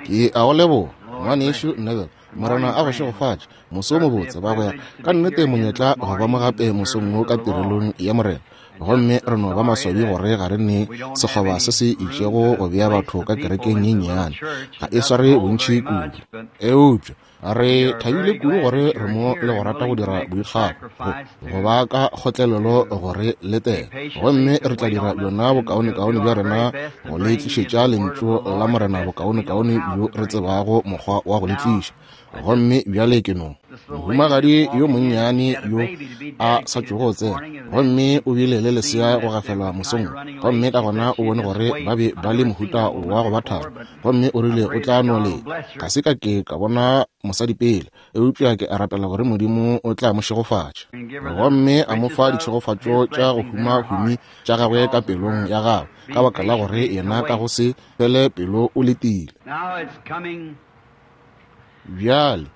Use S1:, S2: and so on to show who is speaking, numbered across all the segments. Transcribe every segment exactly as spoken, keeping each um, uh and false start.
S1: Ke a go leboga, ngwanešu Neville. Morena a go šegofatše. Moso o mobotse, bagwera. Ka nnete monyetla go ba mo gape mosong wo ka tirelong ya Morena. Gomme re no ba maswabi gore ga re ne sekgoba se se itšego go bea batho ka kerekeng ye nnyane. Ga e sware bontši kudu. Eupša re thabile kudu gore re mo le go rata go dira boikgafo, go, go ba ka kgotlelelo gore letela. Gomme re tla dira bjona bokaonekaone bja rena go le tlišetša lentšu la Morena bokaonekaone bjo re tsebago mokgwa wa go le tliša. Gomme bjale ke no mohumagadi yo monnyane yo a sa tšogo go tsena, gomme o bile le lesea go gafelwa mosong, gomme ka gona o bone gore ba be ba le mohuta wa go ba tharo, gomme o rile o tla no leta. Ga se ka ke ka bona mosadi pele, eupša ke a rapela gore Modimo o tla mo šegofatša, gomme a mo fa ditšhegofatšo tša go huma-humi tša gagwe ka pelong ya gagwe, ka baka la gore yena ka go se fele pelo o letile. Bjale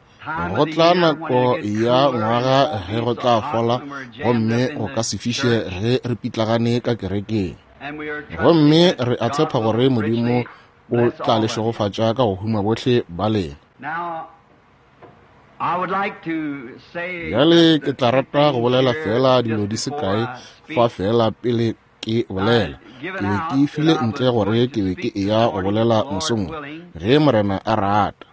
S1: go tla nako ya ngwaga ge go tla fola, gomme go ka se fiše ge re pitlagane ka kerekeng. Gomme re a tshepa gore Modimo o tla le šegofatša ka go huma bohle ba lena. Bjale ke tla rata go bolela fela dilo di se kae fa fela pele ke bolela. Ke be ke file ntle gore ke be ke eya go bolela mosong ge Morena a rata,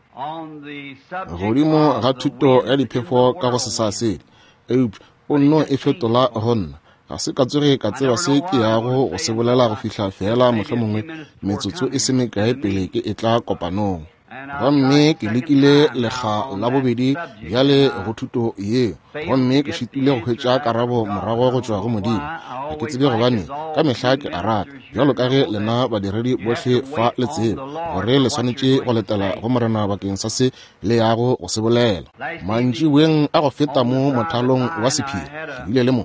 S1: godimo ga thuto ya diphefo ka go sesasedi, eupša o nno e fetola go nna. Ga se ka tsoge ka tseba se ke yago go se bolela go fihla fela mohlomongwe metsotso e se mekae pele ke etla kopanong. Gomme ke lekile lekga la bobedi bjale go thuto yeo, gomme ke šitile go hwetša karabo morago go tšwa go Modimo. Ga ke tsebe gobane ka mehla ke a rata, bjalo ka ge lena badiredi bohle fa le tseba, gore le swanetše go letela go Morena bakeng sa se le yago go se bolela. Mantšiboeng a go feta mo mothalong wa sephiri, ke bile le mo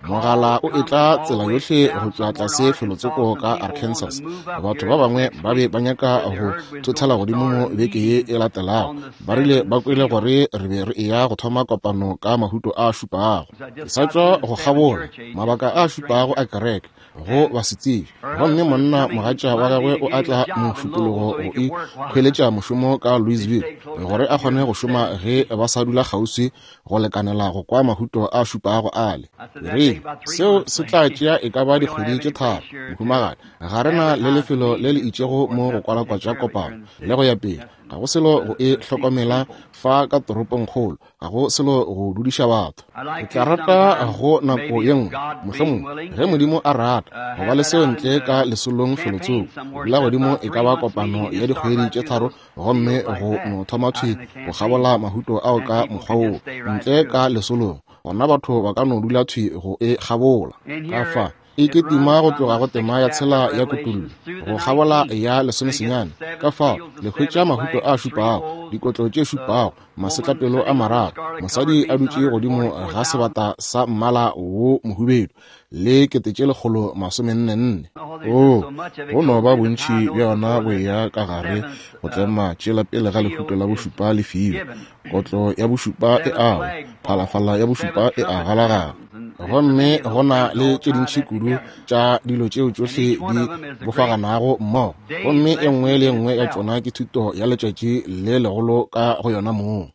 S1: mogala o etla tsela yohle go tšwa tlase felotsoko ka Arkansas. Batho ba bangwe ba be ba nyaka go thothela godimo mo beke ye e latelago. Ba rile ba kwele gore re be re eya go thoma kopano ka mahuto a šupago. Ke sa tšwa go kgabola mabaka a šupago a kereke go basetsebje, gomme monna mogatša wa gagwe o atla mošupologo go ikhweletša mošomo ka Louisville gore a kgone go šoma ge ba sa dula kgauswi go lekanela go kwa mahuto a šupago ale. Re seo se tla tšea e ka ba dikgwedi tše tharo, mohumagadi. Ga re na le lefelo le le itšego mo go kwalakwatša kopano le go ya pele. Ga go selo go e hlokomela fa ka toropongkgolo, ga go selo go dudiša batho. Ke tla rata go nako ye nngwe, mohlomongwe ge Modimo a rata, go ba le seo ntle ka lesolong felotsoko. Dula godimo e ka ba kopano ya dikgwedi tše tharo, gomme go no thoma thwi go kgabola mahuto ao ka mokgwa woo ntle ka lesolong. Gona batho ba ka no dula thwi go e kgabola. Ka fa e ke tima go tloga go tema ya tshela ya kutullo go kgabola ya lesomesenyane. Ka fao le hwetša mahuto a šupago, dikotlo tše šupago, masetlapelo a mararo, mosadi a dutše godimo ga sebata sa mmala wo mohubedu le kete tše lekgolo masomenne nne. Oo, go no ba bontši bja yona bo eya ka gare go tlema tšela pele ga lehuto la bošupa le fiwe. Kotlo ya bošupa e awa, phalafala ya bošupa e a galagala. Gomme go na le tše dintši kudu tša dilo tšeo tšohle di bofaganago mmogo, gomme e nngwe le e nngwe ya tšona ke thuto ya letšatši le legolo ka go yona mong.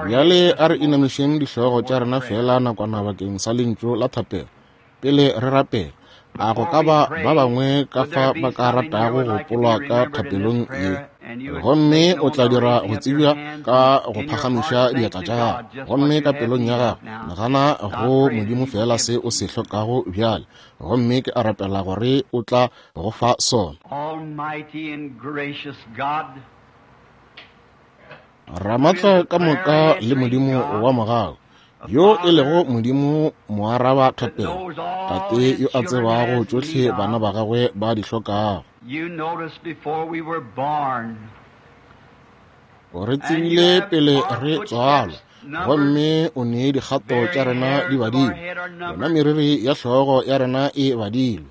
S1: Bjale a re inamišeng dihlogo tša rena fela nakwana bakeng sa lentšu la thapelo pele re rapela. A go ka ba ba bangwe ka fa ba ka ratago go polwa ka thapelong ye? Gomme o tla dira go tsebja ka go phagamiša diatla tša gago, gomme ka pelong ya gago nagana go Modimo fela se o se hlokago bjale, gomme ke a rapela gore o tla go fa sona. Ramatla ka moka le Modimo wa mogau, yo e lego Modimo moaraba thapelo, Tate yo a tsebago tšohle bana ba gagwe ba di hlokago. O re tsebile pele re tswalwa, gomme o ne dikgato tša rena di badilwe, yona meriri ya hlogo ya rena e badilwe,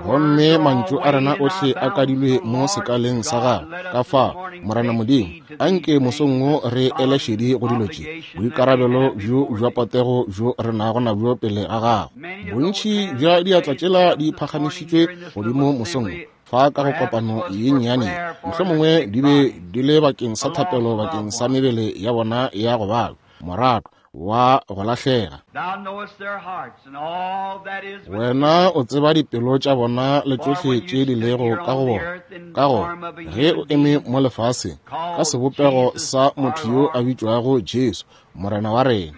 S1: gomme mantšu a rena ohle a kadilwe mo sekaleng sa gago. Ka fao, Morena Modimo, anke mosong wo re ele šedi go dilo tše, boikarabelo bjo bja potego bjo re nago nabjo pele ga gago. Bontši bja diatla tšela di phagamišitšwe godimo mosong wo fa ka go kopano ye nnyane, mohlomongwe di be di le bakeng sa thapelo bakeng sa mebele ya bona ya go balwa, morato wa go lahlega. Wena o tseba dipelo tša bona le tšohle tše di lego ka go bona. Ka gore ge o eme mo lefaseng ka sebopego sa motho yo a bitšwago Jesu, Morena wa rena,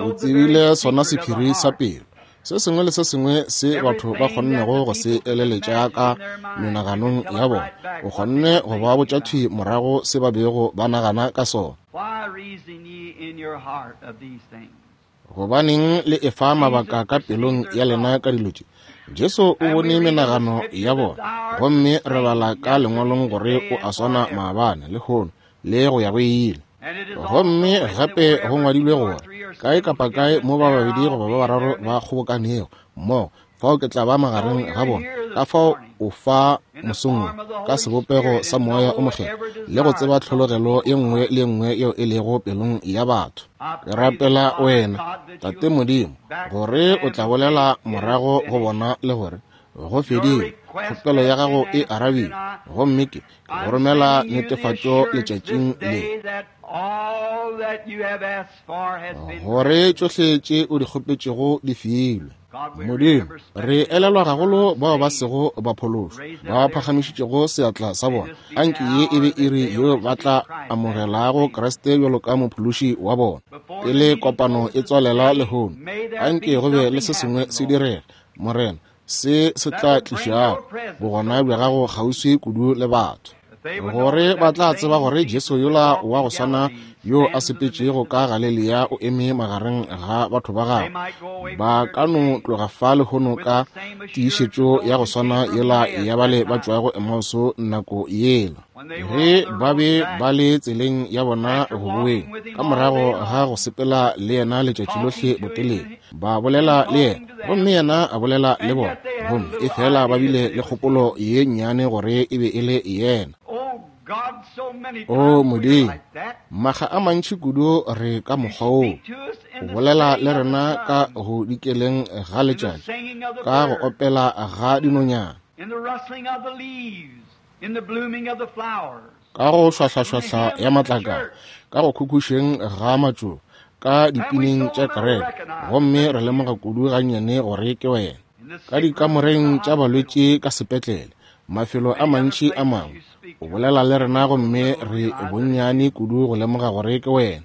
S1: o tsebile sona sephiri sa pelo. Se sengwe le se sengwe se batho ba kgonnego go se eleletša ka menaganong ya bona, o kgonne go ba botša thwi morago se ba bego ba nagana ka sona. Gobaneng le efa mabaka ka pelong ya lena ka dilo tše? Jesu o bone menagano ya bona, gomme re bala ka lengwalong gore o a swana maabane, lehono, le go ya go ile. Gomme gape go ngwadilwe gore kae kapa kae mo ba babedi goba ba bararo ba kgobokanego mmogo, fao ke tla ba magareng ga bona. Ka fao o fa mosong wo ka sebopego sa Moya o Mokgethwa le go tseba tlhologelo ye nngwe le ye nngwe yeo e lego pelong ya batho. Ke rapela wena, Tate Modimo, gore o tla bolela morago go bona le gore go fedile, kgopelo ya gago e arabilwe, gomme ke go romela netefatšo letšatšing le gore tšohle tše o di kgopetšego di filwe. Modimo, re elelwa gagolo bao ba sego ba phološwa, ba phagamišitšego seatla sa bona. Anke ye e be iri yeo ba tla amogelago Kriste bjalo ka mophološi wa bona. Pele kopano e tswalela lehono, anke go be le se sengwe se direga, Morena, se se tla tlišago bogona bja gago kgauswi kudu le batho, gore ba tla tseba gore Jesu yola wa go swana yo a sepetšego ka Galilea o eme magareng ga batho ba gagwe. Ba ka no tloga fa lehono ka tiišetšo ya go swana yela ya bale ba tšwago Emauso nako yela, ge ba be ba le tseleng ya bona go boeng ka morago ga go sepela le yena letšatši lohle botelele. Ba bolela le yena, gomme yena a bolela le bona, gomme e fela ba bile le kgopolo ye nnyane gore e be e le yena. O Modimo, makga a mantši kudu re ka mokgwa woo o bolela le rena ka go dikeleng ga letšatši, ka go opela ga dinonyana, ka go šwahlašwahla ya matlakala, ka go khukhušeng ga matšoba, ka dipineng tša kereke, gomme re lemoga kudu gannyane gore ke wena. Ka dikamoreng tša balwetši ka sepetlele, mafelo a mantši a mangwe, o bolela le rena gomme re bonnyane kudu go lemoga gore ke wena.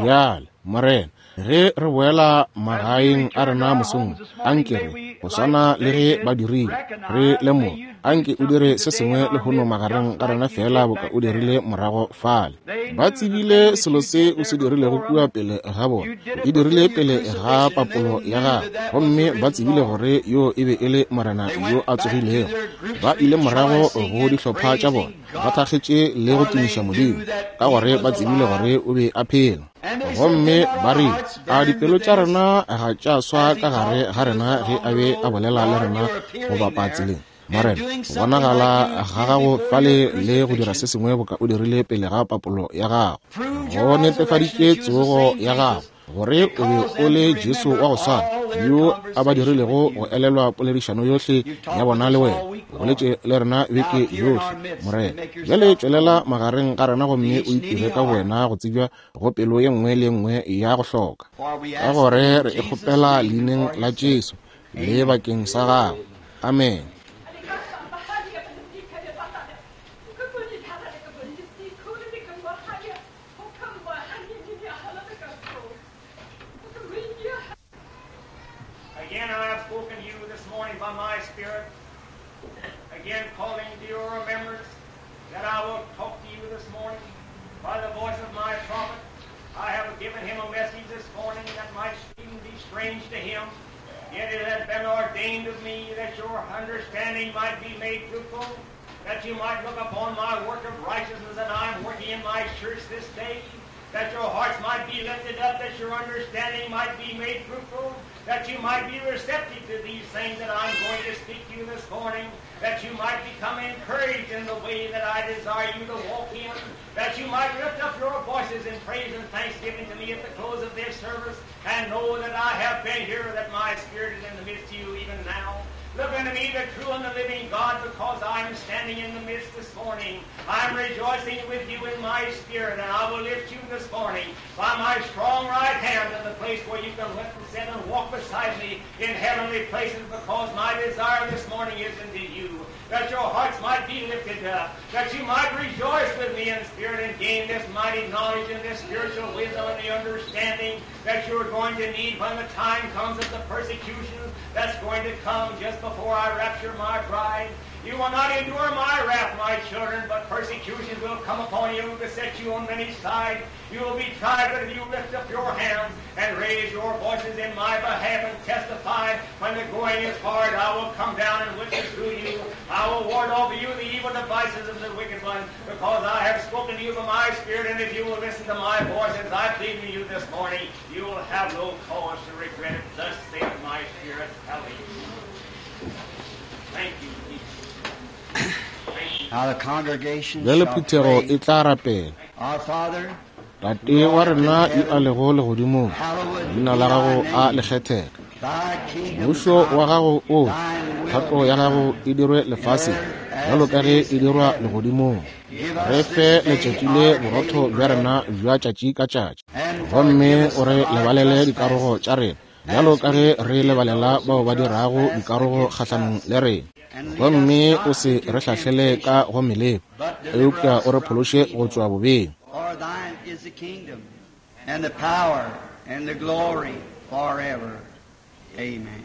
S1: Bjale, Morena, ge re boela magaeng a rena mosong, anke re go swana le ge ba dirile, re lemoge, anke o dire se sengwe lehono magareng ga rena fela boka o dirile morago fale. Ba tsebile selo se o se dirilego kua pele ga bona, o e dirile pele ga papolo ya gago, gomme ba tsebile gore yo e be e le Morena yo a tsogilego. Ba ile morago go dihlopha tša bona, ba thakgetše le go tumiša Modimo, ka gore ba tsebile gore o be a phela. Gomme ba rile, a dipelo tša rena ga tša swa ka gare ga rena ge a be a bolela le rena go bapa tseleng? Morena, go bonagala ga gago fale le go dira se sengwe boka o dirile pele ga papolo ya gago, go netefaditše tsogo ya gago, gore o be o le Jesu wa go swana yo a ba dirilego go elelwa poledišano yohle ya bona le wena. O boletše le rena beke yohle, Morena. Bjale tšwelela magareng ga rena gomme o itire ka wena go tsebja go pelo ye nngwe le nngwe ya go hloka, ka gore re e kgopela leineng la Jesu le bakeng sa gago. Amen.
S2: Again I have spoken to you this morning by my Spirit, again calling to your remembrance that I will talk to you this morning by the voice of my prophet. I have given him a message this morning that might seem be strange to him, yet it has been ordained of me that your understanding might be made fruitful, that you might look upon my work of righteousness that I am working in my church this day, that your hearts might be lifted up, that your understanding might be made fruitful, that you might be receptive to these things that I'm going to speak to you this morning, that you might become encouraged in the way that I desire you to walk in, that you might lift up your voices in praise and thanksgiving to me at the close of this service, and know that I have been here, that my Spirit is in the midst of you even now, Look unto me, the true and the living God, because I am standing in the midst this morning. I am rejoicing with you in my spirit, and I will lift you this morning by my strong right hand to the place where you can witness and walk beside me in heavenly places, because my desire this morning is unto you, that your hearts might be lifted up, that you might rejoice with me in spirit and gain this mighty knowledge and this spiritual wisdom and the understanding that you're going to need when the time comes of the persecutions that's going to come just before I rapture my bride. You will not endure my wrath, my children, but persecutions will come upon you and beset you on many sides. You will be tried, but if you lift up your hands and raise your voices in my behalf and testify when the going is hard, I will come down and witness to you. I will ward off you the evil devices of the wicked one, because I have spoken to you by my spirit, and if you will listen to my voice as I plead to you this morning, you will have no cause to regret it. Thus saith my spirit. Hallelujah. Thank you, Jesus.
S3: Now the congregation
S1: Bjale
S3: shall
S1: phuthego
S3: pray.
S1: e tla rapela.
S3: Our Father,
S1: Tate wa rena yo a lego legodimong,
S3: hallowed
S1: leina
S3: be
S1: la gago
S3: thy
S1: a
S3: name.
S1: le kgethege.
S3: Thy kingdom
S1: Mmušo wa
S3: come,
S1: gago o
S3: thine will
S1: thato
S3: be
S1: ya gago
S3: done
S1: e dirwe
S3: in
S1: lefaseng
S3: earth
S1: bjalo
S3: as
S1: ka
S3: it
S1: ge
S3: is
S1: e
S3: in
S1: dirwa
S3: heaven.
S1: legodimong.
S3: Give
S1: Re
S3: us
S1: fe
S3: this day
S1: letšatši le
S3: our
S1: borotho
S3: daily
S1: bja
S3: bread,
S1: rena bja tšatši ka tšatši,
S3: and
S1: gomme
S3: forgive us
S1: o re
S3: of our
S1: lebalele dikarogo
S3: trespasses,
S1: tša rena bjalo
S3: as
S1: ka
S3: we
S1: ge re
S3: forgive
S1: lebalela
S3: those who
S1: bao ba dirago
S3: trespass
S1: dikarogo
S3: against
S1: kgahlanong
S3: us.
S1: le rena.
S3: And lead us
S1: Gomme o
S3: not
S1: se
S3: into
S1: re hlahlele ka
S3: temptation,
S1: go meleko,
S3: but deliver
S1: eupša
S3: us
S1: o re
S3: from
S1: phološe go
S3: evil.
S1: tšwa bobeng.
S3: For thine is the kingdom, and the power, and the glory forever. Amen.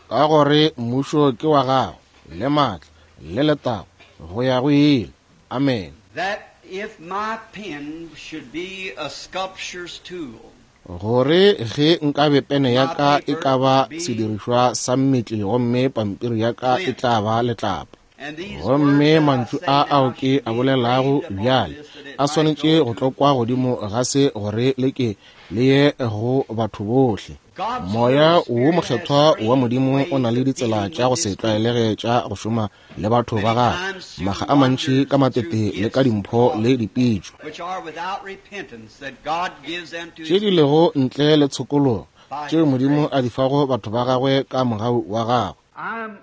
S1: Ka gore mmušo ke wa gago, le maatla, le letago, go ya go ile. Amen.
S3: That if my pen should be a sculptor's tool,
S1: Gore ge nkabe pene ya
S3: my
S1: ka e
S3: paper
S1: ka ba
S3: be
S1: sedirišwa sa mmetli gomme pampiri ya ka e
S3: flint,
S1: tla ba letlapa.
S3: and these words
S1: Gomme
S3: that I
S1: mantšu
S3: say
S1: a
S3: now
S1: ao ke
S3: should
S1: a
S3: be
S1: bolelago
S3: engraved upon
S1: bjale
S3: this, that it
S1: a
S3: might
S1: swanetše
S3: go
S1: go
S3: to
S1: tlokwa godimo ga se gore le ke le ye go batho bohle.
S3: God's
S1: Moya
S3: Holy
S1: wo
S3: Spirit has
S1: mokgethwa wa
S3: strange
S1: Modimo o na
S3: ways
S1: le
S3: of
S1: ditsela
S3: dealing
S1: tša go
S3: with
S1: se
S3: His people.
S1: tlwaelege tša go šoma le batho ba
S3: Many
S1: gagwe,
S3: times through
S1: maga a mantši ka
S3: wonders and through
S1: matete le ka
S3: gifts and
S1: dimpho le
S3: callings,
S1: dipitšo
S3: which are without repentance, that God gives unto
S1: tše
S3: His
S1: di
S3: people
S1: lego ntle le tshokologo
S3: by
S1: tšeo
S3: His
S1: Modimo
S3: grace.
S1: a di fago batho ba gagwe ka mogau wa gagwe.
S3: I'm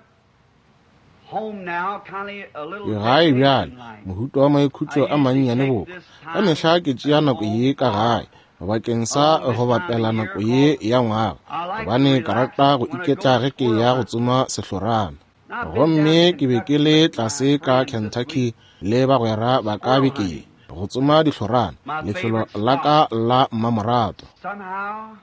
S3: home now, kindly a
S1: Ke
S3: little
S1: gae bjale
S3: vacation like.
S1: mohuta wa
S3: I
S1: maikhutšo a
S3: usually
S1: mannyane
S3: take
S1: boka.
S3: this
S1: Ka
S3: time
S1: mehla ke tšea
S3: at
S1: nako
S3: home
S1: ye ka
S3: for
S1: gae bakeng sa
S3: along this
S1: go
S3: time of
S1: bapela
S3: year
S1: nako ye
S3: 'cause
S1: ya ngwaga,
S3: I like to
S1: gobane ka
S3: relax
S1: rata go
S3: when I go
S1: iketla ge ke
S3: squirrel
S1: ya go
S3: hunting.
S1: tsoma sehlorana.
S3: Now, I've been down
S1: Gomme
S3: to
S1: ke be ke
S3: Kentucky
S1: le
S3: with my
S1: tlase ka
S3: friends this
S1: Kentucky
S3: week,
S1: le bagwera ba ka
S3: squirrel
S1: beke ye
S3: hunting,
S1: go tsoma dihlorana,
S3: my
S1: lefelo
S3: favorite
S1: la ka
S3: spot.
S1: la mmamoratwa.
S3: Somehow,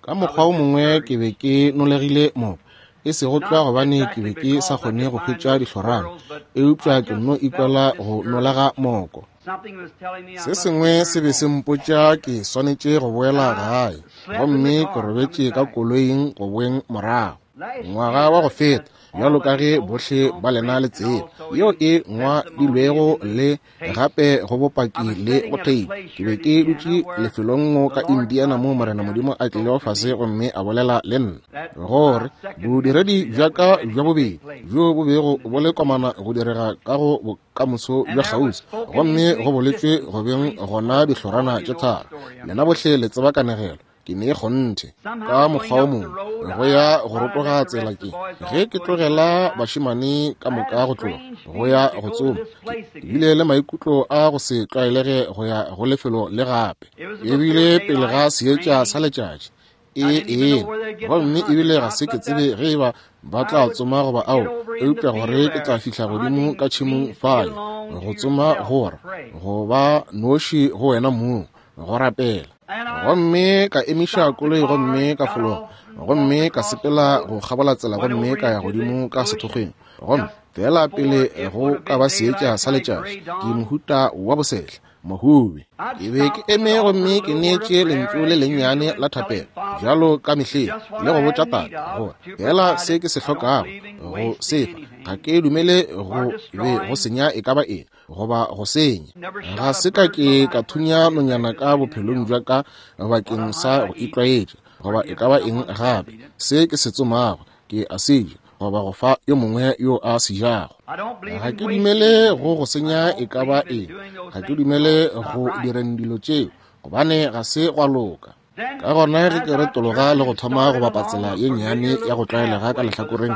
S1: Ka
S3: I
S1: mokgwa
S3: was
S1: o mongwe ke
S3: discouraged.
S1: be ke nolegile moko, e sego tlwa
S3: Not
S1: gobane ke
S3: exactly
S1: be ke sa
S3: because I
S1: kgone
S3: could
S1: go
S3: find
S1: hwetša
S3: no
S1: dihlorana,
S3: squirrels, but
S1: eupša
S3: I
S1: ke
S3: just
S1: nno
S3: felt
S1: ikwela go nolega
S3: discouraged.
S1: moko.
S3: Something was telling me I
S1: Se
S3: must
S1: sengwe se
S3: return
S1: be se
S3: home.
S1: mpotša ke swanetše go
S3: And
S1: boela
S3: I
S1: gae,
S3: slept in the
S1: gomme ke
S3: car coming
S1: robetše ka
S3: back.
S1: koloing go boeng morago.
S3: Last
S1: Ngwaga wa go
S3: year,
S1: feta,
S3: as
S1: bjalo
S3: all
S1: ka
S3: of you
S1: ge
S3: know,
S1: bohle
S3: on
S1: ba lena
S3: print
S1: le
S3: and
S1: tseba,
S3: also
S1: yeo
S3: in
S1: e
S3: testimony
S1: ngwadilwego
S3: and in the
S1: le
S3: tapes,
S1: gape go
S3: I
S1: bopaki
S3: was
S1: le
S3: sitting
S1: go
S3: at a
S1: theipi.
S3: place
S1: Ke
S3: here
S1: be
S3: in
S1: ke
S3: Indiana
S1: dutše
S3: where
S1: lefelong mo
S3: the
S1: ka
S3: Lord
S1: Indiana
S3: God
S1: mo
S3: came
S1: Morena
S3: down
S1: Modimo
S3: and
S1: a
S3: spoke
S1: tlilego
S3: to
S1: fase
S3: me
S1: gomme a bolela le nna
S3: that
S1: gore
S3: my second
S1: bodiredi
S3: ministry
S1: bja
S3: that was
S1: ka
S3: ready
S1: bja
S3: to take
S1: bobedi
S3: place
S1: bjo bo bego
S3: in the
S1: bo le
S3: near
S1: komana
S3: future.
S1: go direga ka go bokamoso
S3: And
S1: bja
S3: there was
S1: kgauswi,
S3: spoken
S1: gomme
S3: into
S1: go boletšwe
S3: existence
S1: go beng
S3: three
S1: gona
S3: squirrels. All
S1: dihlorana
S3: you
S1: tše
S3: know the
S1: tharo.
S3: story, I'm
S1: Lena
S3: sure.
S1: bohle le tseba kanegelo. Ke ne kgonthe ka
S3: Somehow going
S1: mokgwa o
S3: up the
S1: mongwe
S3: road,
S1: go ya
S3: I
S1: go
S3: while I
S1: rotoga
S3: let the
S1: tsela
S3: rest of the
S1: ke
S3: boys
S1: ge
S3: off
S1: ke
S3: going
S1: tlogela
S3: hunting, I,
S1: bašemane ka
S3: I had
S1: moka
S3: a
S1: go tloga
S3: strange
S1: go
S3: feeling
S1: ya
S3: to
S1: go
S3: go to
S1: tsoma.
S3: this
S1: Ke
S3: place
S1: ke bile
S3: again.
S1: le maikutlo a go se tlwaelege go ya go lefelo le gape.
S3: It was
S1: E
S3: before
S1: bile pele ga
S3: daylight,
S1: seetša sa
S3: raining.
S1: letšatši
S3: I
S1: e
S3: didn't even know
S1: ena,
S3: where they'd get to
S1: gomme
S3: hunt or
S1: ebile ga
S3: not,
S1: se ke
S3: but
S1: tsebe
S3: that
S1: ge e ba ba
S3: I
S1: tla
S3: would
S1: tsoma goba
S3: get
S1: ao,
S3: over in the
S1: eupša gore
S3: field
S1: ke
S3: there.
S1: tla fihla godimo
S3: Hunting
S1: ka tšhemong
S3: means to get
S1: fale
S3: alone
S1: go
S3: to
S1: tsoma
S3: yourself to
S1: gore
S3: pray.
S1: go ba noši go wena mong go rapela.
S3: And I
S1: Gomme ka emiša
S3: stopped the
S1: koloi
S3: car,
S1: gomme ka
S3: got
S1: fologa,
S3: off and walked
S1: gomme ka
S3: across the
S1: sepela
S3: road,
S1: go kgabola tsela
S3: went
S1: gomme
S3: over
S1: ka ya
S3: into the
S1: godimo ka
S3: bush
S1: sethokgweng. Gomme
S3: just
S1: fela
S3: before
S1: pele
S3: it
S1: go
S3: would have
S1: ka
S3: been
S1: ba seetša
S3: daylight,
S1: sa
S3: kind of
S1: letšatši,
S3: gray
S1: ke
S3: dawn.
S1: mohuta wa bosehla mohubi.
S3: I'd
S1: Ke be ke
S3: stop and
S1: eme
S3: offer a
S1: gomme ke
S3: little word of
S1: neetše
S3: prayer
S1: lentšu le
S3: as
S1: lennyane
S3: usual
S1: la
S3: and tell
S1: thapelo
S3: him, Father,
S1: bjalo ka mehleng
S3: just what
S1: le go
S3: I
S1: botša
S3: had
S1: tate
S3: need of
S1: gore
S3: to
S1: fela
S3: provide
S1: se
S3: it.
S1: ke se
S3: I don't
S1: hlokago
S3: believe in
S1: go
S3: wasting
S1: se fa. Ga
S3: anything
S1: ke dumele
S3: or
S1: go be go
S3: destroying.
S1: senya e ka ba eng goba go senya.
S3: Never
S1: Ga
S3: shot a
S1: se ka
S3: bird in
S1: ke
S3: my
S1: ka
S3: life or
S1: thunya
S3: to the
S1: nonyana
S3: effect of
S1: ka
S3: anything
S1: bophelong
S3: else.
S1: bja ka
S3: What
S1: bakeng
S3: I hunt,
S1: sa
S3: I
S1: go
S3: eat
S1: itlwaetša
S3: or
S1: goba e
S3: give
S1: ka
S3: to
S1: ba eng
S3: someone that
S1: gape.
S3: does eat it.
S1: Se ke se tsomago ke a se ja goba go fa yo mongwe yo a se jago.
S3: I don't believe
S1: Ga
S3: in
S1: ke
S3: wasting
S1: dumele go
S3: anything.
S1: go
S3: I
S1: senya e
S3: don't
S1: ka ba
S3: believe in
S1: eng.
S3: doing those
S1: Ga ke
S3: things
S1: dumele
S3: because it's not
S1: go
S3: right.
S1: direng dilo tšeo gobane ga se gwa loka. Ka gona ge ke retologa le go thoma go bapa tsela ye nnyane ya go tlwaelega ka lehlakoreng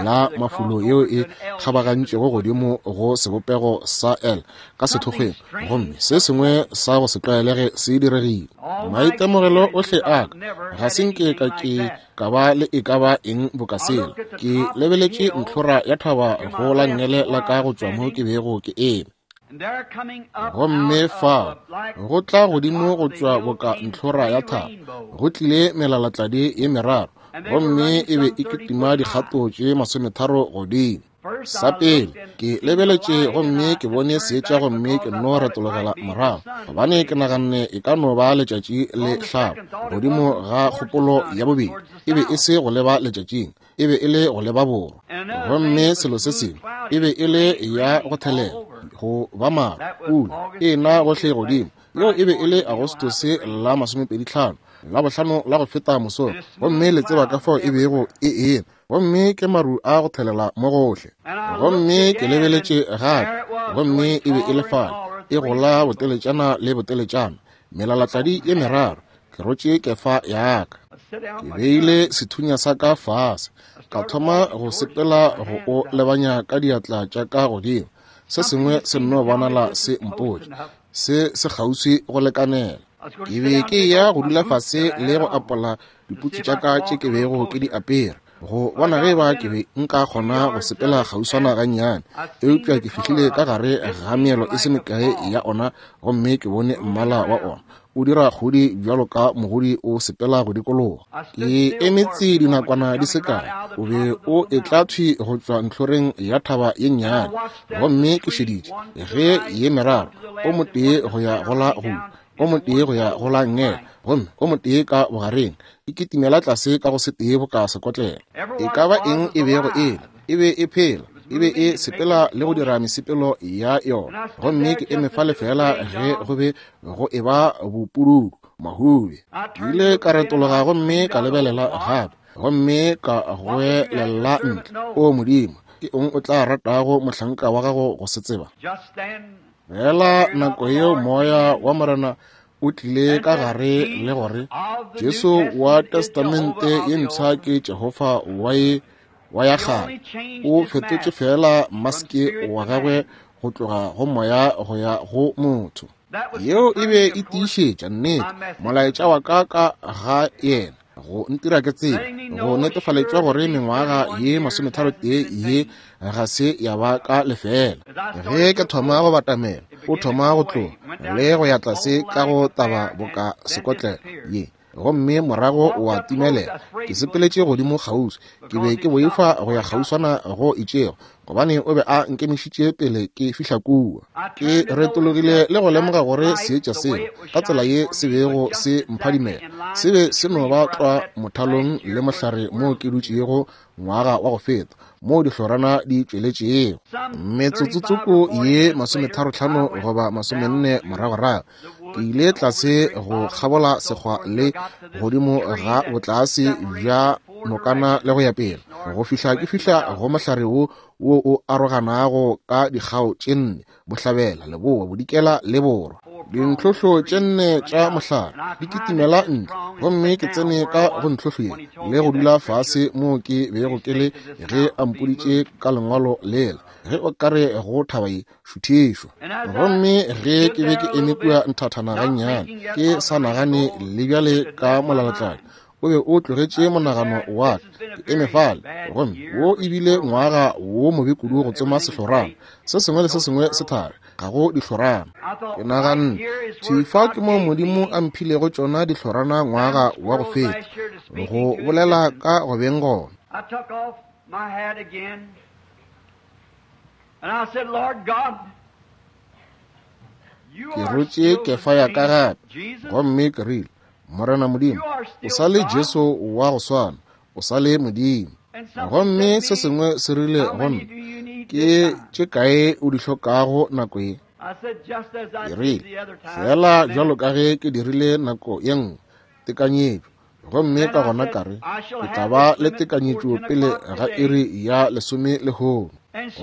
S1: la mafulo yeo e kgabagantšego godimo go sebopego sa L ka sethokgweng, gomme se sengwe sa go se tlwaelege se diregile. Maitemogelo ohle a ka ga se nke ka ke ka ba le e ka ba eng boka sela. Ke lebeletše ntlhora ya thaba go la nngele la ka go tšwa mo ke bego ke eme. Gomme fa go tla godimo go tšwa boka ntlhora ya thaba go tlile melalatladi ye meraro, gomme e be e kitima dikgato tše masometharo godimo. Sa pele ke lebeletše gomme ke bone seetša, gomme ke nno retologela morago gobane ke naganne e ka no ba letšatši le hlaba. Godimo ga kgopolo ya bobedi e be e se go leba letšatšing, e be e le go leba borwa. Gomme selo se sengwe e be e le ya go thelela go ba maru, pula e na gohle godimo. Yeo e be e le Agostose la masomepedi hlano, la bohlano la go feta mosong, gomme le tseba ka fao e bego e ena, gomme ke maru a go thelela mo gohle. Gomme ke lebeletše gape, gomme e be e le fale e gola boteletšana le boteletšana, melalatladi ye meraro. Ke rotše kefa ya ka, ke beile sethunya sa ka fase, ka thoma go sepela go o lebanya ka diatla tša ka godimo. Se sengwe se nno bonala se mpotša se se kgauswi go lekanela. Ke be ke ya go dula fase le go apola diputsu tša ka tše ke bego ke di apere, go bona ge ba ke be nka kgona go sepela kgauswana gannyane. Eupša ke fihlile ka gare ga meelo e se mekae ya ona, gomme ke bone mmala wa ona o dira kgodi bjalo ka mogodi o sepela go dikologa. Ke emetse dinakwana di se kae, o be o etla thwi go tšwa ntlhoreng ya thaba ye nnyane, gomme ke šeditše ge ye meraro, o motee go ya go la go, o motee go ya go la nngele, gomme o motee ka bogareng, e kitimela tlase ka go se tee boka sekotlela. E ka ba eng e bego e le, e be e phela, e be e sepela le go dira mesepelo ya yona. Gomme ke eme fale fela ge go be go eba bopududu mahube. Ke ile ka retologa gomme ka lebelela gape, gomme ka goelela ntle, O Modimo, ke eng o tla ratago mohlanka wa gago go se tseba? Fela nako yeo moya wa Morena o tlile ka gare le gore Jesu wa Testamente ye mpsha ke Jehofa wa ye wa ya kgale. O fetotše fela maske wa gagwe go tloga go moya go ya go motho. Yeo e be e tiišetša nnete molaetša wa ka ka ga yena, go ntira ke tsebe, go netefaletša gore mengwaga ye masometharo tee ye ga se ya ba ka lefela. Ge ke thoma go batamela, o thoma go tloga le go ya tlase ka go taba boka sekotlela ye, gomme morago wa timelela. Ke sepeletše godimo kgauswi, ke be ke boifa go ya kgauswana go itšego, gobane o be a nkemišitše pele ke fihla kua. Ke retologile le go lemoga gore seetša seo ka tsela ye se bego se mphadimela se be se no ba tlwa mothalong le mohlare moo ke dutšego ngwaga wa go feta, moo dihlorana di tšweletšego. Metsotsotsoko ye masometharo-hlano goba masomenne moragorago, ke ile tlase go kgabola sekgwa le godimo ga botlase bja nokana le go ya pele, go fihla ke fihla go mohlare wo wo o aroganago ka dikgao tše nne, bohlabela, leboa, bodikela le borwa. Dintlhohlo tše nne tša mohlare di kitimela ntle, gomme ke tsene ka go ntlhohlo ye le go dula fase moo ke bego ke le ge a mpoditše ka lengwalo lela, ge o ka re go thaba ye šuthišwa. Gomme ge ke be ke eme kua nthathana gannyane, ke sa nagane le bjale ka molalatladi, o be o tlogetše monagano wa ka. Ke eme fale, gomme wo ebile ngwaga wo mobe kudu go tsoma sehlorana. Se sengwe le se sengwe se thari, ga go dihlorana. Ke naganne, thwi fa ke mo Modimo a mphilego tšona dihlorana ngwaga wa go feta, go bolela ka go beng gona. Ke rotše kefa ya ka gape, gomme ke rile, Morena Modimo, o sa le Jesu wa go swana, o sa le Modimo. Gomme se sengwe se rile go nna, ke tše kae o di hlokago nako ye? Ke rile, fela bjalo ka ge ke dirile nako ye nngwe, tekanyetšo. Gomme ka gona ka re, ke tla ba le tekanyetšo pele ga iri ya lesome lehono.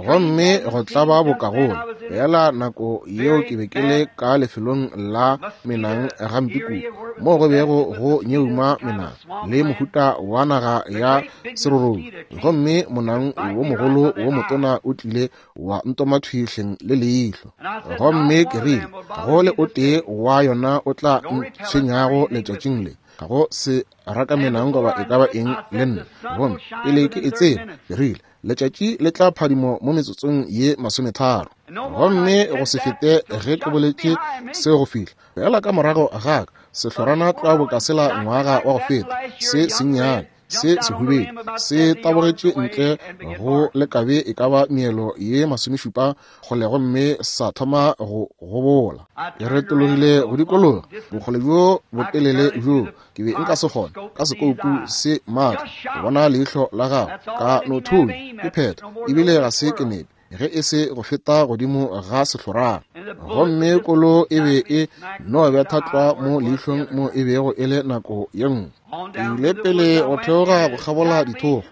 S1: Gomme go tlaba bokagolo fela nako yeo ke be ke le ka lefelong la menang gampe kudu, moo go bego go nyeuma menang le mohuta wa naga ya serorobi, gomme monang wo mogolo wo motona o tlile wa ntoma thwi hleng le leihlo. Gomme ke rile, go le o tee wa yona o tla ntshwenyago letšatšing le, ga go se raka menang goba e ka ba eng le nna. Gomme pele ke e tseba, ke rile, letšatši le tla phadimo mo metsotsong ye masometharo. Gomme go se fete ge ke boletše seo go fihla fela ka morago ga ka, sehlorana tlwa boka sela ngwaga wa go feta, se sennyane se sehubedu se tabogetše ntle go lekabe e ka ba meelo ye masomešupa kgole, gomme sa thoma go gobola. Ke retologile go dikologa bokgole bjo botelele bjo ke be nka se kgone ka sekoupu se maatla go bona leihlo la gagwe, ka no thunya ke phetha, ebile ga se ke nepe ge e se go feta godimo ga sehlorana. Gomme kolo e be e no betha tlwa mo leihlong mo e bego e le nako ye nngwe. Ke ile pele go theoga go kgabola dithogo,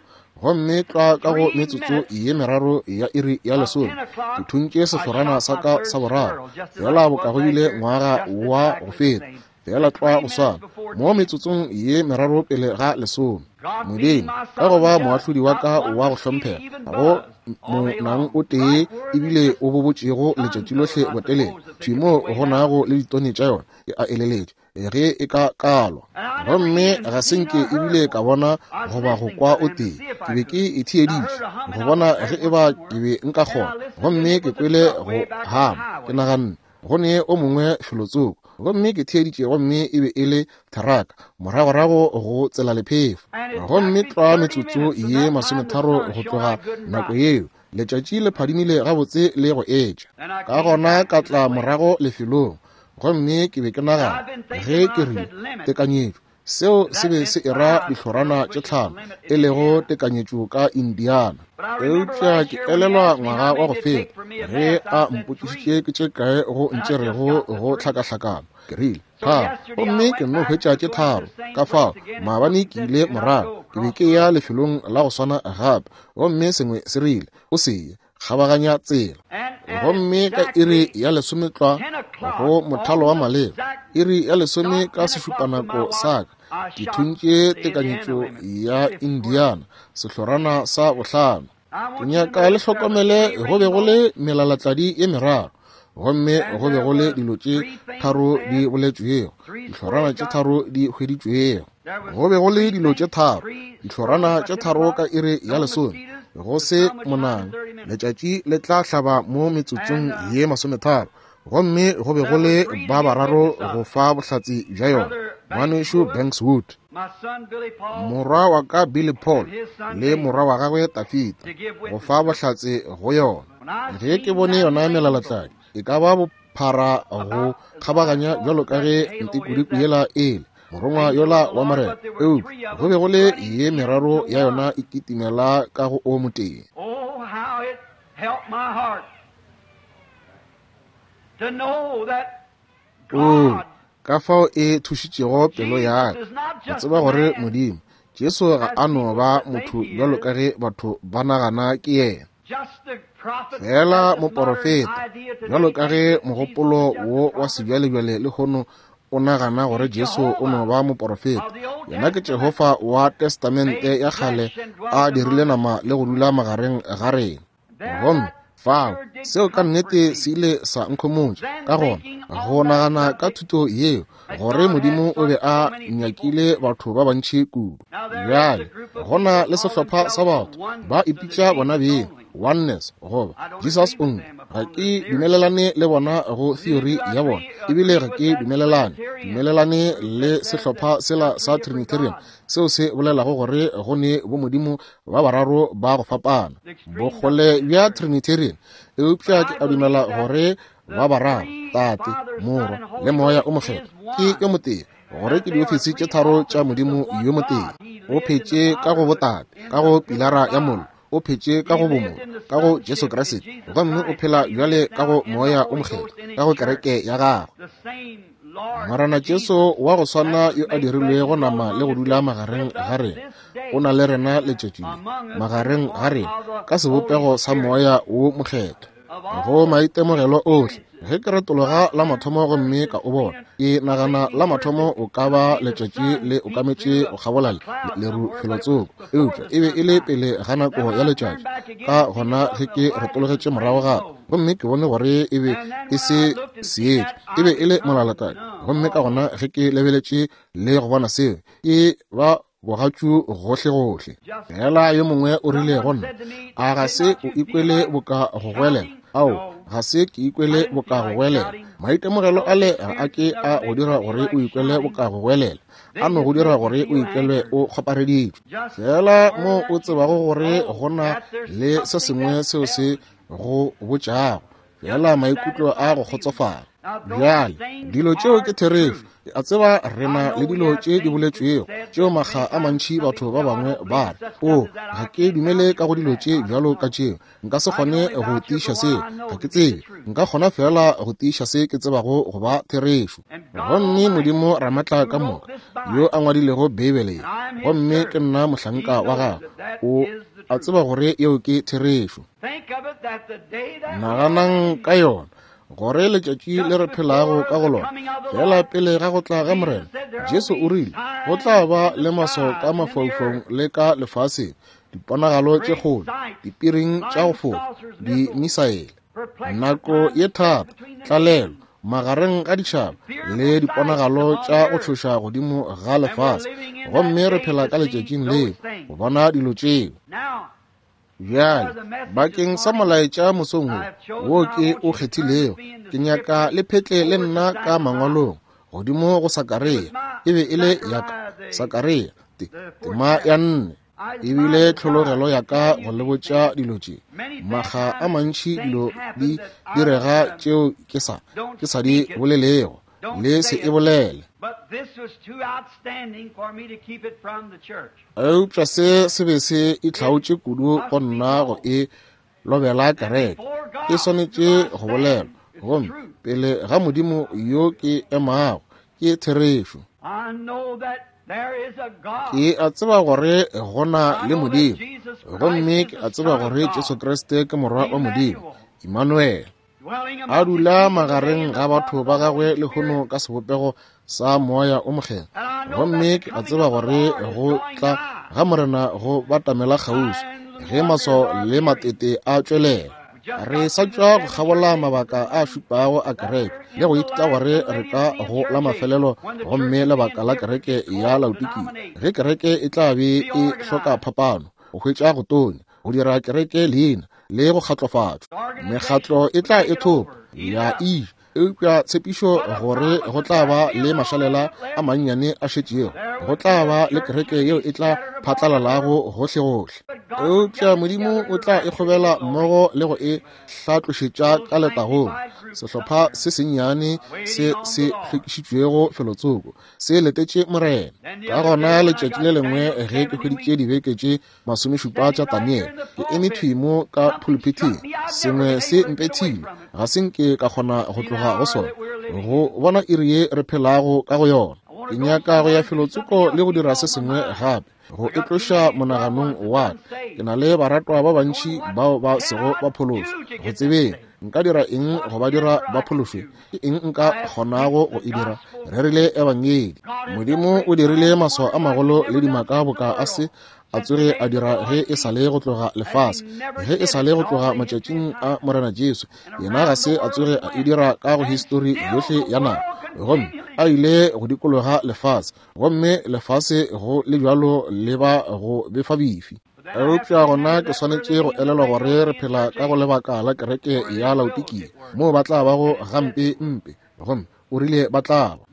S1: gomme tlwa ka go metsotso ye meraro ya iri ya lesome ke thuntše sehlorana sa ka sa boraro, fela boka go bile ngwaga wa go feta, fela tlwa go swana mo metsotsong ye meraro pele ga lesome. Modimo ka go ba moahlodi wa ka wa go hlomphega, go monang o tee ebile o bobotšego letšatši lohle botelele, thwi mo go nago le ditone tša yona, ke a eleletše ge e ka kalwa. Gomme ga se nke ebile ka bona goba go kwa o tee. Ke be ke e theeditše go bona ge e ba ke be nka kgona, gomme ke kwele go hama, ke naganne go ne o mongwe felotsoko. Gomme ke theeditše, gomme e be e le theraka moragorago go tsela lephefo. Gomme tlwa metsotso ye masometharo go tloga nako yeo, letšatši le phadimile gabotse le go etša. Ka gona ka tla morago lefelong, gomme ke be ke nagana ge ke rile tekanyetšo, seo se be se era dihlorana tše tlhano, e lego tekanyetšo ka Indiana. Eupša ke elelwa ngwaga wa go feta ge a mpotšišitše ke tše kae go ntšerego go hlakahlakano, ke rile tharo, gomme ke nno hwetša tše tharo. Ka fao maabane ke ile morago, ke be ke ya lefelong la go swana gape, gomme sengwe se rile o se ye kgabaganya tsela. Gomme ka iri ya lesometlwa go mothalo wa maleba, iri ya lesome ka sešupanako sa ka, ke thuntše tekanyetšo ya Indiana, sehlorana sa bohlano. Ke nyaka le hlokomele, go be go le melalatladi ye meraro, gomme go be go le dilo tše tharo di boletšwego, dihlorana tše tharo di hweditšwego. Go be go le dilo tše tharo, dihlorana tše tharo ka iri ya lesome, go se monang, letšatši le tla hlaba mo metsotsong ye masometharo. Gomme go be go le ba bararo go fa bohlatse bja yona, ngwanešu Bankswood, morwa wa ka Billy Paul, le morwa wa gagwe Tafita, go fa bohlatse go yona. Ge ke bone yona melalatladi e ka ba bophara go kgabaganya bjalo ka ge ntikudiku yela ele morongwa yola wa Morena, eupša go be go le ye meraro ya yona e kitimela ka go o motee. Oo, ka fao e thušitšego pelo ya ka go tseba gore Modimo Jesu ga a no ba motho bjalo ka ge batho ba nagana ke yena, fela moporofeta, bjalo ka ge mogopolo wo wa sebjalebjale lehono o nagana gore Jesu o no ba moporofeta. Yena ke Jehofa wa Testamente ya kgale a dirile nama le go dula magareng ga rena. Gomme fao seo ka nnete se ile sa nkhomotša. Ka gona go nagana ka thuto yeo gore Modimo o be a nyakile batho ba bantši kudu. Bjale gona le sehlopha sa batho ba ipitša bona beng oneness goba Jesus only. Ga ke dumelelane le bona go theory ya bona, ebile ga ke dumelelane dumelelane le sehlopha sela sa Trinitarian seo se bolelago gore go ne bo Modimo ba bararo ba go fapana, bokgole bja Trinitarian. Eupša ke a dumela gore ba bararo, Tate, Morwa le Moya o Mokgethwa, ke yo motee, gore ke diofisi tše tharo tša Modimo yo motee. O phetše ka go botate, ka go pilara ya mollo, o phetše ka go bomo, ka go Jesu Kriste, gomme o phela bjale ka go Moya o Mokgethwa, ka go kereke ya gagwe. Morena Jesu wa go swana yo a dirilwego nama le go dula magareng ga rena, o na le rena letšatši le magareng ga rena ka sebopego sa Moya wo Mokgethwa. Go maitemogelo ohle, ge ke retologa la mathomo gomme ka o bona, ke nagana la mathomo o ka ba letšatši le okametše go kgabola leru felotsoko, eupša e be e le pele ga nako ya letšatši. Ka gona ge ke retologetše morago gape gomme ke bone gore e be e se seetša, e be e le molalatadi. Gomme ka gona ge ke lebeletše le go bona seo, ke ba bogatšu gohle-gohle. Fela yo mongwe o rile go nna, a ga se o ikwele boka go goelela? Ao, ga se ke ikwele boka go goelela. Maitemogelo ale ga a ke a go dira gore o ikwele boka go goelela, a no go dira gore o ikwele o kgopareditšwe. Fela mo o tsebago gore go na le se sengwe seo se go botšago, fela maikutlo a go kgotsofala. Bjale, dilo tšeo ke therešo. A tseba re na le dilo tše di boletšwego tšeo makga a mantši batho ba bangwe ba re, o, ga ke dumele ka go dilo tše bjalo ka tšeo, nka se kgone go tiiša seo, ga ke tsebe, nka kgona fela go tiiša se ke tsebago go ba therešo. Gomme Modimo Ramatla ka moka yo a ngwadilego Beibele ye, gomme ke nna mohlanka wa gagwe, o a tseba gore yeo ke therešo. Naganang ka yona, gore letšatši le re phelago ka go lona, fela pele ga go tla ga Morena, Jesu o rile go tla ba le maswao ka mafaufaung le ka lefaseng, diponagalo tše kgolo, dipiring tša go fofa, dimisaele, nako ye thata, tlalelo magareng ga ditšhaba le diponagalo tša go tšhoša godimo ga lefase. Gomme re phela ka letšatšing leo go bona dilo tšeo. Bjale, bakeng sa molaetša mosong wo, wo ke o kgethilego, ke nyaka le phetle le nna ka mangwalong godimo go Sakaria. E be e le ya ka, Sakaria, tema ya nne. Ebile tlhologelo ya ka go le botša dilo tše. Makga a mantši dilo di direga tšeo ke sa, ke sa di bolelego, le se e bolele. Eupša se se be se itlhaotše kudu go nna go e lobela kereke. E swanetše go bolelwa, gomme pele ga Modimo yo ke emago, ke therešo. Ke a tseba gore go na le Modimo, gomme ke a tseba gore Jesu Kriste ke Morwa wa Modimo, Emmanuel, a dula magareng ga batho ba gagwe lehono ka sebopego sa Moya o Mokgethwa. Gomme ke a tseba gore go tla ga Morena go batamela kgauswi, ge maswao le matete a tšwelela. Re sa tšwa go kgabola mabaka a šupago a kereke le go ithuta gore re ka go la mafelelo, gomme lebaka la kereke ya Laodikia, ge kereke e tla be e hloka phapano, go hwetša go tonya, go dira kereke leina le go kgatlofatšwa. Mekgatlo e tla e thopa ya e, eupša tshepišo gore go tla ba le mašalela a mannyane a šetšego, go tla ba le kereke yeo e tla phatlalalago gohle-gohle. Eupša Modimo o tla e kgobela mmogo le go e hlatlošetša ka letagong. Sehlopha se sennyane se se hlwekišitšwego felotsoko se letetše Morena. Ka gona letšatši le lengwe ge ke hweditše dibeke tše masomešupa tša Daniele, ke eme thwi mo ka pulpithing, sengwe se mpethile, ga se nke ka kgona go tloga go sona, go bona iri ye re phelago ka go yona. Ke nyaka go ya felotsoko le go dira se sengwe gape, go e tloša monaganong wa ka. Ke na le baratwa ba bantši bao ba sego ba phološwa. Go tsebeng nka dira eng go ba dira ba phološwe? Ke eng nka kgonago go e dira? Re rile ebangedi. Modimo o dirile maswao a magolo le dimaka boka a se a tsoge a dira ge e sa le go tloga lefase, ge e sa le go tloga matšatšing a Morena Jesu. Yena ga se a tsoge a e dira ka go histori yohle ya nako, gomme a ile go dikologa lefase, gomme lefase go le bjalo le ba go befa bifi. Eupša gona ke swanetše go elelwa gore re phela ka go lebaka la kereke ya Laodikia, moo ba tla bago gampe mpe, gomme o rile ba tla ba.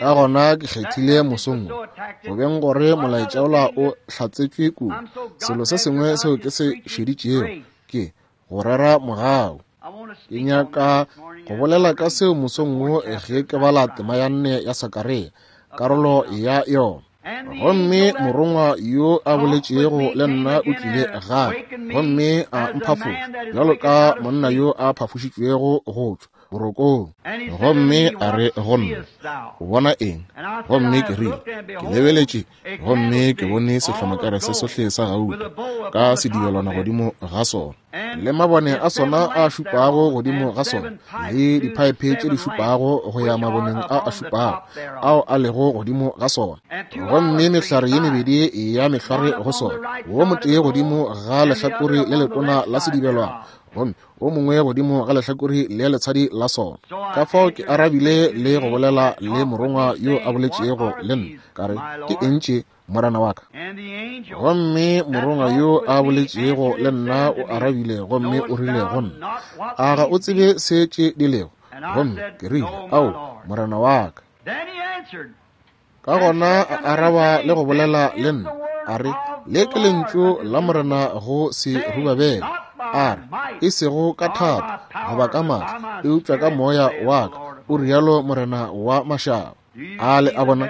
S1: Ka gona ke kgethile mosong wo, go beng gore molaetša ola o hlatsetšwe kudu. Selo se sengwe seo ke se šeditšego ke go rera mogau. Ke nyaka go bolela ka seo mosong wo ge ke bala tema ya nne ya Sakaria, karolo ya yona. Gomme morongwa yo a boletšego le nna o tlile gape, gomme a mphafoša bjalo ka monna yo a phafošitšwego go tšwa borokong. Gomme a re go nna, o bona eng? Gomme ke rile, ke lebeletše, gomme ke bone sehlomakere se sohle sa gauta ka sedibelwana godimo ga sona, le mabone a sona a šupago godimo ga sona, le diphaephe tše di šupago go ya maboneng a a šupago ao a lego godimo ga sona, gomme mehlare ye mebedi ya mehlware go sona, wo motee godimo ga lehlakore le letona la sedibelwana, gomme o mongwe godimo ga lehlakore le letshadi la sona. Ka fao ke arabile le go bolela le morongwa yo a boletšego le nna, ka re, ke eng tše, morena wa ka? Gomme morongwa yo a boletšego le nna o arabile gomme o rile go nna, a ga o tsebe se tše di lego? Gomme ke rile, ao, morena wa ka. Ka gona a araba le go bolela le nna, a re, le ke lentšu la morena go Serubabele, a re, e sego ka thata goba ka maatla, eupša ka moya wa ka, o rialo morena wa mašaba. A le a bona,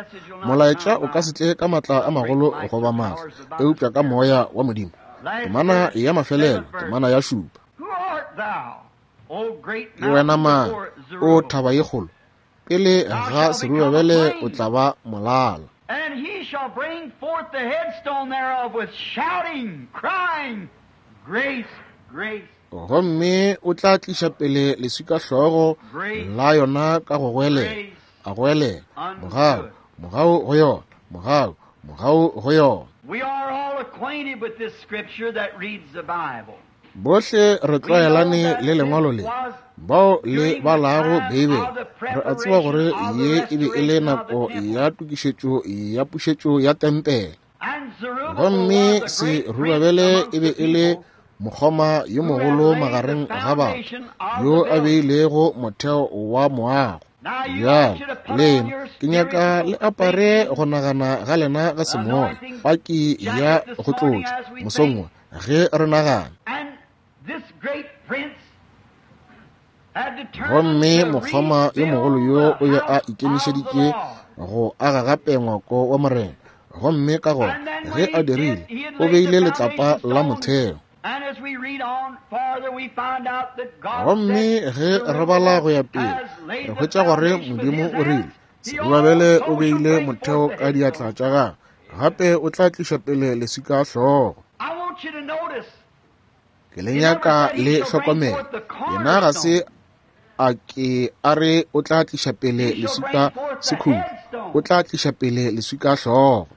S1: molaetša o ka se tle ka maatla a magolo goba maatla, eupša ka moya wa Modimo. Temana ya mafelelo, temana ya šupa. Ke wena mang, o thaba ye kgolo? Pele ga Serubabele o tla ba molala.
S3: And he shall bring forth the headstone thereof with shouting, crying, grace, grace.
S1: Gomme o tla tliša pele leswikahlogo la yona ka go goelela, a goelela, mogau, mogau go yona, mogau, mogau go yona.
S3: We are all acquainted with this scripture that reads the Bible.
S1: Bohle re tlwaelane le lengwalo le, bao le balago Beibele. Re a tseba gore ye e be e le nako ya tokišetšo ya pušetšo ya tempele. Gomme Serubabele e be e le mokgoma yo mogolo magareng ga batho, yo a beilego motheo wa moago. Bjale lena ke nyaka le apare go nagana ga lena ga semoya, paki ya go tlotša mosong wo ge re nagana. Gomme mokgoma yo mogolo yo o be a ikemišeditše go aga gape ngwako wa morena, gomme ka gona ge a dirile, o beile letlapa la motheo. Gomme ge re bala go ya pele, re hwetša gore Modimo o rile, Serubabele o beile motheo ka diatla tša gagwe, gape o tla tliša pele leswikahlogo. Ke le nyaka le hlokomele, yena ga se a ke a re o tla tliša pele leswika sekhutlo, o tla tliša pele leswikahlogo.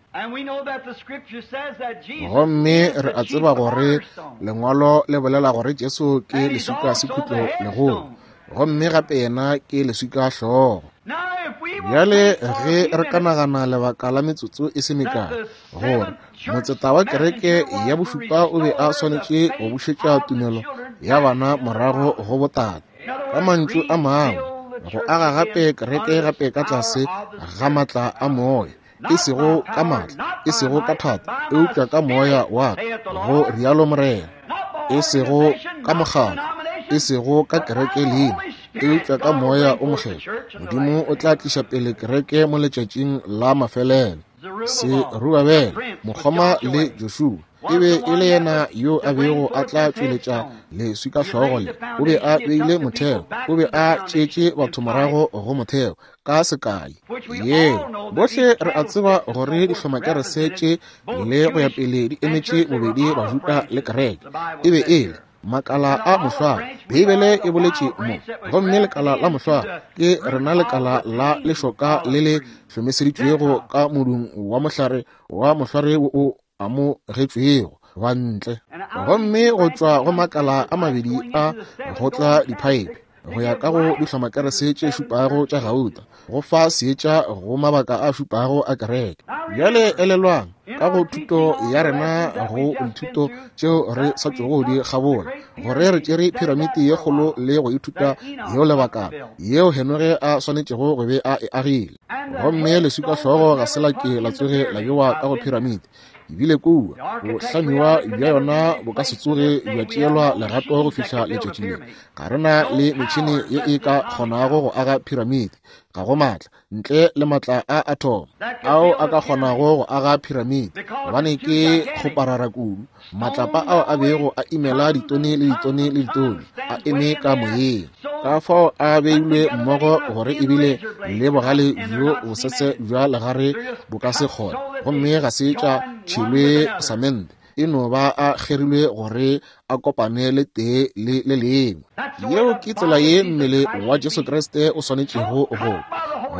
S1: Gomme re a tseba gore lengwalo le bolela gore Jesu ke leswika sekhutlo legolo, gomme gape yena ke leswikahlogo. Bjale ge re ka nagana lebaka la metsotso e se mekae, gore motseta wa kereke ya bošupa o be a swanetše go bušetša tumelo ya bana morago go botate, ka mantšu a mangwe, go aga gape kereke gape ka tlase ga maatla a moya, e sego ka maatla, e sego ka thata, eupša ka moya wa ka, go rialo morena. E sego ka mokgatlo, e sego ka kereke leina, eupša ka moya o mokgethwa. Modimo o tla tliša pele kereke mo letšatšing la mafelelo. Serubabele, mokgoma le Joshua, e be e le yena yo a bego a tla tšweletša leswikahlogo le. O be a beile motheo, o be a tšeetše batho morago go motheo ka sekai. Yeo bohle re a tseba gore dihlomakerese tše le go ya pele di emetše bobedi Bajuda le kereke. E be e le makala a mohlware, Beibele e boletše mo, gomme lekala la mohlware ke rena lekala la lešoka le le hlomeseditšwego ka modung wa mohlare wa mohlware wo o amogetšwego bantle. Gomme go tšwa go makala a mabedi a go tla diphaephe go ya ka go dihlomakerese tše šupago tša gauta, go fa seetša go mabaka a šupago a kereke. Bjale elelwang, ka go thuto ya rena go dithuto tšeo re sa tšogo di kgabola, gore re tšere piramiti ye kgolo le go ithuta yeo lebakana yeo Henoge a swanetšego go be a e agile. Gomme leswikahlogo ga se la ke la tsoge la bewa ka go piramiti, ebile kua go hlamiwa bja yona bo ka se tsoge bja tšeelwa legato go fihla letšatši le. Ga re na le metšhene ye e ka kgonago go aga piramiti, Ga go maatla ntle le maatla a atom ao a ka kgonago go aga piramide, gobane ke kgoparara kudu. Matlapa ao a bego a imela ditone le ditone le ditone a eme ka moyeng. Ka fao a beilwe mmogo gore ebile le bogale bjo bosese bja legare bo ka se kgone, gomme ga se tša tšhelwe samente, e no ba a kgerilwe gore a kopane le tee le le lengwe. Yeo ke tsela ye mmele wa Jesu Kriste o swanetšego go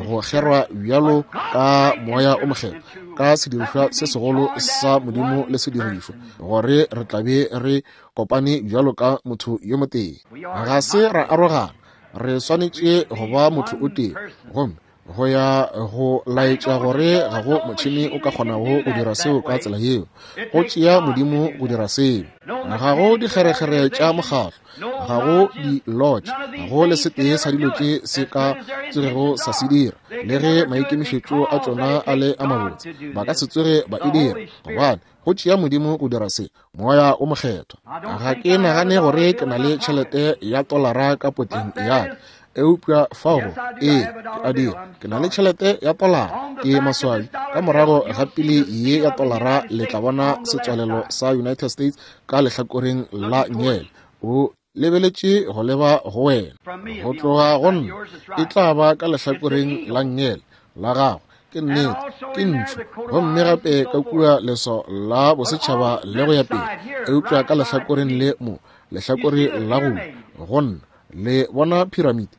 S1: go kgerwa bjalo ka moya o mokgethwa, ka sedirišwa se segolo sa Modimo le sedirišwa, gore re tla be re kopane bjalo ka motho yo motee. Ga se ra arogana, re swanetše go ba motho o tee, gomme go ya go laetša gore ga go motšhene o ka kgonago go dira seo ka tsela yeo. Go tšea Modimo go dira seo. Ga go dikgerekgere tša mokgatlo, ga go di-lodge, ga go le setee sa dilo tše se ka tsogego sa se dira. Le ge maikemišetšo a tšona a le a mabotse, ba ka se tsoge ba e dira, gobane go tšea Modimo go dira se, moya o mokgethwa. Ga ke nagane gore ke na le tšhelete ya tolara ka potleng ya ka, eupša fao ee ke a dira. Ke na le tšhelete ya tolara, ke maswabi. Ka morago ga pele ye ya tolara le tla bona setswalelo sa United States ka lehlakoreng la nngele. O lebeletše go leba go wena. Go tloga go nna e tla ba ka lehlakoreng la nngele la gago. Ke nnete, ke ntšhu, gomme gape ka kua leso la bosetšhaba le go ya pele. Eupša ka lehlakoreng le mo, lehlakore la go go nna, le bona piramide.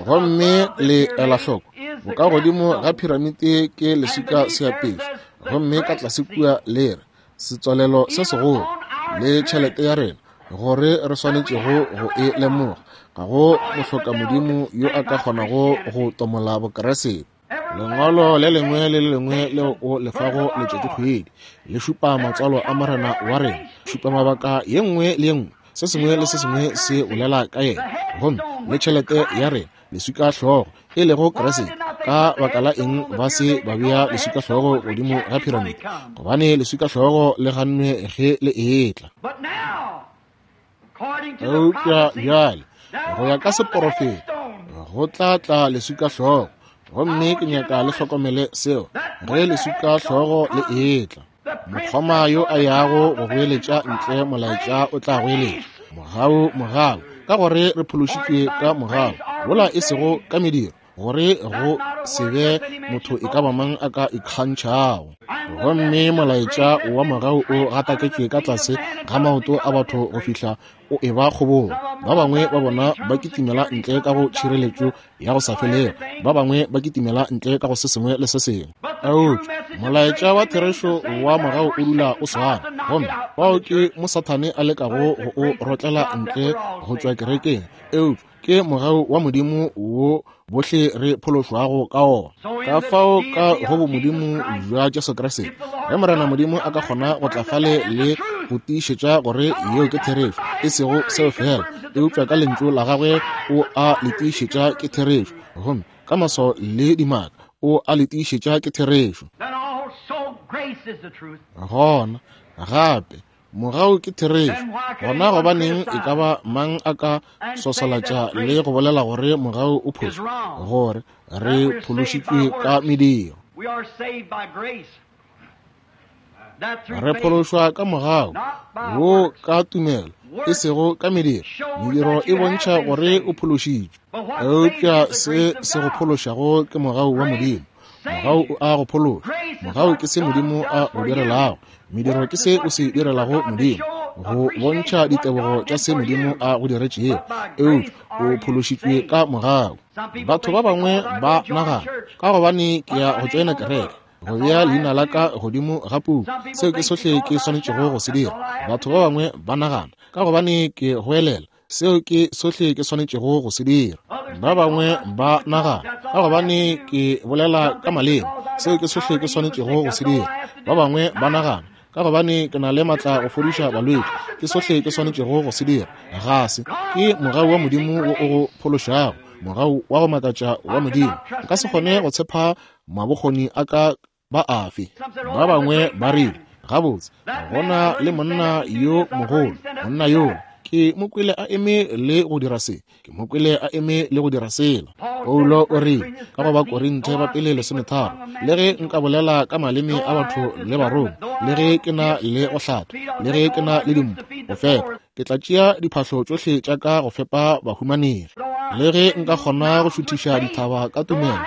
S1: Gomme le ela hloko, bokagodimo ga piramide ke leswika seapešo, gomme ka tlase kua le re setswalelo se segolo le tšhelete ya rena, gore re swanetšego go e lemoga. Ga go mohloka Modimo yo a ka kgonago go tomola Bokeresete. Lengwalo le lengwe le le lengwe leo o lefago letšatšikgwedi le šupa matswalo a Morena wa rena, šupa mabaka ye nngwe le ye nngwe, se sengwe le se sengwe se bolela ka yena. Gomme le tšhelete ya rena, leswika hlogo e lego Kriste. Ka baka la eng ba se ba bea leswika hlogo godimo ga piramide? Gobane leswika hlogo le gannwe ge le etla. Eupša bjale go ya ka seporofeto go tla tla leswika hlogo, gomme ke nyaka le hlokomele seo ge leswika hlogo le etla. Mokgoma yo a yago go goeletša ntle molaetša o tla goeletša mogau, mogau, ka gore re phološitšwe ka mogau, wola e sego ka mediro, gore go se be motho e ka ba mang a ka ikgantšhago. Gomme molaetša wa mogau o gataketšwe ka tlase ga maoto a batho go fihla o e ba kgobong. Ba bangwe ba bona ba kitimela ntle ka go tšhireletšo ya go sa felego, ba bangwe ba kitimela ntle ka go se sengwe le se sengwe. Eupša molaetša wa therešo wa mogau o dula o swana, gomme bao ke mo Sathane a lekago go o rotlela ntle go tšwa kerekeng. Eupša ke mogau wa Modimo wo bohle re phološwago ka ona. Ka fao ka go bomodimo bja Jesu Kriste, ge Morena Modimo a ka kgona go tla fale le go tiišetša gore yeo ke therešo, e sego seo fela, eupša ka lentšu la gagwe o a le tiišetša ke therešo, gomme ka maswao le dimaka o a le tiišetša ke therešo. Gona gape mogau ke therešo. Gona gobaneng e ka ba mang a ka sosolatša le go bolela gore mogau o phošo, gore re phološitšwe ka mediro? Re phološwa ka mogau wo ka tumelo, e sego ka mediro. Mediro e bontšha gore o phološitšwe, eupša se se go phološago ke mogau wa Modimo. Mogau o a go phološa. Mogau ke se Modimo a go direlago. Mediro ke se o se direlago Modimo, go bontšha ditebogo tša se Modimo a go diretšego. Eupša o phološitšwe ka mogau. Batho ba bangwe ba nagana, ka gobane ke ya go tšoena kereke, go bea leina la ka godimo ga puku, seo ke sohle ke swanetšego go se dira. Batho ba bangwe ba nagana, ka gobane ke goelela, seo ke sohle ke swanetšego go se dira. Ba bangwe ba nagana, ka gobane ke bolela ka maleme, seo ke sohle ke swanetšego go se dira. Ba bangwe ba nagana, ka gobane ke na le matla go fodiša balwetši, ke sohle ke swanetšego go se dira. Ga se ke mogau wa Modimo wo o go phološago, mogau wa go makatša wa Modimo. Nka se kgone go tshepa mabokgoni a ka ba afe. Ba bangwe ba rile, gabotse, gona le monna yo mogolo, monna yo Ke mo kwele a eme le go dira se, ke mo kwele a eme le go dira sela. Paulo o rile ka go ba Korinthe ba pele lesometharo, le ge nka bolela ka maleme a batho le barongwa, le ge ke na le go hlatha, le ge ke na le dimpho go fepa, ke tla tšea diphahlo tšohle tša ka go fepa bahumanegi. Le ge nka kgona go šuthiša dithaba ka tumelo,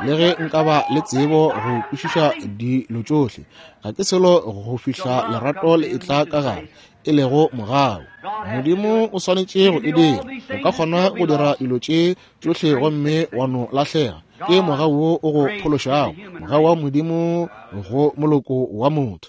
S1: le ge nka ba le tsebo go kwešiša dilo tšohle, ga ke selo go fihla lerato le etla ka gare, e lego mogau. Modimo o swanetše go e dira. O ka kgona go dira dilo tše tšohle gomme wa no lahlega. Ke mogau wo o go phološago, mogau wa Modimo go moloko wa motho.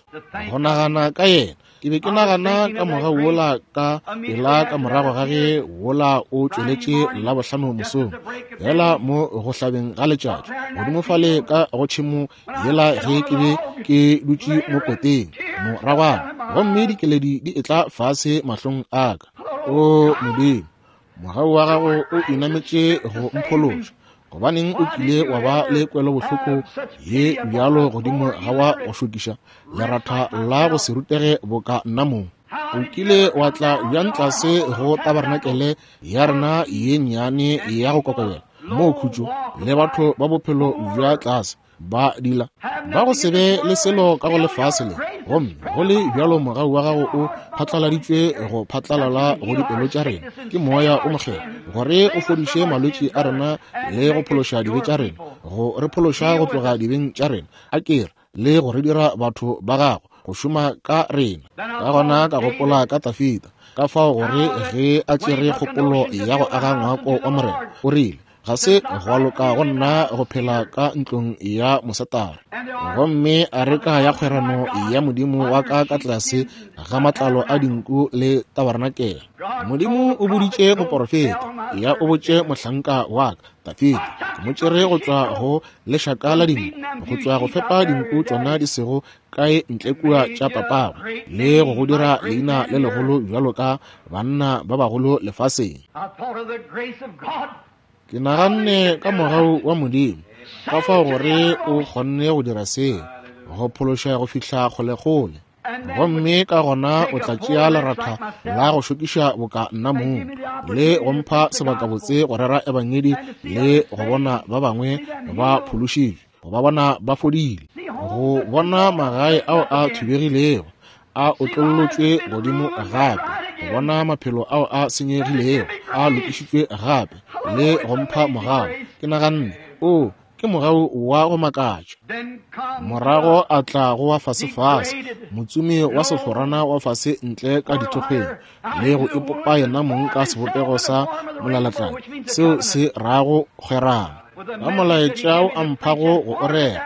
S1: Go nagana ka yena, ke be ke nagana ka mogau wola ka pela ka morago ga ge wola o tšweletše Labohlano mosong, fela mo go hlabeng ga letšatši, godimo fale ka go tšhemo yela ge ke be ke dutše mo koteng moragwana, gomme dikeledi di etla fase mahlong a ka. O Modimo, mogau wa gago o inametše go mphološa. Gobaneng o kile wa ba le kwelobohloko ye bjalo godimo ga wa go šokiša leratha la go se rutege boka nna mong? O kile wa tla bjang tlase go tabarnakele ya rena ye nnyane ya go kokobela, moo khutšo le batho ba bophelo bja tlase ba dila ba go se be le selo ka go lefase le, gomme go le bjalo mogau wa gago o phatlaladitšwe go phatlalala go dipelo tša rena ke moya o mokgethwa, gore o fodiše malwetši a rena le go phološa dibe tša rena, go re phološa go tloga dibeng tša rena, a kere le go re dira batho ba gago go šoma ka rena. Ka gona ka gopola ka Dafida, ka fao gore ge a tšere kgopolo ya go aga ngwako wa Morena, o rile, ga se gwa loka go nna go phela ka ntlong ya mosetare, gomme areka ya kgwerano ya Modimo wa ka ka tlase ga matlalo a dinku le tabarnakele. Modimo o boditše moporofeta, ya o botše mohlanka wa ka Dafida, ke mo tšere go tšwa go lešaka la dinku, go tšwa go fepa dinku tšona di sego kae ntle kua tša papagwe, le go go dira leina le legolo bjalo ka banna ba bagolo lefaseng. Ke naganne ka mogau wa Modimo, ka fao gore o kgonne go dira se, go phološa go fihla kgolekgole, gomme ka gona o tla tšea leratha la go šokiša boka nna mong, le go mpha sebakabotse go rera ebangedi le go bona ba bangwe ba phološitšwe, go ba bona ba fodile, go bona magae ao a thubegilego a otlollotšwe godimo gape, go bona maphelo ao a senyegilego a lokišitšwe gape, le go mpha mogau. Ke naganne, o ke mogau wa go makatša. Morago a tla go wa fasefase, motsomi wa sehlorana wa fase ntle ka dithokgweng, le go ipopa yena mong ka sebopego sa molalatladi, seo se rago kgwerano, ka molaetša o a mphago go o rera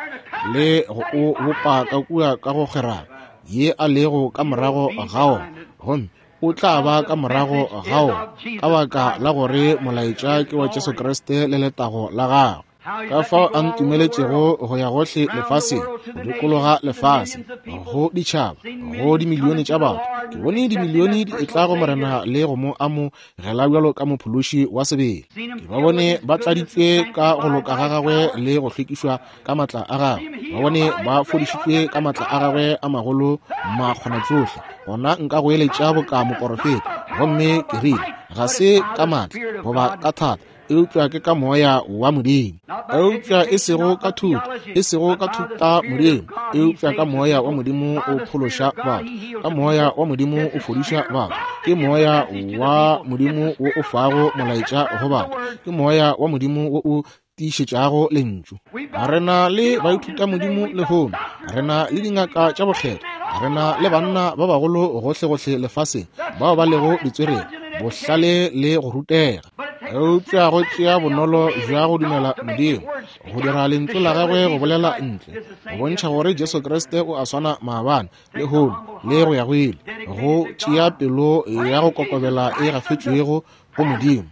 S1: le go o bopa ka kua ka go kgwerano ye a lego ka morago ga ona, gomme o tla ba ka morago ga ona ka baka la gore molaetša ke wa Jesu Kriste le letago la gagwe. Ka fao a ntumeletšego go ya gohle lefaseng, go dikologa lefase, go ditšhaba, go dimilione tša batho. Ke bone dimilione di etla go Morena le go mo amogela bjalo ka mophološi wa sebele. Ke ba bone ba tladitšwe ka go loka ga gagwe le go hlwekišwa ka matla a gagwe. Ba bone ba fodišitšwe ka matla a gagwe a magolo makgonatsohle. Gona nka go eletša boka moporofeta, gomme ke rile, ga se ka matla goba ka thata, eupša ke ka moya wa Modimo. Eupša e sego ka thuto, e sego ka thuta Modimo, eupša ka moya wa Modimo o phološa batho, ka moya wa Modimo o fodiša batho. Ke moya wa Modimo wo o fago molaetša go batho, ke moya wa Modimo wo o tiišetšago lentšu. Re na le baithuta Modimo lehono, re na le dingaka tša bokgethwa, re na le banna ba bagolo gohlegohle lefaseng bao ba lego ditswerere, bohlale le go rutega. Eupša go tšea bonolo bja go dumela Modimo, go dira lentšu la gagwe go bolela ntle, go bontšha gore Jesu Kriste o a swana maabane, lehono le go ya go ile, go tšea pelo ya go kokobela e gafetšwego go Modimo,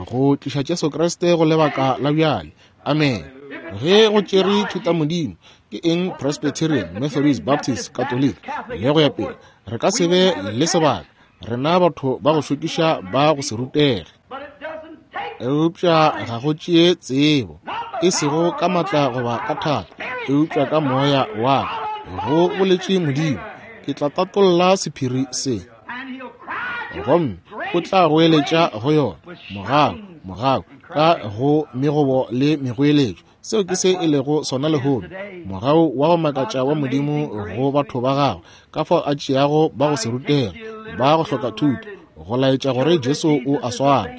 S1: go tliša Jesu Kriste go lebaka la bjale. Amen. Ge go tšere thuta Modimo, ke eng Presbyterian, Methodist, Baptist, Catholic le go ya pele, re ka se be le sebaka, rena batho ba go šokiša ba go se rutege. Eupša ga go tšee tsebo, e sego ka matla goba ka thata, eupša ka moya wa ka, go boletše Modimo, ke tla tatolla sephiri se. Gomme O tla goeletša go yona, mogau, mogau, ka go megobo le megoeletšo. Seo ke se e lego sona lehono, mogau wa go makatša wa Modimo go batho ba gagwe, ka fao a tšeago ba go se rutega, ba go hloka thuto, go laetša gore Jesu o a swana.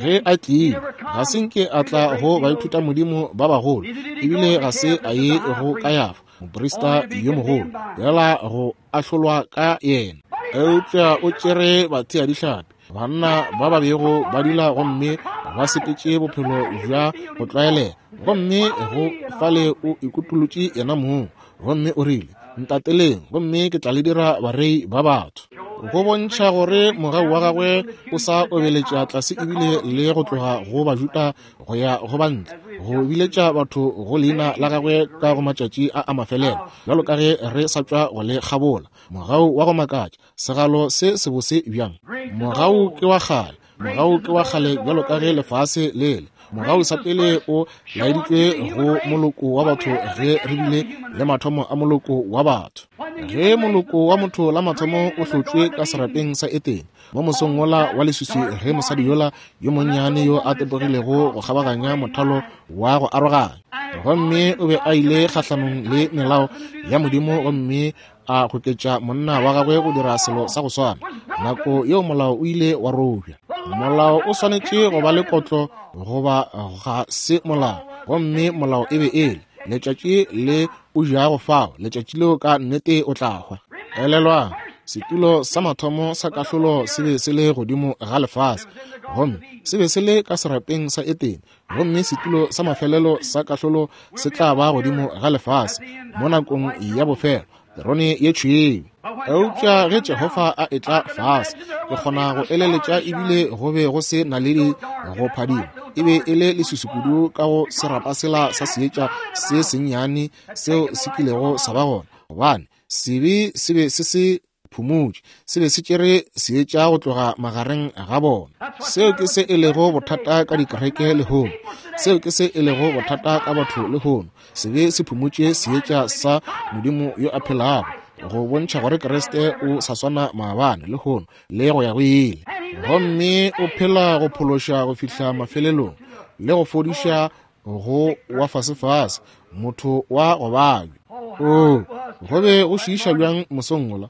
S1: Ge a tlile, ga se nke a tla go baithuta Modimo ba bagolo, ebile ga se a ye go Kayafa, moprista yo mogolo, fela go ahlolwa ka yena. Eupša o tšere batheadihlapi, banna ba ba bego ba dula gomme ba sepetše bophelo bja go tlwaelega, gomme go fale o ikutolotše yena mong, gomme o rile, Ntateleng, gomme ke tla le dira barei ba batho. Go bontšha gore mogau wa gagwe o sa obeletša tlase ebile le go tloga go Bajuda go ya go bantle, go biletša batho go leina la gagwe ka go matšatši a a mafelelo, bjalo ka ge re sa tšwa go le kgabola. Mogau wa go makatša, segalo se sebose bjang. Mogau ke wa kgale, mogau ke wa kgale bjalo ka ge lefase le le. Mogau sa pele o laeditšwe go moloko wa batho ge re bile le mathomo a moloko wa batho. Ge moloko wa motho la mathomo o hlotšwe ka serapeng sa Etene, mo mosong wola wa leswiswi, ge mosadi yola yo monnyane yo a tepogilego go kgabaganya mothalo wa go aroganya, gomme o be a ile kgahlanong le melao ya Modimo, gomme a goketša monna wa gagwe go dira selo sa go swana, nako yeo molao o ile wa robja. Molao o swanetše go ba le kotlo goba ga se molao, gomme molao e be e le letšatši le o jago fao, letšatši leo ka nnete o tla hwa. Elelwang, setulo sa mathomo sa kahlolo se be se le godimo ga lefase, gomme se be se le ka serapeng sa Etene, gomme setulo sa mafelelo sa kahlolo se tla ba godimo ga lefase mo nakong ya bofelo, terone ye tšhweu. Eupša ge Jehofa a etla fase, ke kgona go eleletša ebile go be go se naledi go phadima. E be e le leswiswi kudu ka go serapa sela sa seetša se sennyane seo se kilego sa ba gona, gobane sebe se be se se phumotše, se be se tšere seetša go tloga magareng ga bona. Seo ke se e lego bothata ka dikereke lehono. Seo ke se e lego bothata ka batho lehono. Sebe se phumotše seetša sa Modimo yo a phelago, go bontšha gore Kriste o sa swana maabane, lehono le go ya go ile. Gomme o phela go phološa go fihla mafelelong le go fodiša go wa fasefase, motho wa go babja. O go be go šiiša bjang mosong wola,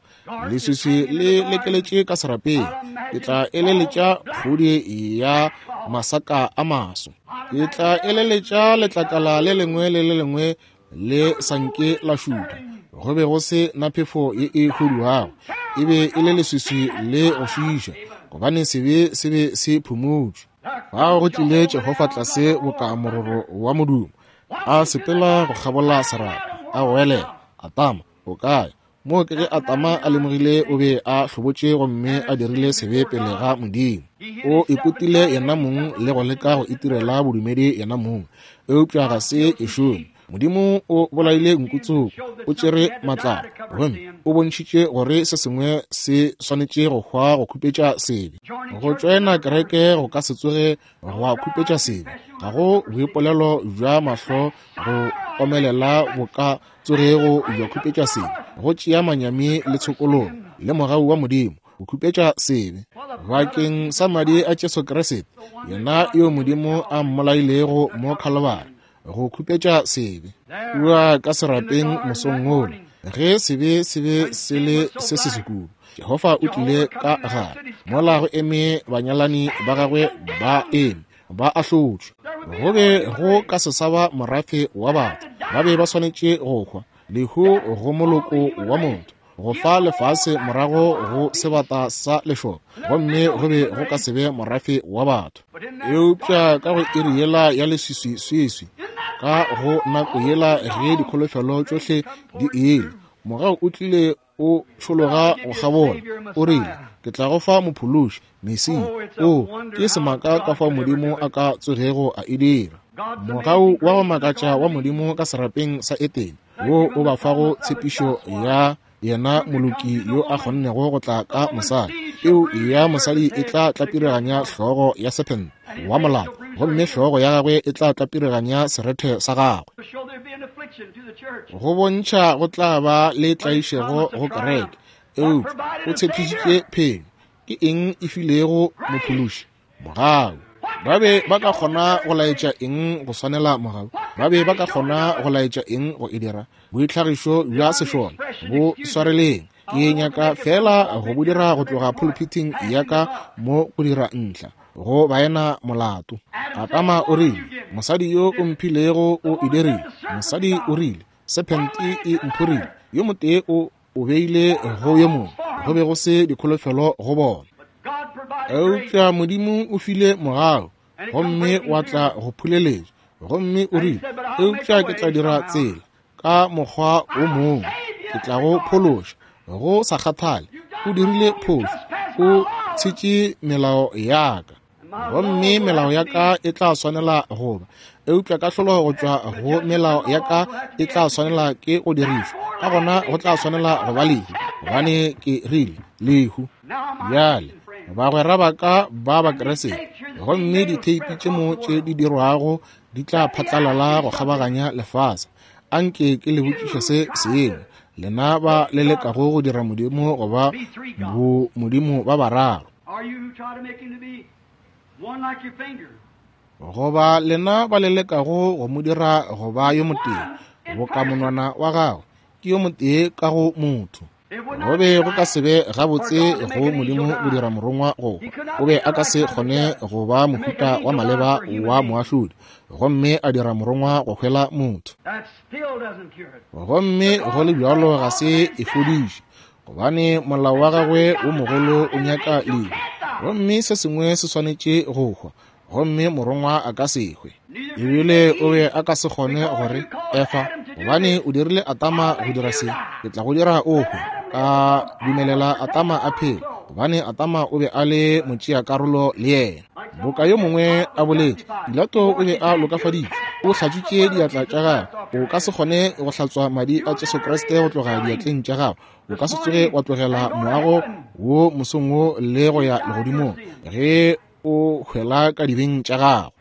S1: leswiswi le lekeletše ka serapeng. Ke tla eleletša kgodi ya masaka a maso, ke tla eleletša letlakala le lengwe le le lengwe le sanke la šutha. Go be go se na phefo ye e huduago, e be e le leswiswi le go šiiša, gobane sebe se be se phumotšwe. Fao go tlile Jehofa tlase boka mororo wa modumo, a sepela go kgabola serapa, a goelela, Atama, o kae? Moo ke ge Atama a lemogile o be a hlobotše gomme a dirile sebe pele ga Modimo. O ikutile yena mong le go leka go itirela bodumedi yena mong, eupša ga se e šome. Modimo o bolaile nkutsoko, o tšere matlapa, gomme o bontšhitše gore se sengwe se swanetše go hwa go khupetša sebe. Go tšoena kereke go ka se tsoge gwa khupetša sebe. Ga go boipolelo bja mahlo go omelela bo ka tsogego bja khupetša sebe. Go tšea manyami le tshokologo le mogau wa Modimo go khupetša sebe. Bakeng sa madi a Jesu Kriste, yena yo Modimo a mmolailego mo Khalibari, go khupetša sebe. Kua ka serapeng mosong wola, ge sebe se be se le se se sekudu, Jehofa o tlile ka gare, mola go eme banyalani ba gagwe ba eme ba ahlotšwe. Go be go ka se sa ba morafe wa batho, ba be ba swanetše go hwa, lehu go moloko wa motho, go fa lefase morago go sebata sa lešoka, gomme go be go ka se be morafe wa batho. Eupša ka go iri yela ya leswiswiswiswi, ka go nako yela ge dikholofelo tšohle di ile, mogau o tlile o tšhologa go kgabola, o rile, Ke tla go fa mophološi, Mesia. O ke semaka ka fao Modimo a ka tsogego a e dira. Mogau wa go makatša wa Modimo ka serapeng sa Etene, wo o ba fago tshepišo ya yena moloki yo a kgonnego go tla ka mosadi. Peu ya mosadi e tla tlapiriganya hlogo ya sephente wa molata, gomme hlogo ya gagwe e tla tlapiriganya serethe sa gagwe. Go bontšha go tla ba le tlaišego go kereke, eupša o tshepišitše phenyo. Ke eng e filego mophološi? Mogau. Ba be ba ka kgona go laetša eng go swanela mogau? Ba be ba ka kgona go laetša eng go e dira? Boitlhagišo bja sešole bo swareleng. Ke nyaka fela go bo dira go tloga pulpiting ya ka mo go dira ntlha go baena molato. Adama o rile, mosadi yo o mphilego o e dirile. Mosadi o rile, sephente e mphorile. Yo motee o o beile go yo mongwe. Go be go se dikholofelo go bona. Eupša Modimo o file mogau, gomme wa tla go phuleletša. Gomme o rile, eupša ke tla dira tsela ka mokgwa o mongwe, ke tla go phološa. Go sa kgathale, o dirile phošo, o tshetše melao ya ka, gomme melao ya ka e tla swanela go ba, eupša kahlolo go tšwa go melao ya ka e tla swanela ke go dirišwa. Ka gona go tla swanela go ba lehu, gobane ke rile lehu. Bjale bagwera ba ka ba Bakriste, gomme ditheipi tše mo tše di dirwago di tla phatlalala go kgabaganya lefase. Anke ke le botšiše se sengwe, lena ba le lekago go dira Modimo goba bo Modimo ba bararo, goba lena ba le lekago go mo dira go ba yo motee boka monwana wa gago, ke yo motee ka go motho. Go be go ka se be gabotse go Modimo go dira morongwa go hwa. O be a ka se kgone go ba mohuta wa maleba wa moahlodi, gomme a dira morongwa go hwela motho. Gomme go le bjalo ga se e fodiše, gobane molao wa gagwe wo mogolo o nyaka lehu, gomme se sengwe se swanetše go hwa, gomme morongwa a ka se hwe. Ebile o be a ka se kgone gore Efa, gobane o dirile Adama go dira se, ke tla go dira o hwe. Ka dumelela Adama a phele, gobane Adama o be a le motšeakarolo le yena. Boka yo mongwe a boletše, Pilato o be a lokafaditšwe, o hlatswitše diatla tša gagwe. O ka se kgone go hlatswa madi a Jesu Kriste go tloga diatleng tša gago. O ka se tsoge wa tlogela moago wo mosong wo le go ya legodimong ge o hwela ka dibeng tša gago.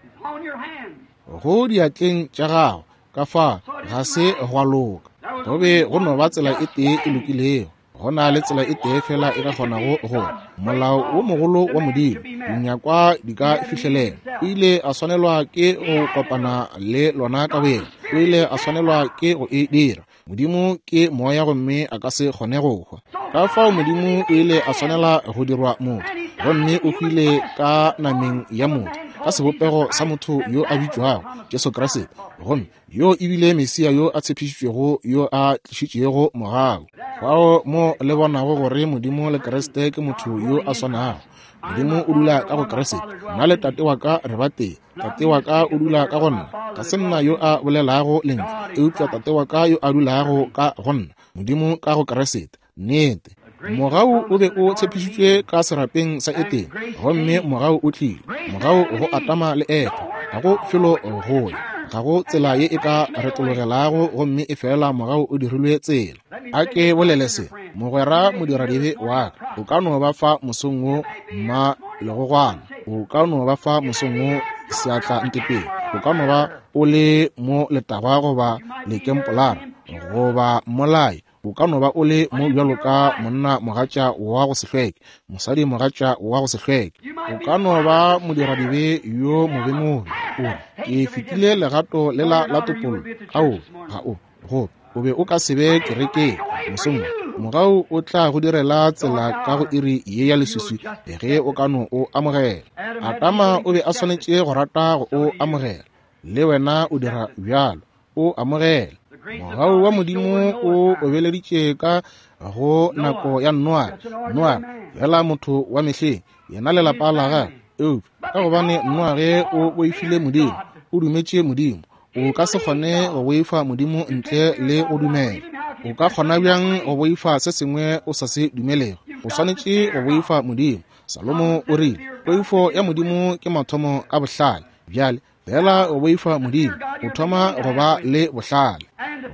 S1: Go diatleng tša gago, ka fa ga se gwa loka. Go be go no ba tsela e tee e lokilego. Go na le tsela e tee fela e ka kgonago go molao wo mogolo wa Modimo, dinyakwa di ka fihlelela. O ile a swanelwa ke go kopana le lona ka boyena. O ile a swanelwa ke go e dira. Modimo ke moya gomme a ka se kgone go hwa. Ka fao Modimo o ile a swanela go dirwa motho, gomme o hwile ka nameng ya motho, ka sebopego sa motho yo a bitšwago Jesu Kriste, gomme yo ebile Mesia yo a tshepišitšwego, yo a tlišitšego mogau. Fao mo le bonago gore Modimo le Kriste ke motho yo a swanago. Modimo o dula ka go Kriste, nna le tate wa ka re ba tee. Tate wa ka o dula ka go nna, ga se nna yo a bolelago lentšu, eupša tate wa ka yo a dulago ka go nna, Modimo ka go Kriste. Nnete. Mogau o be o tshepišitšwe ka serapeng sa Etene, gomme mogau o tlile. Mogau go Adama le Efa, ga go felo go ya, ga go tsela ye e ka retologelago, gomme e fela mogau o dirilwe tsela. A ke bolele se, mogwera modiradibe wa ka, o ka no ba fa mosong wo mma legogwana, o ka no ba fa mosong wo seatla ntepeng, o ka no ba o le mo letagwa goba lekempolara goba mmolai, o ka no ba o le mo bjalo ka monna mogatša wa go se hlweke, mosadi mogatša wa go se hlweke, o ka no ba modiradibe yo mobemobe. O re, ke fetile legato lela la topollo. Ao, ga o go o be o ka se be kerekeng mosong wo. Mogau o tla go direla tsela ka go iri ye ya leswiswi ge o ka no o amogela. Adama o be a swanetše go rata go o amogela, le wena o dira bjalo, o amogela. Mogau wa Modimo o obeleditše ka go nako ya Noa. Noa fela motho wa mehleng, yena le lapa la gagwe. Eupša ka gobane Noage o boifile Modimo, o dumetše Modimo. O ka se kgone go boifa Modimo ntle le go dumela. O ka kgona bjang go boifa se sengwe o sa se dumelego? O swanetše go boifa Modimo. Salomo o rile, poifo ya Modimo ke mathomo a bohlale. Bjale fela go boifa Modimo, o thoma go ba le bohlale.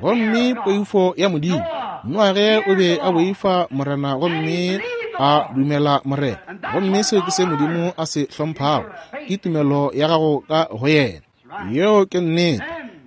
S1: Gomme poifo ya Modimo, Noage o be a boifa Morena gomme a dumela Morena. Gomme seo ke se Modimo a se hlomphago, ke tumelo ya gago ka go yena. Yeo ke nnete.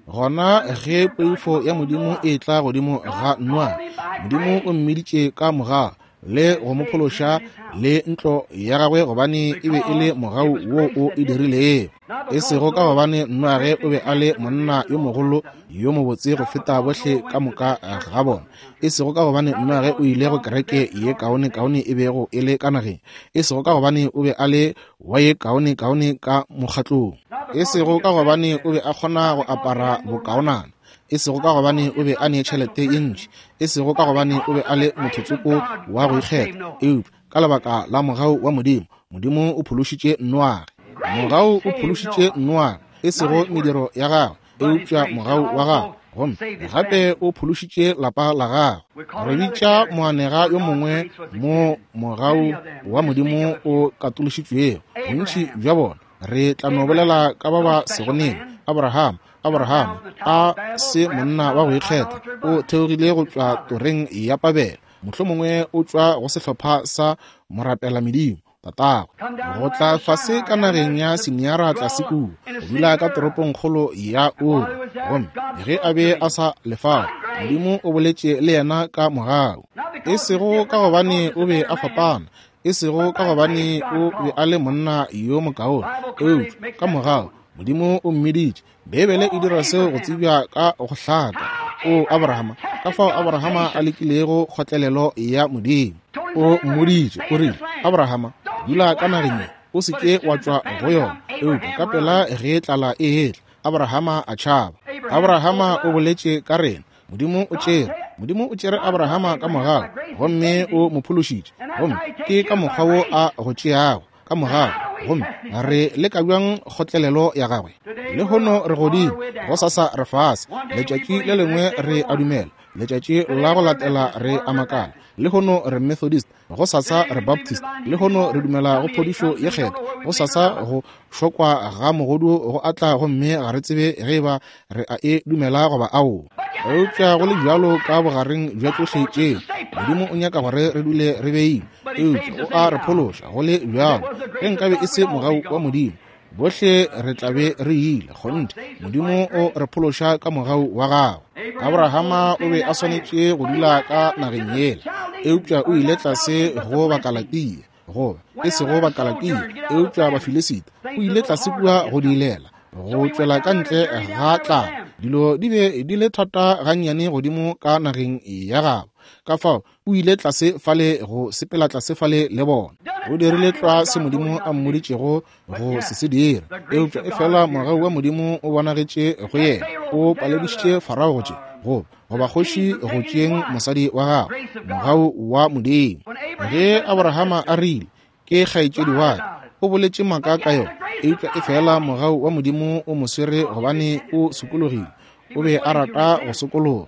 S1: Gona ge poifo ya Modimo e tla godimo ga Noage, Modimo o mmiditše ka mogau. le go mo phološa le ntlo ya gagwe, gobane e be e le mogau wo o e dirilego. E sego ka gobane Noage o be a le monna yo mogolo yo mobotse go feta bohle ka moka ga bona, e sego ka gobane Noage o ile go kereke ye kaone-kaone e bego e le ka nageng, e sego ka gobane o be a le wa ye kaone-kaone ka mokgatlong, e sego ka gobane o be a kgona go apara bokaonana, e sego ka gobane o be a ne tšhelete ye ntši, e sego ka gobane o be a le motho-tsoko wa go ikgetha, eupša ka lebaka la mogau wa Modimo, Modimo o phološitše Noage. Mogau o phološitše Noage, e sego mediro ya gagwe, eupša mogau wa gagwe, gomme gape o phološitše lapa la gagwe. Re bitša moanega yo mongwe mo mogau wa Modimo o katološitšwego. Bontši bja bona re tla no bolela ka ba ba sego nene. Abraham, Abraham a se monna wa go ikgetha, o theogile go tšwa toreng ya Pabele, mohlomongwe o tšwa go sehlopha sa morapela medimo tatagwe, go tla fase ka nageng ya Siniara tlase kua, go dula ka toropongkgolo ya Uri. Gomme ge a be a sa lefao, Modimo o boletše le yena ka mogau, e sego ka gobane o be a fapana, e sego ka gobane o be a le monna yo mokaone, eupša ka mogau Modimo o mmiditše. Beibele e dira seo go tsebja ka go hlaka. O Abrahama, ka fao Abrahama a lekilego kgotlelelo ya Modimo. O mmoditše, o rile, Abrahama, dula ka nageng ye, o se ke wa tšwa go yona. Eupša ka pela ge tlala e etla, Abrahama a tšhaba. Abrahama o boletše ka rena. Modimo o tšere, Modimo o tšere Abrahama ka mogau, gomme o mo phološitše. Gomme ke ka mokgwa wo a go tšeago, ka mogau. Gomme re leka bjang kgotlelelo ya gagwe? Lehono re godimo, gosasa re fase, letšatši le lengwe re a dumela, letšatši la go latela re a makala. Lehono re Methodist, gosasa re Baptist, lehono re dumela go phodišo ye kgethwa, gosasa go šokwa ga mogodu go atla, gomme ga re tsebe ge eba re a e dumela goba aowa. Eupša go le bjalo ka bogareng bja tšohle tšeo, Modimo o nyaka gore re dule re beile, eupša o a re phološa go le bjalo. Ge nkabe e se mogau wa Modimo, bohle re tla be re ile. Kgonthe, Modimo o re phološa ka mogau wa gagwe. Abrahama o be a swanetše go dula ka nageng yela, eupša o ile tlase go Bakalatia, goba e sego Bakalatia, eupša Bafilisita. O ile tlase kua go diilela, go tšwela ka ntle ga tlala. Dilo di be di le thata gannyane godimo ka nageng ya gabo, ka fao o ile tlase fale go sepela tlase fale le bona. O dirile tlwa se Modimo a mmoditšego go se se dira, eupša efela mogau wa Modimo o bonagetše go yena. O paledišitše Farao go tše, goba goba kgoši go tšeeng mosadi wa gagwe. Mogau wa Modimo. Ge Abrahama a rile, ke kgaetšedi wa ka, o boletše maaka ka yona, eupša efela mogau wa Modimo o mo swere gobane o sokologile. O be a rata go sokologa.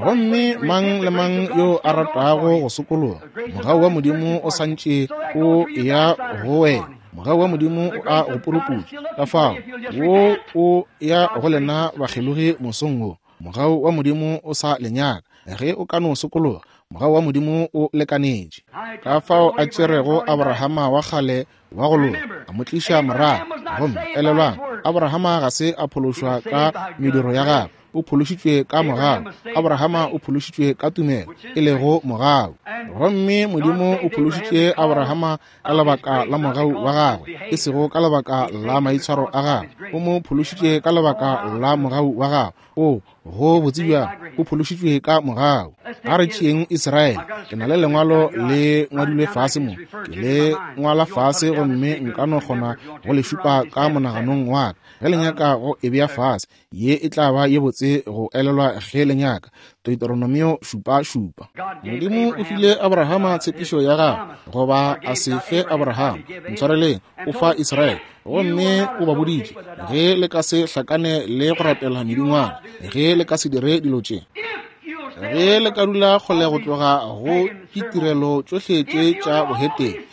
S1: Gomme mang le mang yo a ratago go sokologa, mogau wa Modimo o santše o ya go wena. Mogau wa Modimo o a go puruputša. Ka fao wo o ya go lena bakgelogi mosong wo, mogau wa Modimo o sa le nyaka. Ge o ka no sokologa, mogau wa Modimo o lekanetše. Ka fao a tšerego Abrahama wa kgale wa go loka, a mo tliša morago. Gomme elelwang, Abrahama ga se a phološwa ka mediro ya gagwe, o phološitšwe ka mogau. Abrahama o phološitšwe ka tumelo, e lego mogau. Gomme Modimo o phološitše Abrahama ka lebaka la mogau wa gagwe, e sego ka lebaka la maitshwaro a gagwe. O mo phološitše ka lebaka la mogau wa gagwe. O go botse bjang, o phološitšwe ka mogau. A re tšeeng Israele. Ke na le lengwalo le ngwadilwe fase mo, ke le ngwala fase gomme nka no kgona go le šupa ka monaganong wa ka. Ge le nyaka go e bea fase, ye e tla ba ye botse go elelwa ge le nyaka. Deuteronomio šupa šupa. Modimo o file Abrahama tshepišo ya gagwe, goba a se fe Abrahama, ntshwareleng, o fa Israele. Gomme o ba boditše, ge le ka se hlakane le go rapela medingwana, ge le ka se dire dilo tše, ge le ka dula kgole go tloga go ditirelo tšohle tše tša bohetene,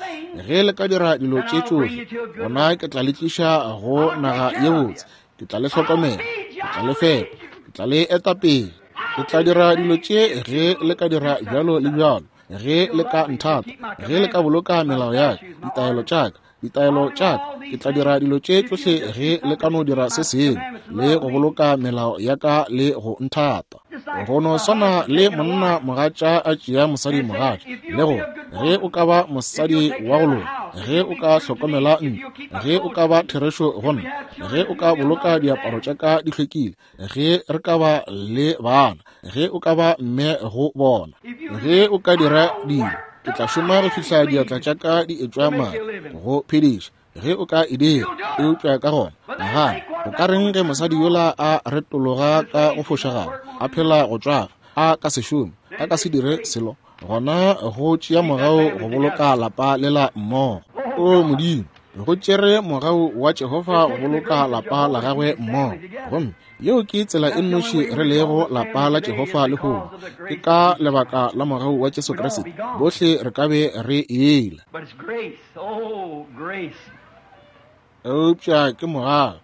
S1: ge le ka dira dilo tše tšohle, gona ke tla le tliša go naga ye botse, ke tla le hlokomela, ke tla le fepa, ke tla le eta pele, ke tla dira dilo tše ge le ka dira bjalo le bjalo, ge le ka nthata, ge le ka boloka melao ya ka, ditaelo tša ka, ditaelo tša ka. Ke tla dira dilo tše tšohle ge le ka no dira se sengwe le go boloka melao ya ka le go nthata. Go no swana le monna mogatša a tšea mosadi mogatša, le go ge o ka ba mosadi wa go loka, ge o ka hlokomela ntlo, ge o ka ba therešo go nna, ge o ka boloka diaparo tša ka di hlwekile, ge re ka ba le bana, ge o ka ba mme go bona, ge o ka dira dilo, ke tla šoma go fihla diatla tša ka di etšwa madi go phediša, ge o ka e dira. Eupša ka gona nagana, o ka reng ge mosadi yola a retologa ka go fošagala, a phela go tšwafa, a ka se šome, a ka se dire selo? Gona go tšea mogau go boloka lapa lela mmogo. O Modimo, go tšere mogau wa Jehofa go boloka lapa la gagwe mmogo. Gomme yeo ke tsela e nnoši re lego lapa la Jehofa lehono, ke ka lebaka la mogau wa Jesu Kriste. Bohle re ka be re ela. Eupša ke mogau,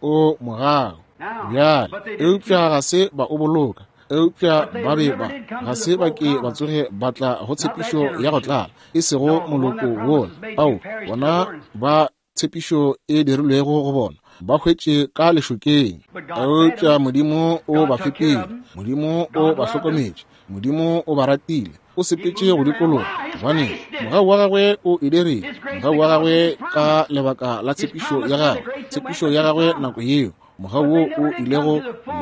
S1: o mogau bjale. Eupša ga se ba o boloka. Eupša ba be ba ga se ba ke ba tsoge ba tla go tshepišo ya go tlala, e sego moloko wola ao bona ba tshepišo e dirilwego go bona, ba hwetše ka lešokeng. Eupša Modimo o ba fepile, Modimo o ba hlokometše, Modimo o ba ratile, o sepetše go dikologa, gobane mogau wa gagwe o e dirile, mogau wa gagwe ka lebaka la tshepišo ya gagwe, tshepišo ya gagwe nako yeo, mogau wo o ilego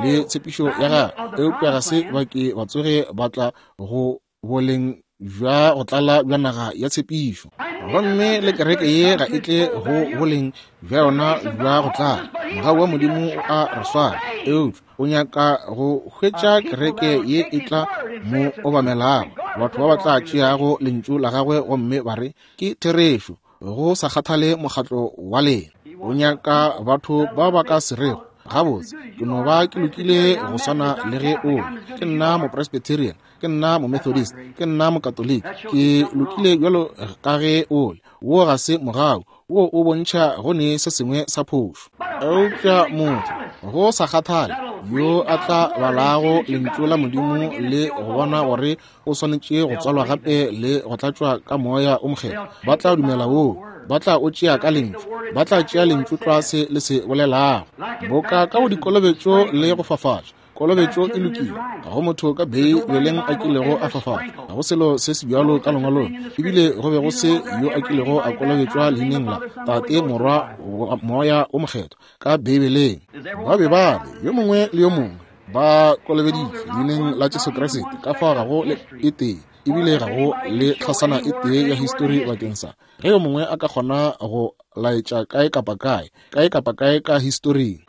S1: le tshepišo ya gagwe. Eupša ga se ba ke ba tsoge ba tla go boleng bja go tlala bja naga ya tshepišo. Gomme le kereke ye ga e tle go boleng bja yona bja go tlala. Mogau wa Modimo o a re swara, eupša o nyaka go hwetša kereke ye e tla mo obamelago, batho ba ba tla tšeago lentšu la gagwe gomme ba re ke therešo, go sa kgathale mokgatlo wa lena. O nyaka batho ba ba ka se rego, gabotse ke no ba ke lokile go swana le ge o le. Ke nna mopresbyterian, ke nna momethodist, ke nna mokatoliki, ke lokile bjalo ka ge o le. Wo ga se mogau, wo o bontšha go ne se sengwe sa phošo. Eupša motho go sa kgathale yo a tla balago lentšu la Modimo le go bona gore o swanetše go tswalwa gape le go tlatšwa ka moya o mokgethwa, ba tla dumela woo, ba tla o tšea ka lentšu, ba tla tšea lentšu tlwa se le se bolelago. Boka ka go dikolobetšo le go fafatša, kolobetšo e lokile, ga go motho ka Beibeleng a kilego a fafatša, ga go selo se se bjalo ka lengwalong, ebile go be go se yo a kilego a kolobetšwa leineng la Tate, Morwa, Moya o Mokgethwa ka Beibeleng. Ba be ba le yo mongwe le yo mongwe ba kolobeditšwe leineng la Jesu Kriste, ka fao ga go le e tee, ebile ga go le tlhasana e tee ya histori bakeng sa ge yo mongwe a ka kgona go laetša kae kapa kae, kae kapa kae ka historing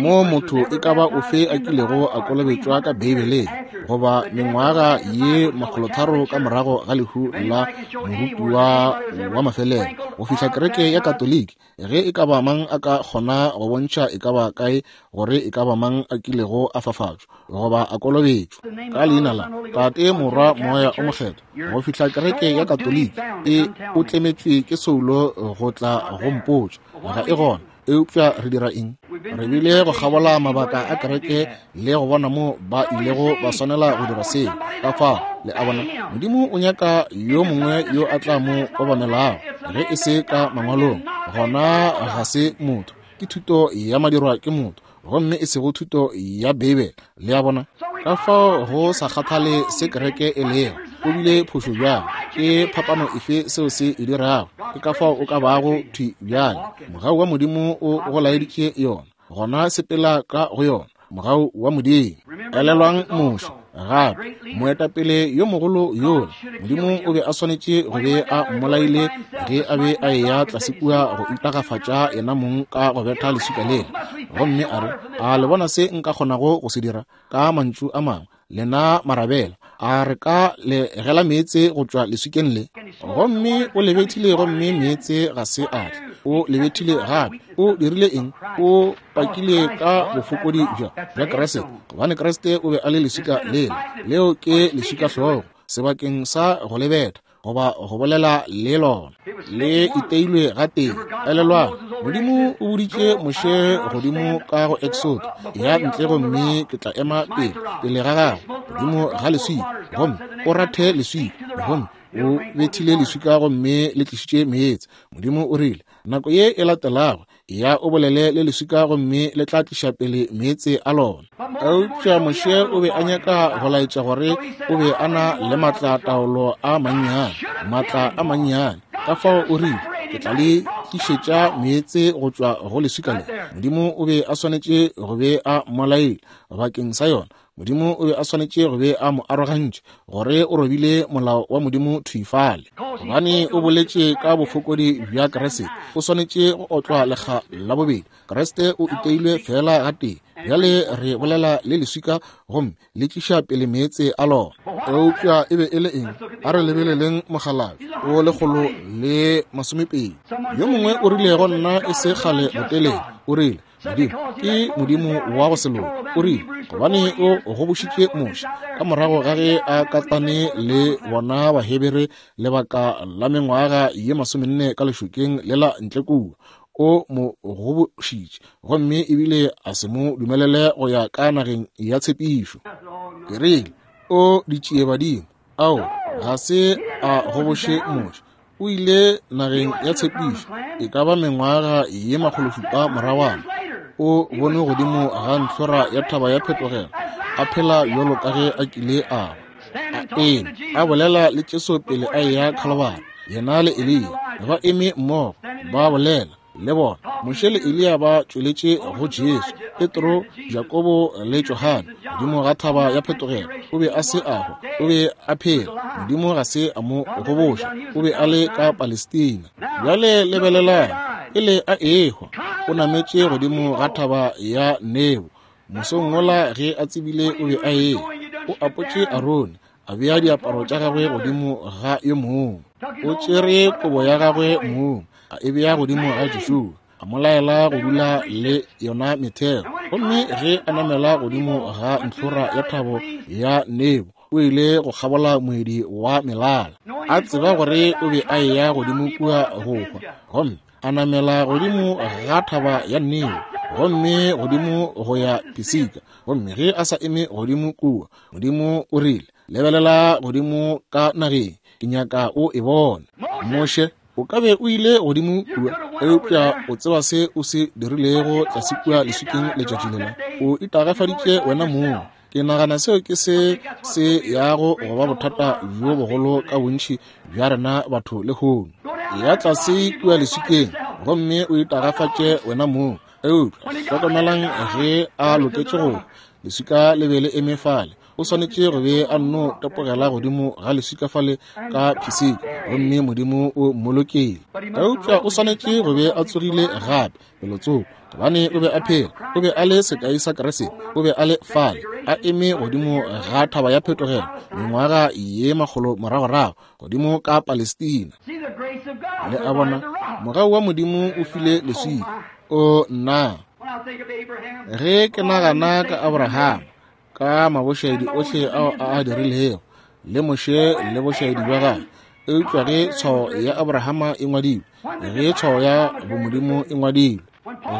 S1: mo motho e ka ba ofe a kilego a kolobetšwa ka Beibeleng, goba mengwaga ye makgolotharo ka morago ga lehu la morutiwa wa mafelelo go fihla kereke ya Katoliki, ge e ka ba mang a ka kgona go bontšha e ka ba kae gore e ka ba mang a kilego a fafatšwa goba a kolobetšwa ka leina la Tate, Morwa, Moya o Mokgethwa go fihla kereke ya Katoliki e o tlemetšwe ke soulo go tla go mpotša ga e gona. Eupša re dira eng? Re bile go kgabola mabaka a kereke le go bona mo ba ilego ba swanela go dira seo. Ka fao le a bona, Modimo o nyaka yo mongwe yo a tla mo obamelago, ge e se ka mangwalong, gona ga se motho, ke thuto ya madirwa ke motho, gomme e sego thuto ya Beibele. Le a bona? Ka fao go sa kgathale se kereke e lego, o bile phošo bjang, ke phapano efe seo se e dirago, ke ka fao o ka bago thwi bjale. Mogau wa Modimo o go laeditše yona, gona sepela ka go yona, mogau wa Modimo. Elelwang Moshe gape, moetapele yo mogolo yola, Modimo o be a swanetše go be a mmolaile ge a be a eya tlase kua go itagafatša yena mong ka go betha leswika lela, gomme a re, a le bona se nka kgonago go se dira? Ka mantšu a mangwe, lena marabela, a re ka le gela meetse go tšwa leswikeng le? Gomme o le bethile, gomme meetse ga se a tla. O le bethile gape. O dirile eng? O pakile ka bofokodi bja bja Kriste, gobane Kriste o be a le leswika lela. Leo ke leswika hlogo, sebakeng sa go le betha goba go bolela le lona, le iteilwe gatee. Elelwang, Modimo o boditše Moshe godimo ka go Exodo, ya ntle gomme ke tla ema pele pele ga gago godimo ga leswika, gomme o rathe leswika, gomme o bethile leswika gomme le tlišitše meetse. Modimo o rile, Nako ye e latelago, ya o bolele le leswika gomme le tla tliša pele meetse a lona. Eupša Moshe o be a nyaka go laetša gore o be a na le matla taolo a mannyane, matla a mannyane. Ka fao o rile, ke tla le tlišetša meetse go tšwa go leswika le. Modimo o be a swanetše go be a mmolaile bakeng sa yona. Modimo o be a swanetše go be a mo arogantše gore o robile molao wa Modimo thwi fale. Gobane o boletše ka bofokodi bja Kriste, o swanetše go otlwa lekga la bobedi. Kriste o iteilwe fela gatee. Bjale re bolela le leswika gomme le tliša pele meetse a lona. Eupša e be e le eng? A re lebeleleng mokgalabje o lekgolo le masomepedi. Yo mongwe o rile go nna e se kgale botelele, o rile, Modimo ke Modimo wa go se loke. O rile, gobane o gobošitše Moshe ka morago ga ge a katane le bona Bahebere lebaka la mengwaga ye masomenne ka lešokeng lela ntle kua. O mo gobošitše gomme ebile a se mo dumelele go ya ka nageng ya tshepišo. Ke rile, o ditšiebadimo, ao ga se a goboše Moshe. O ile nageng ya tshepišo e ka ba mengwaga ye makgološupa moragwana. O bone godimo ga ntlhora ya thaba ya phetogelo, a phela bjalo ka ge a kile a ba. A eme a bolela le Jesu pele a eya Khalibari. Yena le Eliya ba eme mmogo ba bolela le bona. Moshe le Eliya ba tšweletše go Jesu, Petro, Jakobo le Johane godimo ga thaba ya phetogelo. O be a se a hwa, o be a phela. Modimo ga se a mo goboša, o be a le ka Palestina. Bjale lebelelang, pele a ehwa, o nametše godimo ga thaba ya Nebo. Mosong wola ge a tsebile o be a eya, o apotše Arone, a bea diaparo tša gagwe godimo ga yo mongwe. O tšere kobo ya gagwe mong, a e bea godimo ga Joshua, a mo laela go dula le yona metheo. Gomme ge a namela godimo ga ntlhora ya thabo ya Nebo, o ile go kgabola moedi wa melala, a tseba gore o be a eya godimo kua go hwa. Gomme a namela godimo ga thaba ya Nebo, gomme godimo go ya Pisika. Gomme ge a sa eme godimo kua, Modimo o rile, lebelela godimo ka nageng, ke nyaka o e bone. Moshe, o ka be o ile godimo kua, eupša o tseba se o se dirilego tlase kua leswikeng letšatši lela. O itagafaditše wena mong. Ke nagana seo ke se se yago go ba bothata bjo bogolo ka bontši bja rena batho lehono. Ya tlase kua leswikeng gomme o itagafatše wena mong. Eupša hlokomelang ge a loketše go leswika le be le eme fale. O swanetše go be a nno tepogela godimo ga leswika fale ka Pisika, gomme Modimo o mmolokile. Eupša o swanetše go be a tsogile gape pelotsoko, gobane o be a phela. O be a le sekai sa Kriste, o be a le fale a eme godimo ga thaba ya phetogelo mengwaga ye makgolo moragorago godimo ka Palestina. Le a bona, mogau wa Modimo o file leswika. O nna, ge ke nagana ka Abraham, ka mabošaedi ohle ao a a dirilego, le Moshe le bošaedi bja gagwe, eupša ge tshwao ya Abrahama e ngwadilwe, ge tshwao ya bomodimo e ngwadilwe,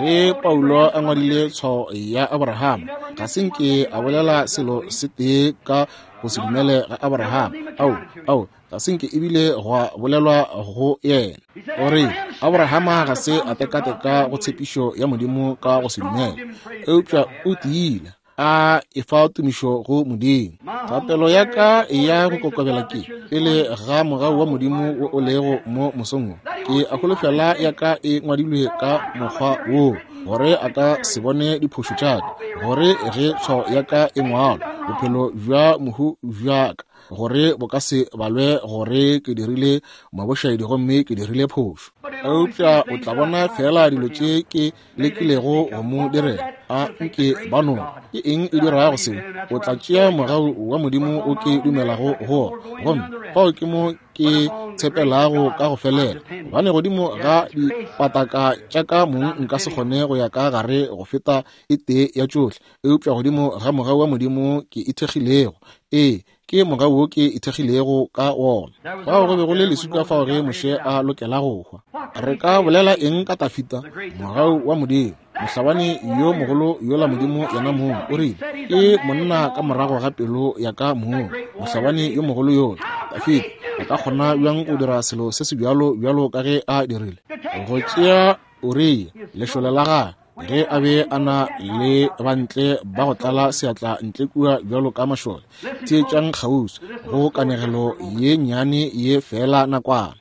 S1: ge Paulo a ngwadile tshwao ya Abrahama, ga se nke a bolela selo se tee ka go se dumele ga Abrahama. Ao, ao, ga se nke ebile gwa bolelwa go yena. O re Abrahama ga se a tekateka go tshepišo ya Modimo ka go se dumele, eupša o tiile a efa tumišo go Modimo. Thapelo ya ka ya go kokobela ke pele ga mogau wa Modimo wo o lego mo mosong wo, ke a holofela ya ka e ngwadilwe ka mokgwa wo, gore a ka se bone diphošo tša ka, gore ge tshwao ya ka e ngwalwa, bophelo bja mohu bja ka gore bo ka se balwe gore ke dirile mabošaedi gomme ke dirile phošo. Eupša o tla bona fela dilo tše ke lekilego go mo direla. A nke ba no ke eng e dirago seo? O tla tšea mogau wa Modimo o ke dumelago go ona, gomme fao ke mo ke tshepelago ka go felela. Gobane godimo ga dipataka tša ka mong nka se kgone go ya ka gare go feta e tee ya tšohle, eupša godimo ga mogau wa Modimo ke ithekgilego. Ee, ke mogau wo ke ithekgilego ka wona. Fao go be go le leswika fao ge Moshe a lokela go hwa. Re ka bolela eng ka Tafita? Mogau wa Modimo, mohlabani yo mogolo yola Modimo yena mong o rile, ke monna ka morago ga pelo ya ka mong, mohlabani yo mogolo yola Tafita. A ka kgona bjang go dira selo se se bjalo bjalo ka ge a dirile? Go tšea Uria lešole la gagwe, ge a be a na le bantle ba go tlala seatla ntle kua bjalo ka mašole. Theetšang kgauswi go kanegelo ye nnyane ye fela nakwana.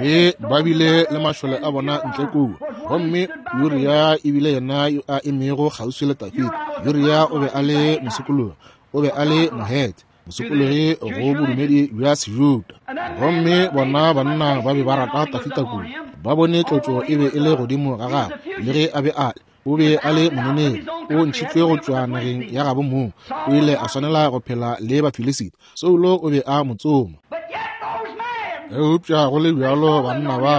S1: Ge ba bile le mašole a bona ntle kua, gomme Uria e bile yena yo a emego kgauswi le Dafida. Uria o be a le mosokologi, o be a le Mohete, mosokologi go bodumedi bja Sejuda. Gomme bona banna ba be ba rata Dafida kudu. Ba bone tlotšo e be e le godimo ga gagwe, le ge a be a le o be a le mononeri, o ntšhitšwe go tšwa nageng ya gabo mong, o ile a swanela go phela le Bafilisita. Saulo o be a mo tsoma. Eupša go le bjalo banna ba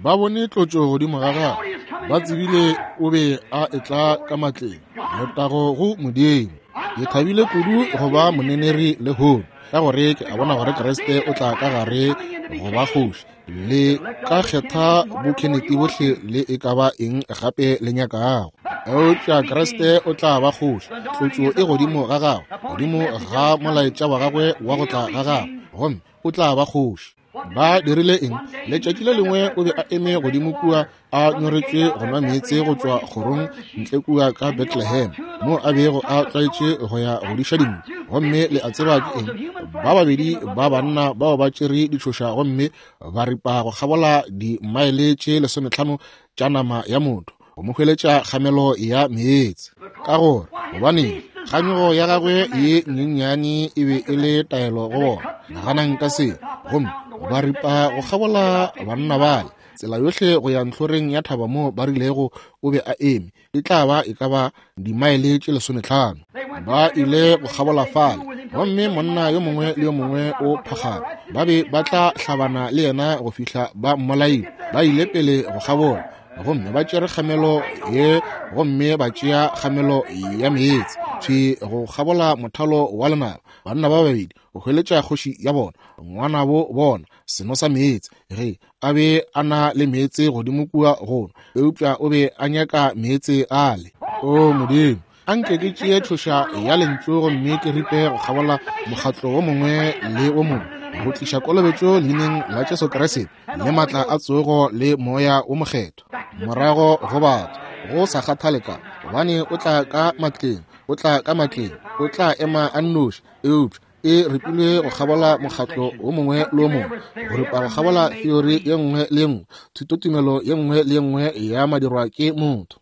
S1: ba bone tlotšo godimo ga gagwe, ba tsebile o be a etla ka matleng. Letago go Modimo. Ke thabile kudu go ba moneneri lehono, ka gore ke a bona gore Kriste o tla ka gare go ba kgoši. Le ka kgetha bokheneti bohle le e ka ba eng gape le nyakago, eupša Kriste o tla ba kgoši. Tlotšo e godimo ga gagwe, godimo ga molaetša wa gagwe wa go tla ga gagwe, gomme o tla ba kgoši. Ba dirile eng? Letšatši le lengwe o be a eme godimo kua a nyoretšwe go nwa meetse go tšwa kgorong ntle kua ka Bethlehem, mo a bego a tlwaetše go ya go diša dinku. Gomme le a tseba ke eng? Ba babedi ba banna bao ba tšere ditšhoša gomme ba ripa go kgabola dimaele tše lesometlhano tša nama ya motho go mo hweletša kgamelo ya meetse. Ka gore gobaneng? Kganyogo ya gagwe ye nyenyane e be e le taelo go bona. Naganang ka se. Gomme ba ripa go kgabola banna bale tsela yohle go ya ntlhoreng ya thaba mo ba rilego o be a eme, e tla ba e ka ba dimaele tše lesometlhano. Ba ile go kgabola fale, gomme monna yo mongwe le yo mongwe o phagame. Ba be ba tla hlabana le yena go fihla ba mmolaile. Ba ile pele go kgabola, gomme ba tšere kgamelo ye, gomme ba tšea kgamelo ya meetse thwi go kgabola mothalo wa lenaba. Banna ba babedi go hweletša kgoši ya bona, ngwanabo bona, seno sa meetse. Ge a be a na le meetse godimo kua gono, eupša o be a nyaka meetse ale. O Modimo, anke ke tšee tšhoša ya lentšu gomme ke ripe go kgabola mokgatlo wo mongwe le wo mongwe, go tliša kolobetšo leineng la Jesu Kriste le matla a tsogo le moya wo mokgethwa morago go batho, go sa kgathale ka gobane o tla ka matleng, o tla ka matleng, o tla ema a nnoši. Eupša e ripilwe go kgabola mokgatlo wo mongwe le wo mongwe, go ripa go kgabola theory ye nngwe le ye nngwe, thutotumelo ye nngwe le ye nngwe ya madirwa ke motho,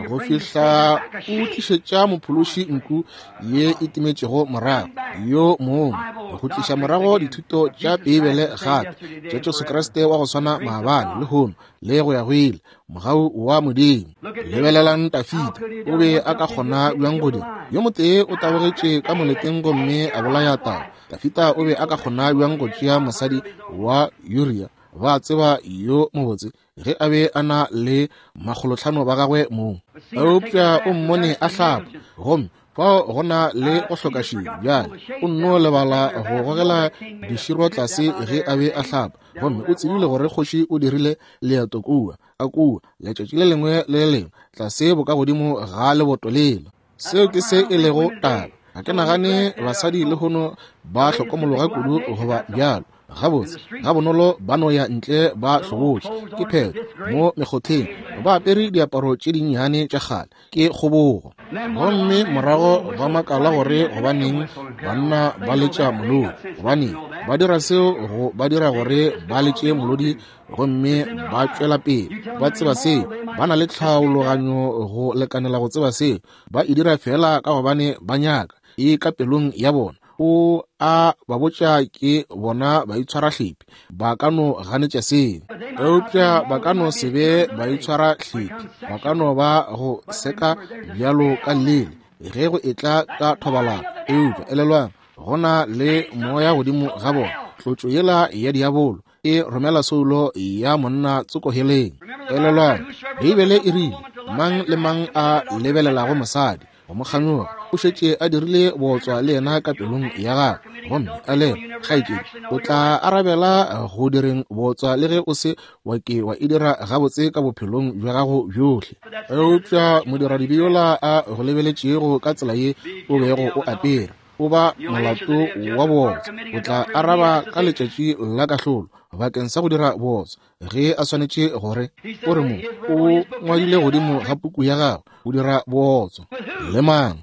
S1: go fihla o tlišetša mophološi nku ye e timetšego morago yo mongwe, go tliša morago dithuto tša Beibele gape tša Jesu Kriste wa go swana maabane, lehono le go ya go ile. Mogau wa Modimo. Lebelelang Dafida, o be a ka kgona bjang go dira? Yo motee o tabogetše ka moleteng gomme a bolaya tau. Dafida o be a ka kgona bjang go tšea mosadi wa Uria, ba tseba yo mobotse, ge a be a na le makgolotlhano ba gagwe mong? Eupša o mmone a hlapa, gomme fao go na le go hloka šedi. Bjale o nno lebala go gogela diširo tlase ge a be a hlapa, gomme o tsebile gore kgoši o dirile leeto kua a kua letšatši le lengwe le le lengwe tlase bokagodimo ga leboto lela. Seo ke se e lego taba. Ga ke nagane basadi lehono ba hlokomologa kudu goba bjalo. Gabotse ga bonolo ba no ya ntle ba hlobotše, ke phetho mo mekgotheng, ba apere diaparo tše dinnyane tša kgale, ke kgobogo. Gomme morago ba makala gore gobaneng banna ba letša molodi, gobaneng ba dira seo, go ba dira gore ba letše molodi gomme ba tšwela pele. Ba tseba seo, ba na le tlhaologanyo go lekanela go tseba seo. Ba e dira fela ka gobane ba nyaka, e ka pelong ya bona. O a ba botša ke bona baitshwarahlepi, ba ka no ganetša seo, eupša ba ka no se be baitshwarahlepi, ba ka no ba go seka bjalo ka llele ge go etla ka thobalano. Eupša elelwang, go na le moya godimo ga bona, tlotšo yela ya diabolo e romela soulo ya monna tsokoheleng. Elelwang, Beibele e rile mang le mang a lebelelago mosadi go mo kganyoga o šetše a dirile bootswa le yena ka pelong ya gagwe. Gomme a le kgaetšedi, o tla arabela go direng bootswa le ge o se wa ke wa e dira gabotse ka bophelong bja gago bjohle. Eupša modiradibe yola a go lebeletšego ka tsela ye o bego o apere, O ba molato wa bootswa. O tla araba ka letšatši la kahlolo bakeng sa go dira bootswa ge a swanetše gore o re mo o ngwadile godimo ga puku ya gagwe o dira bootswa le mang.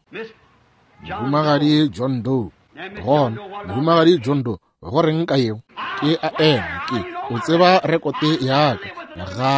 S1: Mohumagadi John Doe. Gona Mohumagadi John Doe, go reng ka yeo? Ke a ema ke o tseba rekote ya ka. Ga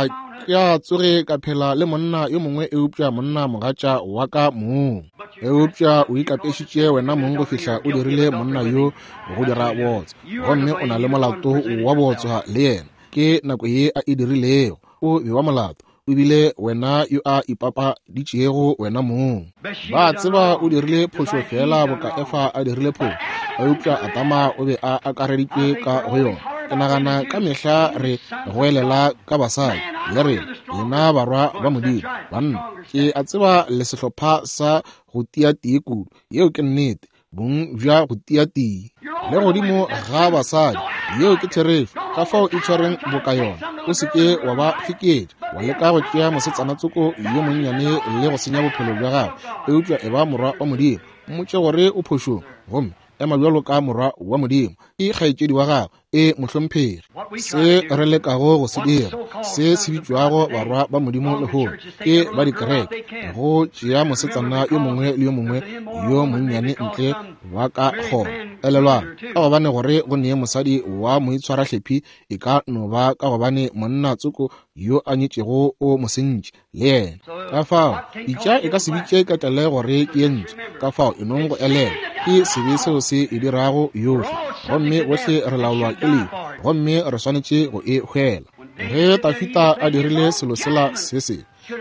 S1: ke a tsoge ka phela le monna yo mongwe eupša monna mogatša wa ka mong. Eupša o ikapešitše wena mong go fihla o dirile monna yo go dira bootswa, gomme o na le molato wa bootswa le yena. Ke nako ye a e dirilego, o bewa molato. O bile wena yo a ipapaditšego wena mong. Ba tseba o dirile phošo fela boka Efa a dirile phošo, eupša Adama o be a akareditšwe ka go yona. Ke nagana ka mehla re goelela ka basadi le re lena barwa ba Modimo. Banna, ke a tseba le sehlopha sa go tia tee kudu. Yeo ke nnete, bong bja go tia tee le godimo ga basadi. Yeo ke therešo. Ka fao e tshwareng boka yona. O se ke wa ba fiketša, wa leka go tšea mosetsana tsoko yo monnyane le go senya bophelo bja gagwe, eupša e ba morwa wa Modimo. Mmotše gore o phošong, gomme ema bjalo ka morwa wa Modimo. Ke kgaetšedi wa gagwe, e mohlomphegi. Se re lekago go se dira, se se bitšwago barwa ba Modimo lehono, ke ba dikereke, go tšea mosetsana yo mongwe le yo mongwe yo monnyane ntle ba ka kgona. Elelwang, ka gobane gore go nee mosadi wa moitshwarahlephi e ka no ba ka gobane monna tsoko yo a nyetšego o mo sentše le yena. Ka fao pitša e ka se bitše ka tlale gore ke ye ntsho. Ka fao e nong go elela ke sebe seo se e dirago yohle, gomme bohle re laolwa ke lehu, gomme re swanetše go e hwela. Ge Dafida a dirile selo sela se se,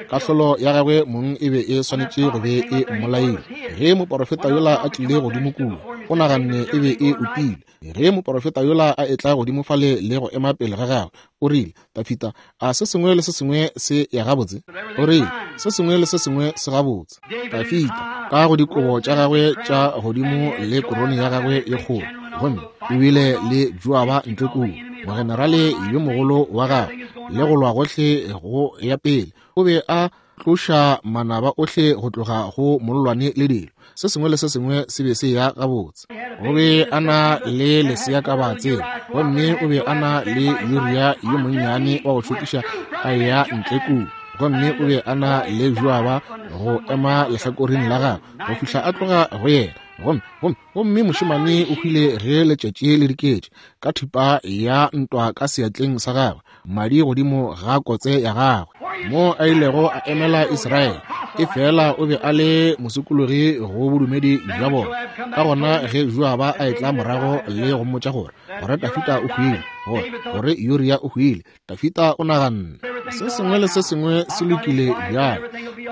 S1: kahlolo ya gagwe mong e be e swanetše go be e mmolaile. Ge moporofeta yola a tlile godimo kua, o naganne e be e utile. Ge moporofeta yola a etla godimo fale le go ema pele ga gagwe, o rile, Dafida, a se sengwe le se sengwe se ya gabotse? O rile, se sengwe le se sengwe se gabotse. Dafida ka go dikobo tša gagwe tša godimo le korone ya gagwe ye kgolo, gomme o bile le Joaba ntle kua, mogenerale yo mogolo wa gagwe, le go lwa gohle go ya pele. O be a tloša manaba ohle go tloga go mollwane le dilo. Se sengwe le se sengwe se be se ya gabotse. O be a na le lesea ka ba tsela, gomme o be a na le Uria yo monnyane wa go šokiša a ya ntle kua, gomme o be a na le Joaba go ema lehlakoreng la gagwe go fihla a tloga go yena. Gomme gomme gomme mošemane o hwile ge letšatši le diketše, ka thipa ya ntwa ka seatleng sa gagwe, madi godimo ga kotse ya gagwe, mo a ilego a emela Israele. E fela o be a le mosokologi go bodumedi bja bona. Ka gona ge Joaba a etla morago le go mmotša gore gore Dafida o hwile, gore gore Uria o hwile, Dafida o naganne se sengwe le se sengwe se lokile bjale.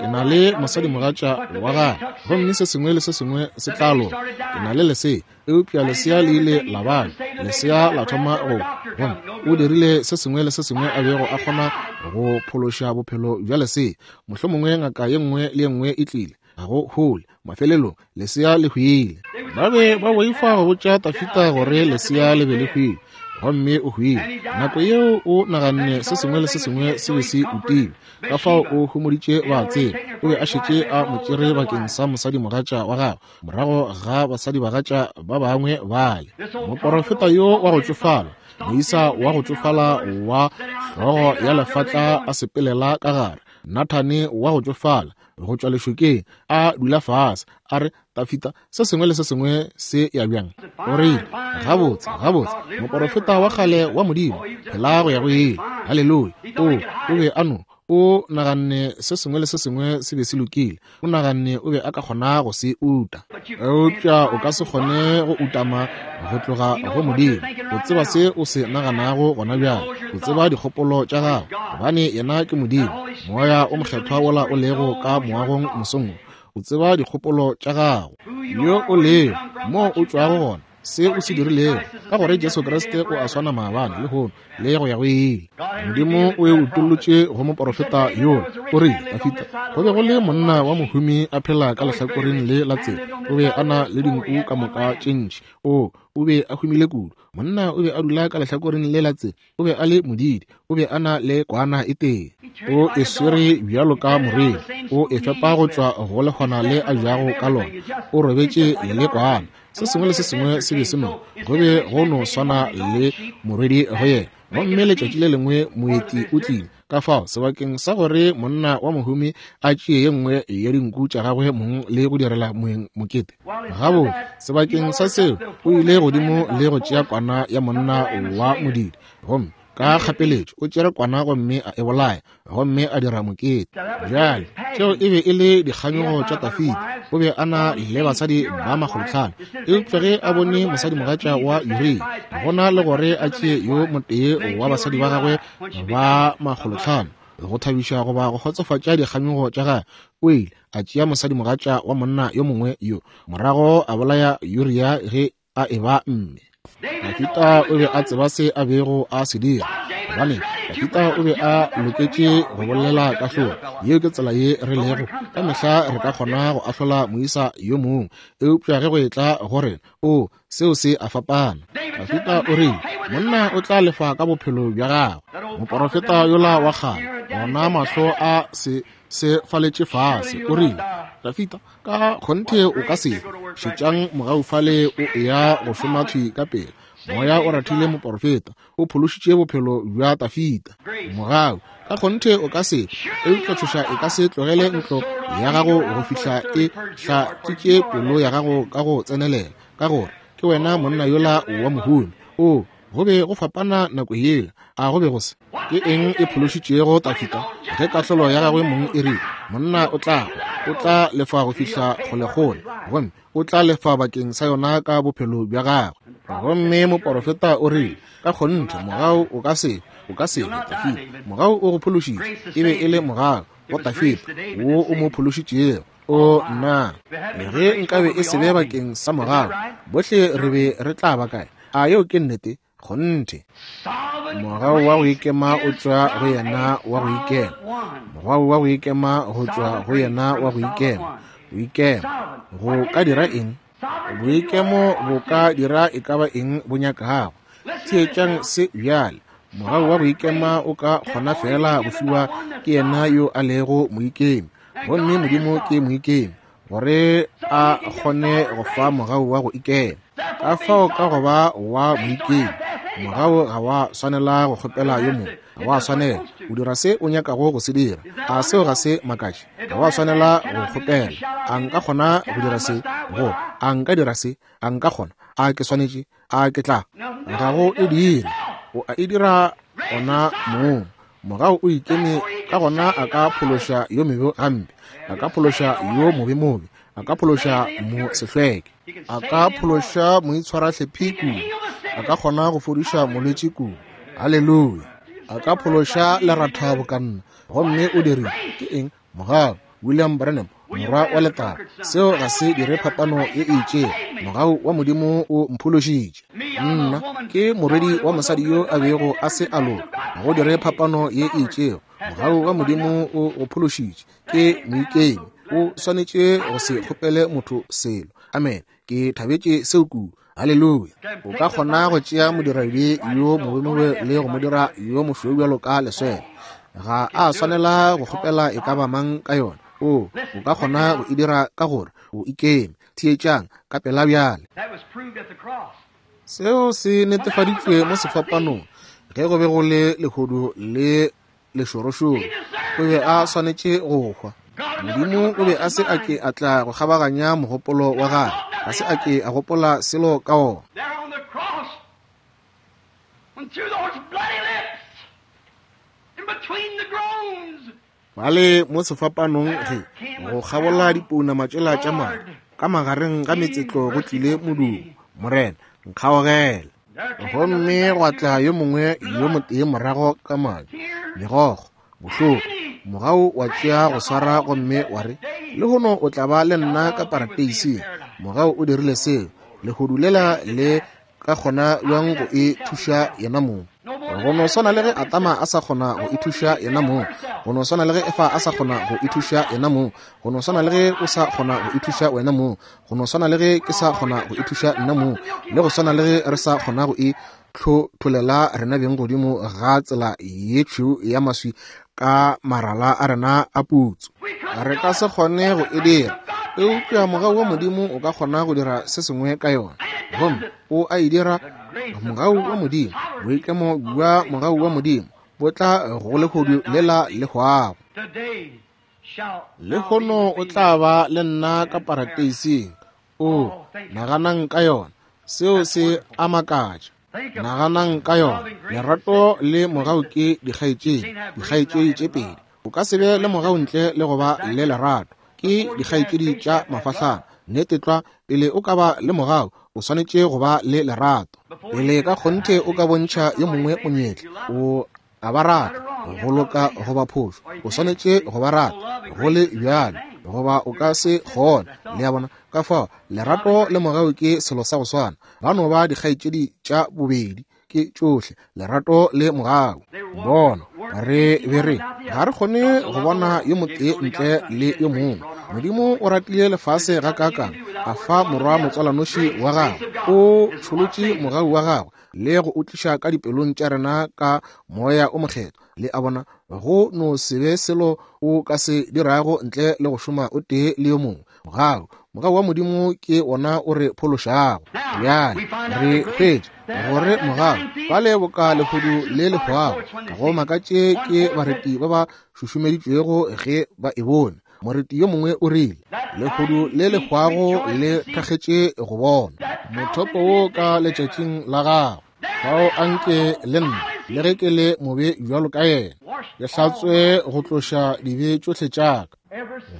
S1: Ke na le mosadimogatša wa gagwe, gomme se sengwe le se sengwe se tla loka. Ke na le lesea, eupša lesea le ile la bala. Lesea la thoma go gomme o dirile se sengwe le se sengwe a bego a kgona go phološa bophelo bja lesea. Mohlomongwe ngaka ye nngwe le ye nngwe e tlile, ga go hole. Mafelelong lesea le hwile. Ba be ba boifa go botša Dafida gore lesea le be le hwile, gomme o hwile. Nako yeo o naganne se sengwe le se sengwe se be se utile. Ka fao o homoditše ba tseba. O be a šetše a mo tšere bakeng sa mosadimogatša wa gagwe morago ga basadibagatša ba bangwe bale. Moporofeta yo wa go tšofala, moisa wa go tšofala wa hlogo ya lefatla a sepelela ka gare, Nathane wa go tšofala go tšwa lešokeng, a dula fase, a re, Dafida, se sengwe le se sengwe se ya bjang? O rile, gabotse, gabotse, moporofeta wa kgale wa Modimo, phela go ya go ile. Haleluya. O, o be a no, o naganne se sengwe le se sengwe se be se lokile. O naganne o be a ka kgona go se uta, eupša o ka se kgone go utama go tloga go Modimo. O tseba se o se naganago gona bjale. O tseba dikgopolo tša gago, gobane yena ke Modimo. Moya o mokgethwa wola o lego ka moagong mosong, o tseba dikgopolo tša gago, yo o lego, mo o tšwago gona, se o se dirilego, ka gore Jesu Kriste o a swana maabane, lehono le go ya go ile. Modimo o e utollotše go moporofeta yola. O rile, Dafida, go be go le monna wa mohumi a phela ka lehlakoreng le la tsela. O be a na le dinku ka moka tše ntši. O o be a humile kudu. Monna o be a dula ka lehlakoreng le la tsela. O be a le modidi. O be a na le kwana e tee. O e swere bjalo ka moriri. O e fepa go tšwa go lehwana le a jago ka lona. O robetše le kwana. Se sengwe le se sengwe se be se no go be go no swana le morwedi go yena. Gomme letšatši le lengwe moeti o tlile. Ka fao sebakeng sa gore monna wa mohumi a tšee ye nngwe ya dinku tša gagwe mong le go direla moeng mokete, gabotse sebakeng sa seo o ile godimo le go tšea kwana ya monna wa modidi, gomme ka kgapeletšo o tšere kwana gomme a e bolaya gomme a dira mokete. Bjale tšeo e be e le dikganyogo tša Dafida. O be a na le basadi ba makgolotlhano, eupša ge a bone mosadimogatša wa Uria, gona le gore a tšee yo motee wa basadi ba gagwe ba makgolotlhano go thabiša goba go kgotsofatša dikganyogo tša gagwe, o ile a tšea mosadimogatša wa monna yo mongwe yo, morago a bolaya Uria ge a eba mme. Dafida o be a tseba se a bego a se dira, gobane Dafida o be a loketše go bolela kahlolo. Yeo ke tsela ye re lego ka mehla. Re ka kgona go ahlola moisa yo mongwe, eupša ge go etla go rena, o seo se a fapana. Dafida o rile, monna o tla lefa ka bophelo bja gagwe. Moporofeta yola wa kgale, ona mahlo a se se faletše fase, o rile, Dafida, ka kgonthe o ka se šetšang mogau fale o eya go šoma thwi ka pele. Moya o rathile moporofeta, o phološitše bophelo bja Dafida. Mogau, ka kgonthe o ka se, eupša tšhoša e ka se tlogele ntlo ya gago go fihla e hlatswitše pelo ya gago ka go tsenelela, ka gore ke wena monna yola wa mohumi. O go be go fapana nako yela, a go be go se. Ke eng e phološitšego Dafida ge kahlolo ya gagwe mong e rile, monna o tla o tla lefa go fihla kgolekgole, gomme o tla lefa bakeng sa yona ka bophelo bja gagwe. Gomme moporofeta o rile, ka kgonthe mogau o ka se, o ka se Dafida. Mogau o go phološitše, e be e le mogau go Dafida wo o mo phološitšego. O nna, ge nkabe e se be bakeng sa mogau, bohle re be re tla ba kae? A yeo ke nnete? Kgonthe. Mogau wa go ikema o tšwa go yena wa go ikema. Mogau wa go ikema go tšwa go yena wa go ikema. Go ikema go ka dira eng? Boikemo bo ka dira e ka ba eng bo nyakago. Theetšang se bjale. Mogau wa go ikema o ka kgona fela go fiwa ke yena yo a lego moikemi, gomme Modimo ke moikemi, gore a kgone go fa mogau wa go ikema. Ka fao ka go ba wa moikemi, mogau ga wa swanela go kgopela yo mongwe, ga wa swanela. O dira se o nyakago go se dira. A seo ga se makatše? Ga wa swanela go kgopela. A nka kgona go dira se? Go a nka dira se? A nka kgona? A ke swanetše? A ke tla? Ga go e dire. O a e dira ona mong. Mogau o ikeme, ka gona a ka phološa yo mebe gampe, a ka phološa yo mobe mobe, a ka phološa mo sehlweke, a ka phološa moitshwarahlephi kudu, a ka kgona go fodiša molwetši kudu. Haleluya! A ka phološa leratha bokanna. Gomme o dirile ke eng? Mogau. William Branham, morwa wa letago. Seo ga se dire phapano ye e itšego. Mogau wa Modimo o mphološitše. Nna ke morwedi wa mosadi yo a bego a se a loka. Ga go dire phapano ye e itšego. Mogau wa Modimo o go phološitše. Ke moikemi. O swanetše go se kgopele motho selo. Amen. Ke thabetše seo kudu. Haleluya. O ka kgona go tšea modiradibe yo mobemobe le go mo dira yo mošweu bjalo ka leswele. Ga a swanela go kgopela e ka ba mang ka yona. O o ka kgona go e dira ka gore o ikeme. Theetšang ka pela bjale. Seo se netefaditšwe mo sefapanong ge go be go le lehodu le lešorošoro. O be a swanetše go hwa. Modimo o be a se a ke a tla go kgabaganya mogopolo wa gagwe, ga se a ke a gopola selo ka ona. Bale mo sefapanong ge go kgabola dipounama tšela tša madi, ka magareng ga metsetlo go tlile modumo, Morena, nkgaogele. Gomme gwa tla yo mongwe yo motee morago ka madi, megokgo, bohloko. Mogau wa tšea go swara gomme wa re, lehono o tla ba le nna ka parateising. Mogau o dirile seo. Lehodu lela le ka kgona bjang go e thuša yena mong? Go no swana le ge Adama a sa kgona go ithuša yena mong, go no swana le ge Efa a sa kgona go ithuša yena mong, go no swana le ge o sa kgona go ithuša wena mong, go no swana le ge ke sa kgona go ithuša nna mong, le go swana le ge re sa kgona go itlhotholela rena beng godimo ga tsela ye tšhweu ya maswi ka marala a rena a putso. Re ka se kgone go e dira. Eupša mogau wa Modimo o ka kgona go dira se sengwe ka yona, gomme o a e dira. Mogau wa Modimo, boikemo bja mogau wa Modimo bo tla go lehodu lela le hwago. Lehono o tla ba le nna ka parateising. O naganang ka yona, seo se a makatša. Naganang ka yona, lerato le mogau ke dikgaetšedi, dikgaetšedi tše pedi. O ka se be le mogau ntle le go ba le lerato. Ke dikgaetšedi tša mafahlana. Nnete tlwa, pele o ka ba le mogau, o swanetše go ba le lerato. Pele ka kgonthe o ka bontšha yo mongwe monyetla, o a ba rata, go loka goba phošo, o swanetše go ba rata go le bjalo, goba o ka se kgone. Le a bona? Ka fao lerato le mogau ke selo sa go swana. Ba no ba dikgaetšedi tša bobedi, ke tšohle lerato le mogau. Bona, re be re ga re kgone go bona yo motee ntle le yo mongwe. Modimo o ratile lefase gakaakang, a fa morwa motswalanoši wa gagwe. O tšholotše mogau wa gagwe le go o tliša ka dipelong tša rena ka moya o mokgethwa. Le a bona, go no se be selo o ka se dirago ntle le go šoma o tee le yo mongwe. Mogau, mogau wa Modimo ke wona o re phološago. Bjale re hwetša gore mogau bale boka lehodu le le hwago. Go makatše ke bareti ba ba šušumeditšwego ge ba e bone. Moreti yo mongwe o rile, lehodu le le hwago le thakgetše go bona mothopo wo ka letšatšing la gagwe. Fao anke le nna, le ge ke le mobe bjalo ka yena, ke hlatswe go tloša dibe tšohle tša ka.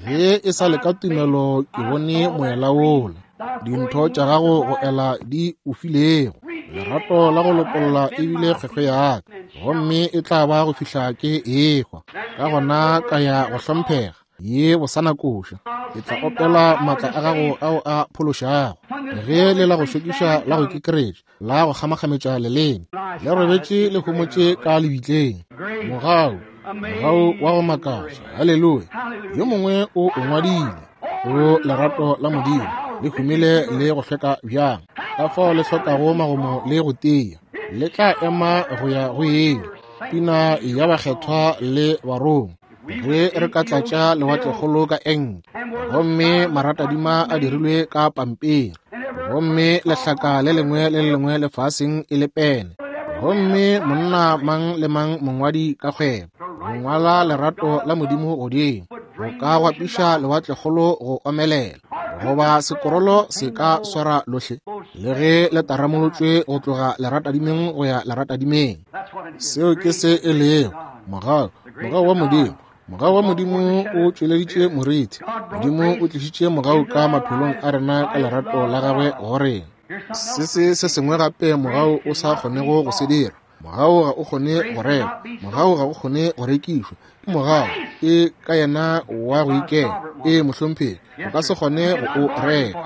S1: Ge e sa le ka tumelo ke bone moela wola, dintho tša gago go ela di o filego. Lerato la go lopolla ebile kgwekgwe ya ka, gomme e tla ba go fihla ke ehwa. Ka gona ka ya go hlomphega ye bosana koša. Ke tla opela maatla a gago ao a phološago. Ge le la go šokiša la go kekeretša, la go kgamakgametša leleme, le robetše le homotše ka lebitleng. Mogau, mogau wa go makatša. Haleluya! Yo mongwe o o ngwadile. O lerato la Modimo le humile le go hlweka bjang, ka fao le hlokago magomo le go tia. Le tla ema go ya go ile. Pina ya bakgethwa le barongwa. Ge re ka tlatša lewatlekgolo ka enke, gomme maratadima a dirilwe ka pampiri, gomme lehlaka le lengwe le le lengwe lefaseng e le pene, gomme monna mang le mang mongwadi ka kgwebo go ngwala lerato la Modimo godimo, go ka gwapiša lewatlekgolo go omelela, goba sekorolo se ka swara lohle, le ge le taramolotšwe go tloga leratadimeng go ya leratadimeng. Seo ke se e lego mogau, mogau wa Modimo. Mogau wa Modimo o tšweleditše moriti. Modimo o tlišitše mogau ka maphelong a rena ka lerato la gagwe go rena. Se se se sengwe gape mogau o sa kgonego go se dira. Mogau ga o kgone go rekwa, mogau ga o kgone go rekišwa. Ke mogau, ke ka yena wa go ikela. Ee, mohlomphegi, o ka se kgone go o reka.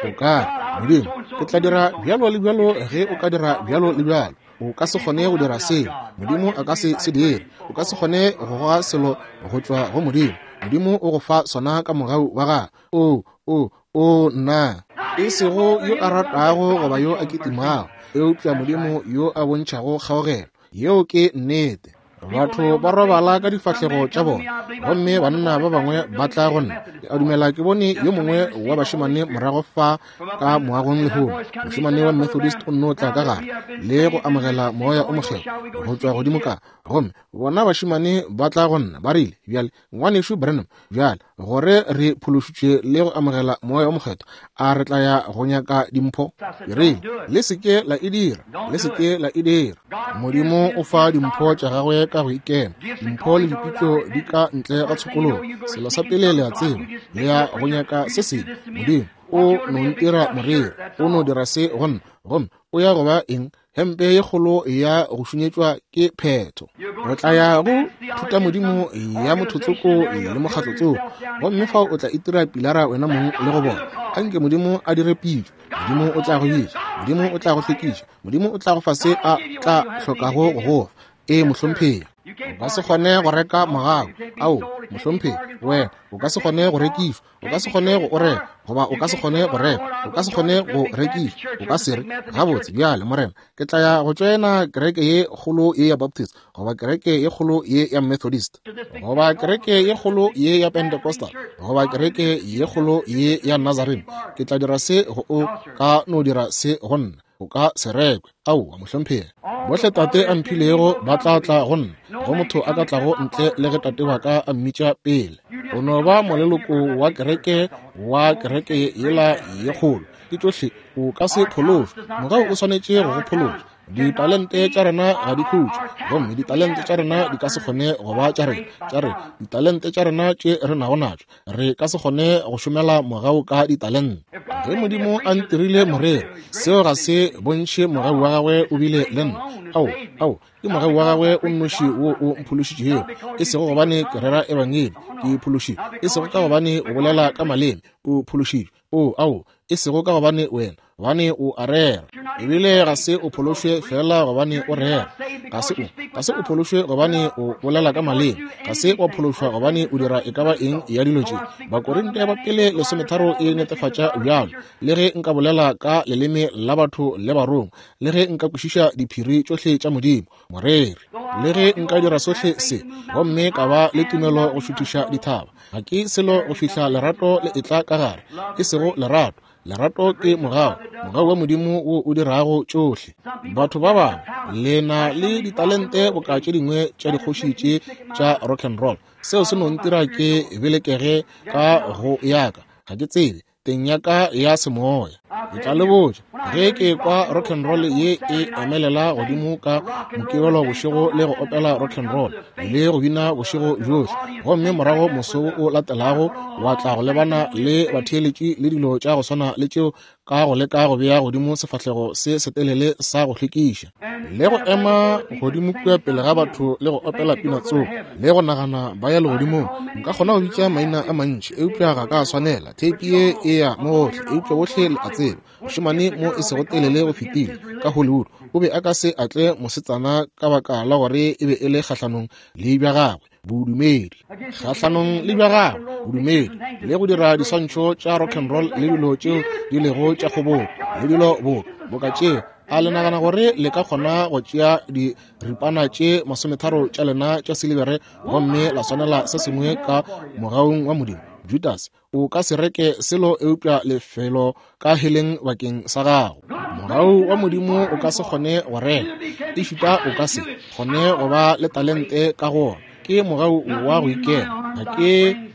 S1: O ka re, Modimo, ke tla dira bjalo le bjalo ge o ka dira bjalo le bjalo. O ka se kgone go dira seo. Modimo a ka se se dire. O ka se kgone go goga selo go tšwa go Modimo. Modimo o go fa sona ka mogau wa gagwe. O, o, o nna. E sego yo a ratago goba yo a kitimago, eupša Modimo yo a bontšhago kgaogelo. Yeo ke nnete. Batho ba robala ka difahlego tša bona, gomme banna ba bangwe ba tla go nna. Ke a dumela ke bone yo mongwe wa bašemane morago fa ka moagong lehono. Mošemane wa Methodist o nno tla ka gare le go amogela moya o mokgethwa go tšwa godimo ka. Gomme bona bašemane ba tla go nna, ba rile, bjale ngwanešu Branham, bjale gore re phološitšwe le go amogela moya o mokgethwa, a re tla ya go nyaka dimpho? Ke rile, le se ke la e dira, le se ke la e dira. Modimo o fa dimpho tša gagwe ka go ikema. Dimpho le dipitšo di ka ntle ga tshokologo. Selo sa pele le a tseba, le ya go nyaka se sengwe. Modimo o no ntira moreri, o no dira se go nna, gomme o ya go ba eng? Hempe ye kgolo ya go šunyetšwa ke phetho. Re tla ya go thutamodimo ya mothotsoko le mokgatlotsoko, gomme fao o tla itira pilara wena mong le go bona. Anke Modimo a dire pitšo. Modimo o tla go bitša, Modimo o tla go hlwekiša, Modimo o tla go fa se a tla hlokago go go fa. Ee, mohlomphegi. O ka se kgone go reka mogau. Ao, mohlomphegi, wena o ka se kgone go rekišwa. O ka se kgone go o reka, goba o ka se kgone go reka. O ka se kgone go rekišwa. O ka se re, gabotse bjale, Morena, ke tla ya go tšoena kereke ye kgolo ye ya Baptist, goba kereke ye kgolo ye ya Methodist, goba kereke ye kgolo ye ya Pentecostal, goba kereke ye kgolo ye ya Nazarene. Ke tla dira se go o ka no dira se go nna. O ka se rekwe. Aowa, mohlomphegi. Bohle Tate a mphilego ba tla tla go nna. Go motho a ka tlago ntle le ge Tate wa ka a mmitša pele. O no ba moleloko wa kereke wa kereke yela ye kgolo. Ke tšohle, o ka se phološwe. Mogau o swanetše go go phološa. Ditalente tša rena ga di khutše, gomme ditalente tša rena di ka se kgone go ba tša rena tša rena. Ditalente tša rena tše re nago natšo, re ka se kgone go šomela mogau ka ditalente. Ge Modimo a ntirile moreri, seo ga se bontšhe mogau wa gagwe o bile le nna. Ao, ao, ke mogau wa gagwe o nnoši wo o mphološitšego, e sego gobane ke rera ebangedi, ke phološitšwe, e sego ka gobane o bolela ka maleme, o phološitšwe. O, ao, e sego ka gobane wena, gobane o a rera. Ebile ga se o phološwe fela gobane o rera. Ga se o, ga se o phološwe gobane o bolela ka maleme. Ga se wa phološwa gobane o dira e ka ba eng ya dilo tše. Bakorinte ba pele lesometharo e netefatša bjalo. Le ge nka bolela ka leleme la batho le barongwa, le ge nka kwešiša diphiri tšohle tša Modimo, moreri, le ge nka dira sohle se, gomme ka ba le tumelo go šuthiša dithaba, ga ke selo go fihla lerato le etla ka gare. E sego lerato. Lerato ke mogau, mogau wa Modimo wo o dirago tšohle. Batho ba bangwe le na le ditalente boka tše dingwe tša dikgoši tše tša rock and roll. Seo se no ntira ke belekege ka go yaka. Ga ke tsebe teng ya ka ya semoya. Ke tla le botša, ge ke kwa rock and roll ye e emelela godimo ka Mokibelo bošego le go opela rock and roll le go bina bošego bjohle, gomme morago moso o latelago wa tla go lebana le batheeletši le dilo tša go swana le tšeo ka go leka go bea godimo sefahlego se setelele sa go hlwekiša, le go ema godimo kua pele ga batho le go opela pina tsoko le go nagana ba ya legodimong. Nka kgona go bitša maina a mantši, eupša ga ka swanela. Theipi ye e ya mo gohle, eupša bohle le a tseba. Mošemane mo e sego telele go fetile ka Hollywood o be a ka se atle mosetsana ka baka la gore e be e le kgahlanong le bja gagwe bodumedi, kgahlanong le bja gagwe bodumedi, le go dira diswantšho tša rock and roll le dilo tšeo di lego tša kgobogo le dilo bo boka tšeo. A le nagana gore le ka kgona go tšea diripana tše masometharo tša lena tša silibere gomme la swanela se sengwe ka mogaung wa Modimo? Judas, o ka se reke selo eupša lefelo ka heleng bakeng sa gago. Mogau wa Modimo o ka se kgone go reka, ešita o ka se kgone go ba le talente ka go ona. Ke mogau wa go ikela. Ga ke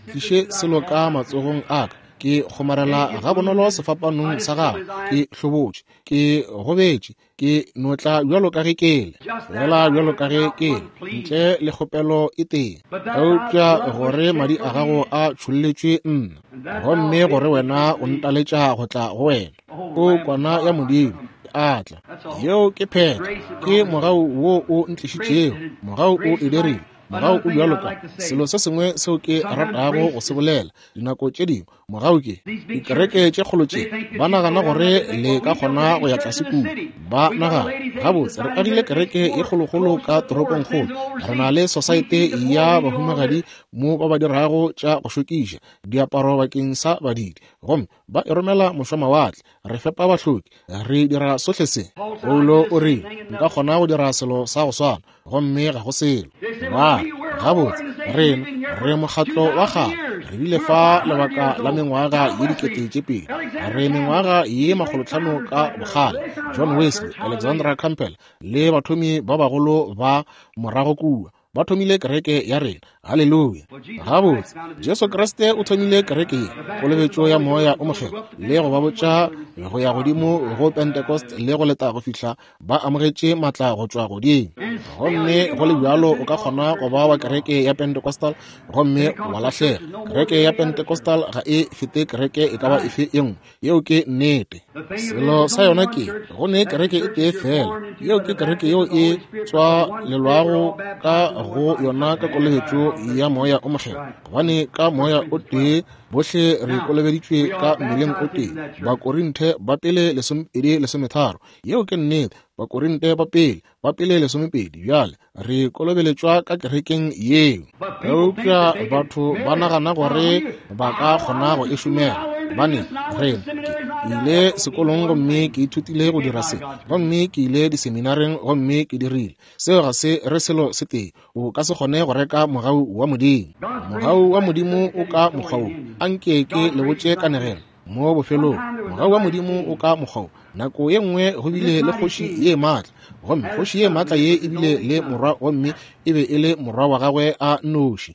S1: tliše selo ka matsogong a ka. Ke kgomarela gabonolo sefapanong sa gago. Ke hlobotše, ke gobetše, ke notla bjalo ka ge ke le, fela bjalo ka ge ke le, ntle le kgopelo e tee, eupša gore madi a gago a tšholletšwe nna, gomme gore wena o ntaletša go tla go wena. O kwana ya Modimo, a tla. Yeo ke phetho. Ke mogau wo o ntlišitšego. Mogau o e dirile. Mogau o bjalo ka selo se sengwe seo ke ratago go se bolela. Dinako tše dingwe mogau ke dikereke tše kgolo tše ba nagana gore le ka kgona go ya tlase kua. Ba nagana, gabotse re agile kereke ye kgolokgolo ka toropongkgolo, re na le sosaete ya bahumagadi mo ba ba dirago tša go šokiša diaparo bakeng sa badidi, gomme ba e romela mošwamawatle, re fepa bahloki, re dira sohle se. Paulo o rile, nka kgona go dira selo sa go swana, gomme ga go selo. Ba gabotse rena re mokgatlo wa kgale, re bile fa lebaka la mengwaga ye dikete tše pedi, re mengwaga ye makgolotlhano ka bokgale. John Wesley, Alexandra Campbell le bathomi ba bagolo ba morago kua ba thomile kereke ya rena. Haleluya. Gabotse Jesu Kriste o thomile kereke ye, kolobetšo ya moya o mokgethwa, le go ba botša go ya godimo go Pentecost le go leta go fihla ba amogetše matla go tšwa godimo. Gomme go le bjalo o ka kgona go ba wa kereke ya Pentecostal gomme wa lahlega. Kereke ya Pentecostal ga e fete kereke e ka ba efe e nngwe. Yeo ke nnete. Selo sa yona ke go ne kereke e tee fela. Yeo ke kereke yeo e tswalelwago ka go yona ka kolobetšo kolobetšo ya Moya o Mokgethwa, gobane ka Moya o tee bohle re kolobeditšwe ka mmeleng o tee. Bakorinthe ba pele lesomepedi lesometharo. Yeo ke nnete. Bakorinthe ba pele ba pele lesomepedi. Bjale re kolobeletšwa ka kerekeng yeo. Eupša batho ba nagana gore ba ka kgona go e šomela. Gobane re ke ile sekolong gomme ke ithutile go dira se, gomme ke ile diseminareng gomme ke dirile seo. Ga se re selo se tee. O ka se kgone go reka mogau wa Modimo. Mogau wa Modimo o ka mokgwa wo. Anke ke le botše kanegelo mo bofelong. Mogau wa Modimo o ka mokgwa wo. Nako ye nngwe go bile le kgoši ye maatla, gomme kgoši ye maatla ye e bile le morwa, gomme e be e le morwa wa gagwe a nnoši.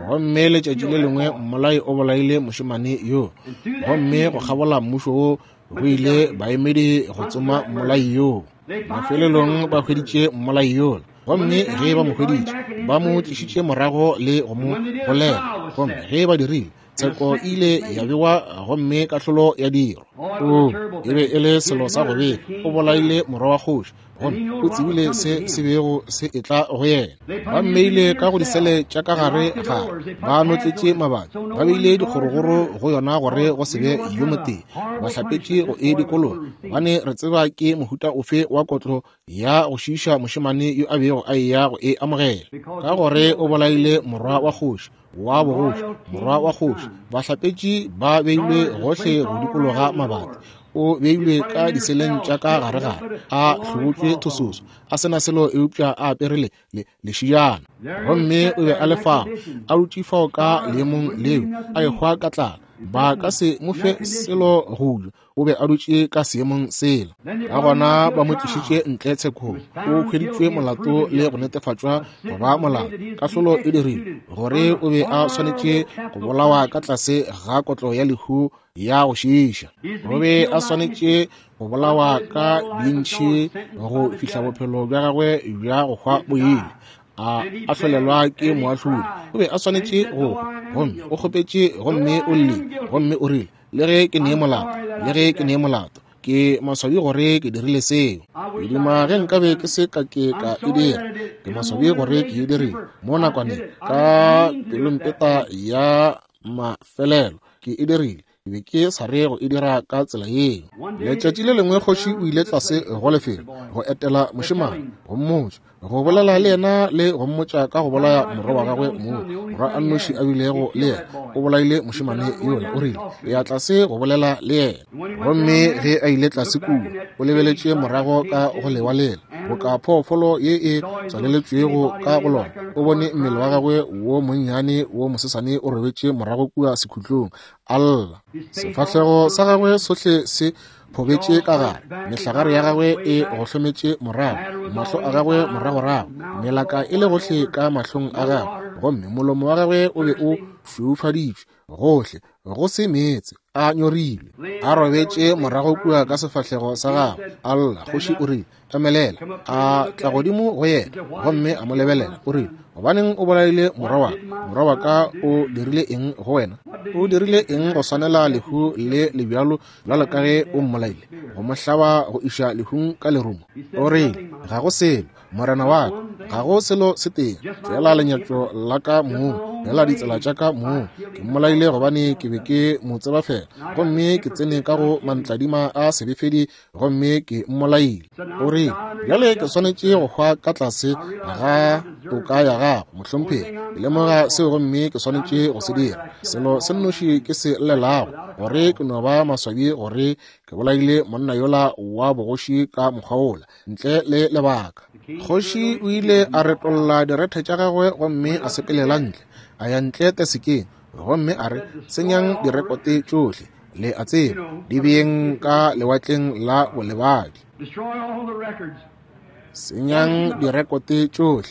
S1: Gomme letšatši le lengwe mmolai o bolaile mošemane yo, gomme go kgabola mmušo wo go ile baemedi go tsoma mmolai yoo. Mafelelong ba hweditše mmolai yola, gomme ge ba mo hweditše ba mo tlišitše morago le go mo golega. Gomme ge ba dirile, tsheko ile ya bewa gomme kahlolo ya dirwa. O e be e le selo sa go befa. O bolaile morwa wa kgoši, gomme o tsebile se se bego se etla go yena. Ba mmeile ka go disele tša ka gare gare, ba notletše mabati, ba beile dikgorogoro go yona gore go se be yo motee. Ba hlapetše go e dikologa, gobane re tseba ke mohuta ofe wa kotlo ya go šiiša mošemane yo a bego a eya go e amogela, ka gore o bolaile morwa wa kgoši wa bogoši, morwa wa kgoši. Bahlapetši ba beilwe gohle go dikologa mabati. O beilwe ka diseleng tša ka gare-gare, a hlobotšwe thososo, a se na selo eupša a apere le lešijana. Gomme o be a le fao, a dutše fao ka leemong leo, a ehwa ka tlala. Ba ka se mo fe selo go ja. O be a dutše ka seemong sela. Ka gona ba mo tlišitše ntle tshekong. O hweditšwe molato le go netefatšwa go ba molato. Kahlolo e dirilwe gore o be a swanetše go bolawa ka tlase ga kotlo ya lehu ya go šiiša. O be a swanetše go bolawa ka dintšhi go fihla bophelo bja gagwe bja go hwa bo ile. A ahlolelwa ke moahlodi. O be a swanetše go hwa, gomme o kgopetše, gomme o llile, gomme o rile, le ge ke nee molato, le ge ke nee molato, ke maswabi gore ke dirile seo. Ke duma ge nkabe ke se ka ke ka e dira. Ke maswabi gore ke e dirile mo nakwaneng ka pelompeta ya mafelelo. Ke e dirile. Ke be ke sa re go e dira ka tsela yeo. Letšatši le lengwe kgoši o ile tlase go lefelo go etela mošemane, go mmotša, go bolela le yena le go mmotša ka go bolaya morwa wa gagwe moo morwa a nnoši a bilego le yena. O bolaile mošemane yola. O rile, ya tlase go bolela le yena. Gomme ge a ile tlase kua, o lebeletše morago ka go lewa lela boka phoofolo ye e tswaleletšwego ka go lona. O bone mmele wa gagwe wo monnyane wo mosesane o robetše morago kua sekhutlong, a lla. Sefahlego sa gagwe sohle se phobetše ka gare, mehlagare ya gagwe e gohlometše morago, mahlo a gagwe moragorago, melaka e le gohle ka mahlong a gagwe, gomme molomo wa gagwe o be o šweufaditšwe gohle, go se meetse, a nyorilwe. A robetše morago kua ka sefahlego sa gagwe, a lla. Kgoši o rile, emelela. A tla godimo go yena gomme a mo lebelela. O rile, gobaneng o bolaile morwa wa ka? Morwa wa ka o dirile eng go wena? O dirile eng go swanela lehu le lebjalo bjalo ka ge o mmolaile, go mo hlaba go iša lehung ka lerumo? O rile, ga go selo, morena wa ka, ga go selo se tee, fela lenyatšo la ka mong, fela ditsela tša ka mong. Ke mmolaile gobane ke be ke mo tseba fela, gomme ke tsene ka go mantladima a sebefedi gomme ke mmolaile. O rile, bjale ke swanetše go hwa ka tlase ga toka ya gago, mohlomphegi. Ke lemoga seo gomme ke swanetše go se dira. Selo se nnoši ke se llelago, gore ke no ba maswabi gore ke bolaile monna yola wa bogoši ka mokgwa wola, ntle le lebaka. Kgoši o ile a retolla direthe tša gagwe gomme a sepelela ntle, a ya ntle tesekeng, gomme a re, senyang direkote tšohle, le a tseba, di beeng ka lewatleng la bolebadi. Senyang direkote tšohle,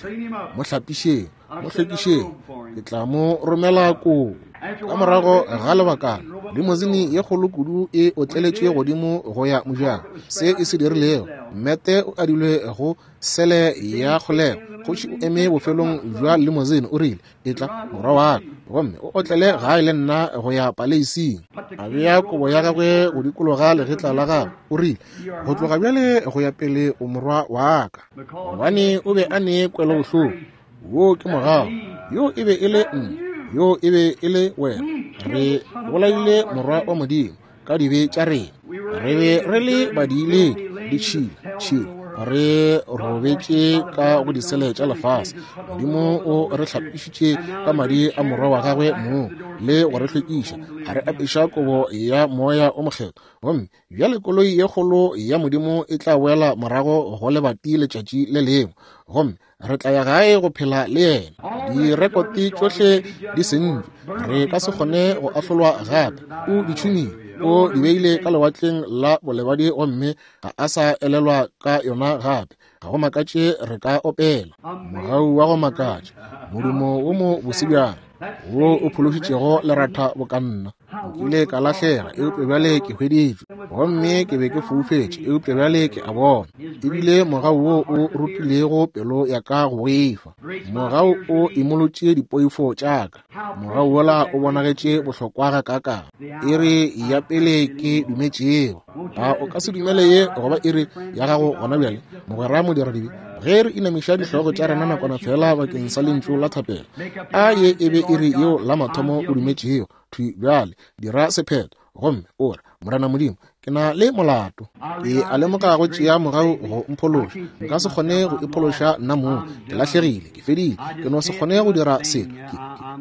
S1: mo hlapišeng, mo hlwekišeng, ke tla mo romela koo. Ka morago ga lebakana, limosine ye kgolo kudu e otleletše godimo go ya mojako. Se e se dirilego, mmete o adilwe go sele ya kgolego. Kgoši o eme bofelong bja limosine, o rile, etla morwa wa ka, gomme o otlele gae le nna go ya paleising. A bea kobo ya gagwe go dikologa legetla la gagwe. O rile, go tloga bjale go ya pele o morwa wa ka. Gobane o be a ne kwelobohloko. Wo ke mogau. Yo e be e le nna, yo e be e le wena. Re bolaile morwa wa Modimo ka dibe tša rena. Re be re le badiiledi, ditšhila, tšhila. Re robetše ka go disele tša lefase. Modimo o re hlapišitše ka madi a morwa wa gagwe mong le go re hlwekiša, a re apeša kobo ya moya o mokgethwa. Gomme bjale koloi ye kgolo ya Modimo e tla boela morago go lebati letšatši le lengwe, gomme re tla ya gae go phela le yena. Direkote tšohle di sentšwe, re ka se kgone go ahlolwa gape. O di tšhumile, o di beile ka lewatleng la bolebadi, gomme ga a sa elelwa ka yona gape. Ga go makatše re ka opela mogau wa go makatša, modumo wo mo bose bjang wo o phološitšego leratha bokanna. Nkile ka lahlega, eupša bjale ke hweditšwe, gomme ke be ke foufetše, eupša bjale ke a bona. Ebile mogau wo o rutilego pelo ya ka go boifa, mogau o imolotše dipoifo tša ka. Mogau wola o bonagetše bohlokwa gakaakang. Iri ya pele ke dumetšego. A o ka se dumele ye goba iri ya gago gona bjale, mogwera modiradibe? Ge re inamiša dihlogo tša rena nakwana fela bakeng sa lentšu la thapelo, a ye e be iri yeo la mathomo o dumetšego. Thwi bjale dira sephetho gomme o re, Morena Modimo, ke na le molato. Ke a lemoga go tšea mogau go mphološa. Nka se kgone go iphološa nna mong. Ke lahlegile, ke fedile, ke no se kgone go dira selo. Ke,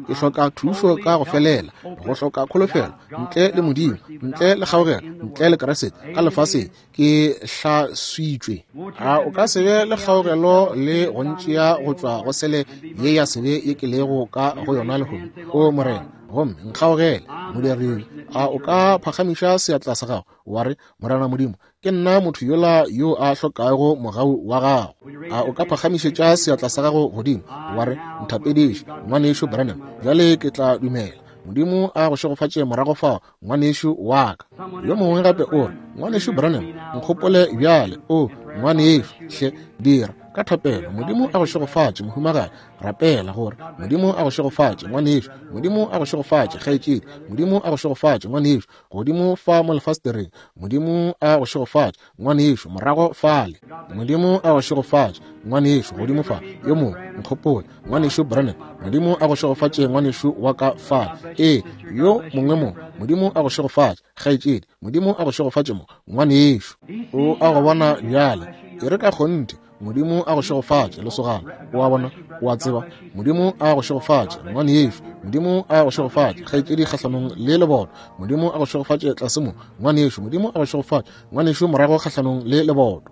S1: ke, ke hloka thušo ka go felela, go hloka kholofelo, ntle le Modimo, ntle le kgaogelo, ntle le Kriste ka lefaseng. Ke hlaswitšwe. A o ka se be le kgaogelo le go ntšea go tšwa go sele ye ya sebe ye ke lego ka go yona lehono? O Morena, gomme nkgaogele modiredi. A o ka phagamiša seatla sa gago wa re, Morena Modimo, ke nna motho yola yo a hlokago mogau wa gago? A o ka phagamišetša seatla sa gago godimo wa re, nthapediše, ngwanešu Branham, bjale ke tla dumela. Modimo a go šegofatše morago fao, ngwanešu wa ka. Yo mongwe gape o re, ngwanešu Branham, nkgopole bjale. O ngwanešu, hle dira ka thapelo. Modimo a go šegofatše, mohumagadi. Rapela gore Modimo a go šegofatše, ngwanešu. Modimo a go šegofatše, kgaetšedi. Modimo a go šegofatše, ngwanešu. Godimo fa mo lefastereng. Modimo a go šegofatše, ngwanešu. Morago fale. Modimo a go šegofatše, ngwanešu. Godimo fa. Yo mongwe, nkgopole, ngwanešu Branham. Modimo a go šegofatše, ngwanešu wa ka fale. Ee, yo mongwe mo. Modimo a go šegofatše, kgaetšedi. Modimo a go šegofatše mo, ngwanešu. O a go bona bjale. E re ka kgonthe. Modimo a go šegofatše, lesogana. O a bona, o a tseba. Modimo a go šegofatše, ngwanešu. Modimo a go šegofatše, kgaetšedi kgahlanong le leboto. Modimo a go šegofatše tlase mo, ngwanešu. Modimo a go šegofatše, ngwanešu morago kgahlanong le leboto.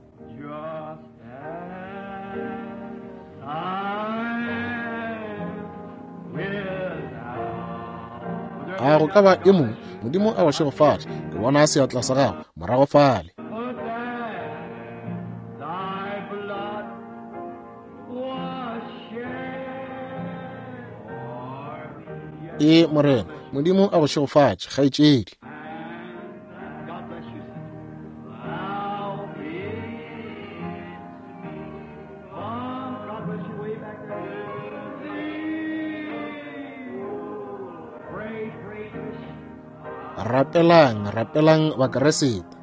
S1: A go ka ba e mongwe? Modimo a go šegofatše. Ke bona seatla sa gago morago fale. E Morena, Modimo a go šegofatše, kgaetšedi. Rapelang, rapelang Bakeresete.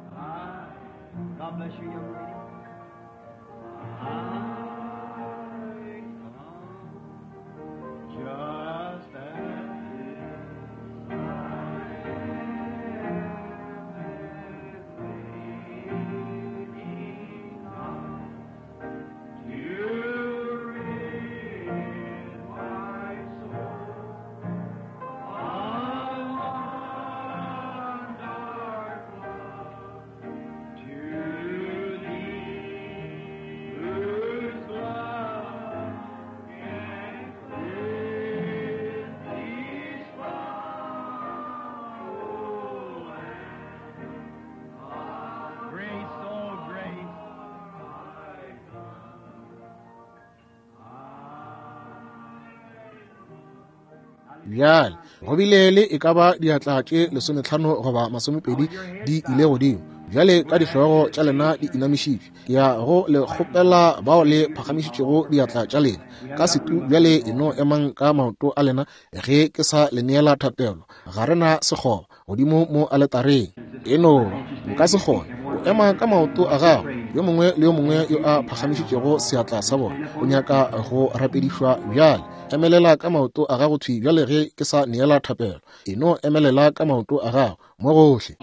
S1: Bjale go bile le e ka ba diatla tše lesometlhano goba masomepedi di ile godimo. Bjale ka dihlogo tša lena di inamišitšwe, ke ya go le kgopela bao le phagamišitšego diatla tša lena ka setu. Bjale e no emang ka maoto a lena ge ke sa le neela thapelo. Ga re na sekgoba godimo mo aletareng. E no nka se kgone go ema ka maoto a gago. Yo mongwe le yo mongwe yo a phagamišitšego seatla sa bona o nyaka go rapedišwa bjale. Emelela ka maoto a gago thwi bjale ge ke sa neela thapelo. E no emelela ka maoto a gago mo gohle.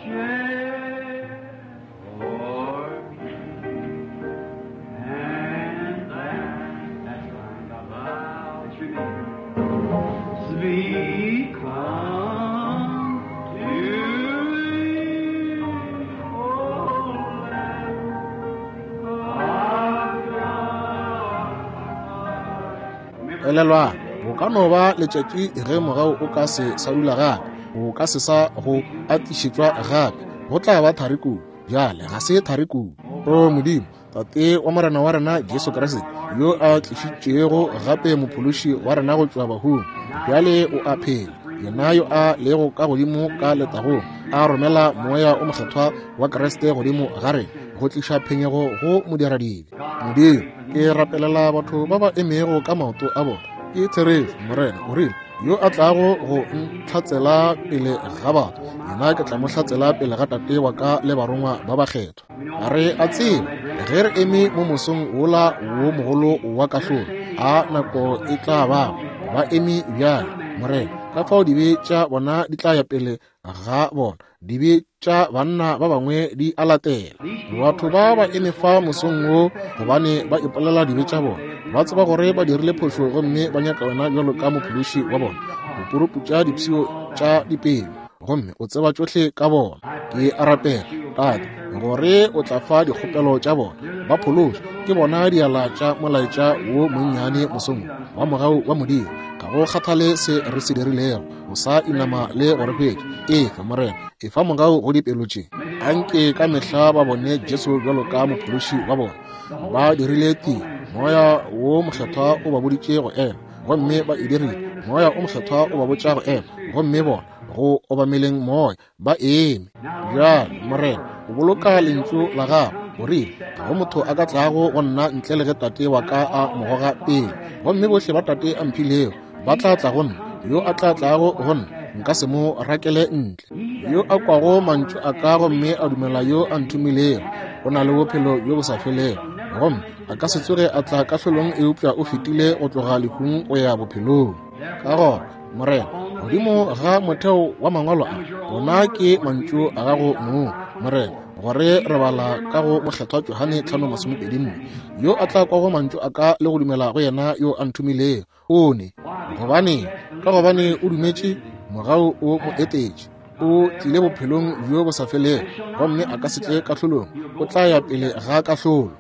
S1: Elelwang, bo ka no ba letšatši ge mogau o ka se sa dula gape, o ka se sa go atišetšwa gape, go tla ba thari kudu. Bjale ga se thari kudu. O Modimo, Tate wa Morena wa rena Jesu Kriste, yo a tlišitšego gape mophološi wa rena go tšwa bahung, bjale o a phela, yena yo a lego ka godimo ka letagong, a romela moya o mokgethwa wa Kriste godimo ga rena go tliša phenyego go modiradibe. Modimo, ke rapelela batho ba ba emego ka maoto a bona. Ke therešo, Morena o rile, yo a tlago go ntlhatsela pele ga batho, yena ke tla mo hlatsela pele ga Tate wa ka le barongwa ba bakgethwa. Re a tseba ge re eme mo mosong wola wo mogolo wa kahlolo, a nako e tla bago ba eme bjale, Morena, ka fao dibe tša bona di tla ya pele ga bona, dibe tša banna ba bangwe di a latela. Batho ba ba eme fa mosong wo gobane ba ipolela dibe tša bona, ba tseba gore ba dirile phošo gomme ba nyaka wena bjalo ka mophološi wa bona. O puruputša dipshio tša dipelo gomme o tseba tšohle ka bona. Ke a rapela, Tate, gore o tla fa dikgopelo tša bona, ba phološe ke bona diala tša molaetša wo monnyane mosong wa mogau wa Modimo. Ga go kgathale se re se dirilego, o sa inama le go re hwetša. Efa, Morena, efa mogau go dipelo tše. Anke ka mehla ba bone Jesu bjalo ka mophološi wa bona. Ba dirile tiro, moya wo mokgethwa o ba boditše go ema, gomme ba e dirile. Moya o mokgethwa o ba botša go ema, gomme bona go obameleng moya ba eme. Bjale, Morena, o boloka lentšu la gago. O rile, ga go motho a ka tlago go nna ntle le ge Tate wa ka a mo goga pele, gomme bohle ba Tate a mphilego ba tla tla go nna. Yo a tla tlago go nna nka se mo rakele ntle. Yo a kwago mantšu a ka gomme a dumela yo a nthomilego o na le bophelo bjo bo sa felego, gomme a ka se tsoge a tla kahlolong, eupša o fetile go tloga lehung go ya bophelong. Ka gona, Morena, godimo ga motheo wa mangwalo a, ona ke mantšu a gago mong, Morena, gore re bala ka go mokgethwa Johane tlhano masomepedi nne, yo a tla kwago mantšu a ka le go dumela go yena yo a nthomilego o ne. Gobane ka gobane o dumetše, mogau o mo etetše, o tlile bophelong bjo bo sa felego, gomme a ka se tle kahlolong, o tla ya pele ga kahlolo.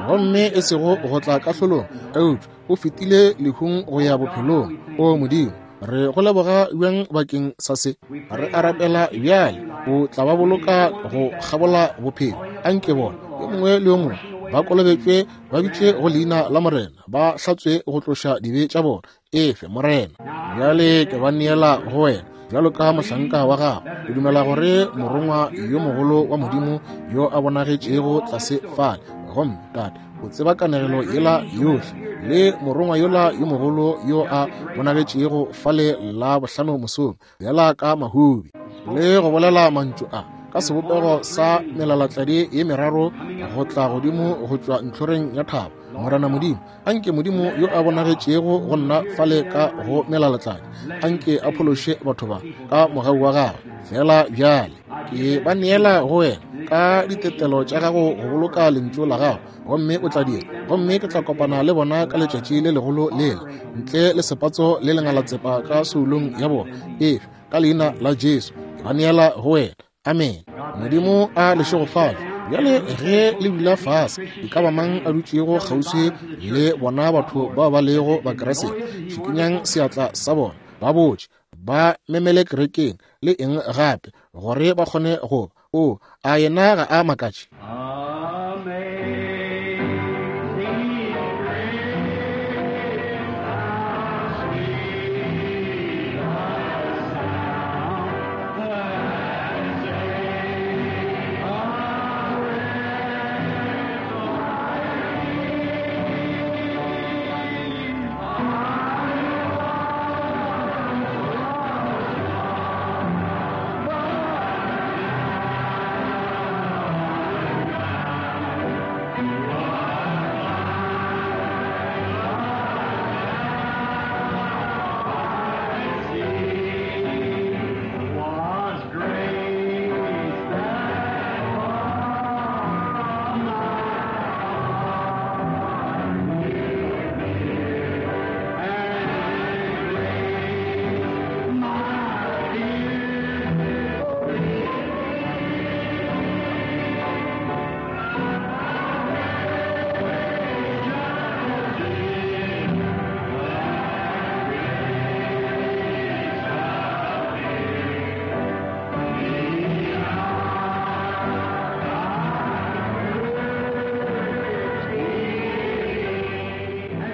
S1: Gomme e sego go tla kahlolong, eupša o fetile lehung go ya bophelong. O Modimo, re go leboga bjang bakeng sa se. Re a rapela bjale o tla ba boloka go kgabola bophelo. Anke bona yo mongwe le yo mongwe ba kolobetšwe, ba bitše go leina la Morena, ba hlatswe go tloša dibe tša bona. Efe, Morena. Bjale ke ba neela go wena bjalo ka mohlanka wa gago. Ke dumela gore morongwa yo mogolo wa Modimo yo a bonagetšego tlase fale, gomme Tate, o tseba kanegelo yela yohle, le morongwa yola yo mogolo yo a bonagetšego fale la bohlano mosong, bjala ka mahubi, le go bolela mantšu a ka sebopego sa melalatladi ye meraro go tla godimo go tšwa ntlhoreng ya thaba. Morena Modimo, anke Modimo yo a bonagetšego go nna fale ka go melalatladi, anke a phološe batho ba ka mogau wa gagwe. Fela bjale ke ba neela go wena ka ditetelo tša gago go boloka lentšu la gago, gomme o tla dira, gomme ke tla kopana le bona ka letšatši le legolo lela, ntle le sepatso le lengalatsepa ka soulong ya bona. Efe, ka leina la Jesu ke ba neela go wena. Amen. Modimo a le šegofatše. Bjale ge le dula fase, e ka ba mang a dutšego kgauswi le bona batho bao ba lego Bakriste, šikinyang seatla sa bona, ba botše, ba memele kerekeng le eng gape, gore ba kgone go ba. O a yena ga a makatše?
S3: Amen.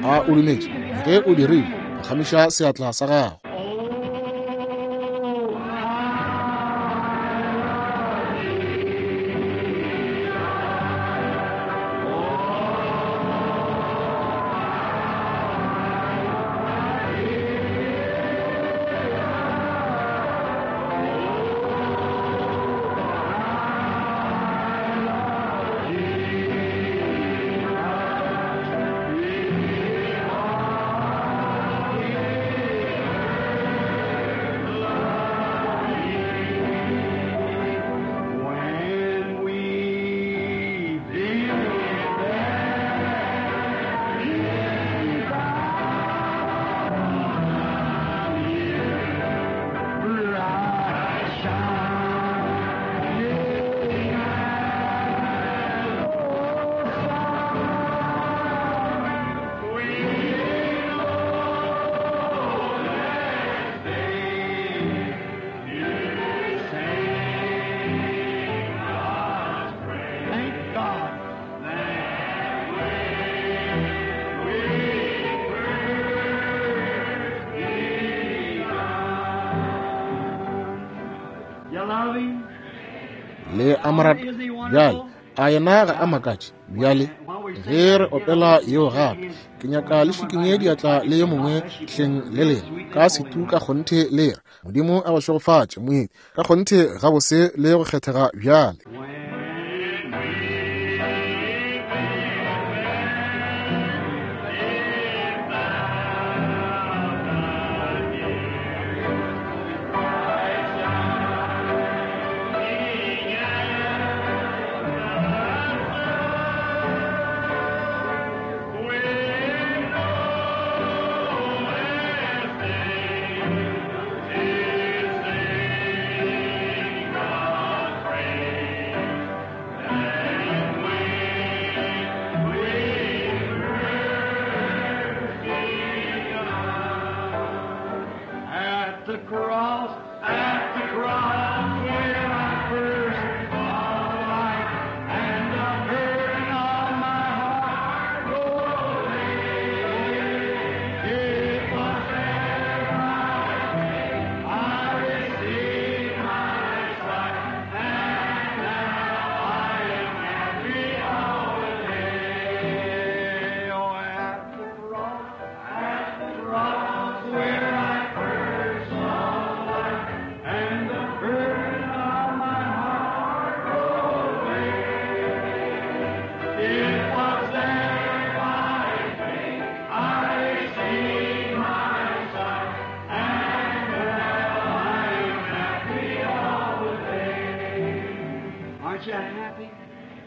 S1: A o dumetše? Ge o dirile, phagamiša seatla sa gago. Le amorata bjale, a yena ga a makatše? Bjale ge re opela yeo gape, ke nyaka le šikinye diatla le yo mongwe hleng le lena ka setu ka kgonthe le re Modimo a go šegofatše moeti ka kgonthe gabose le go kgethega bjale.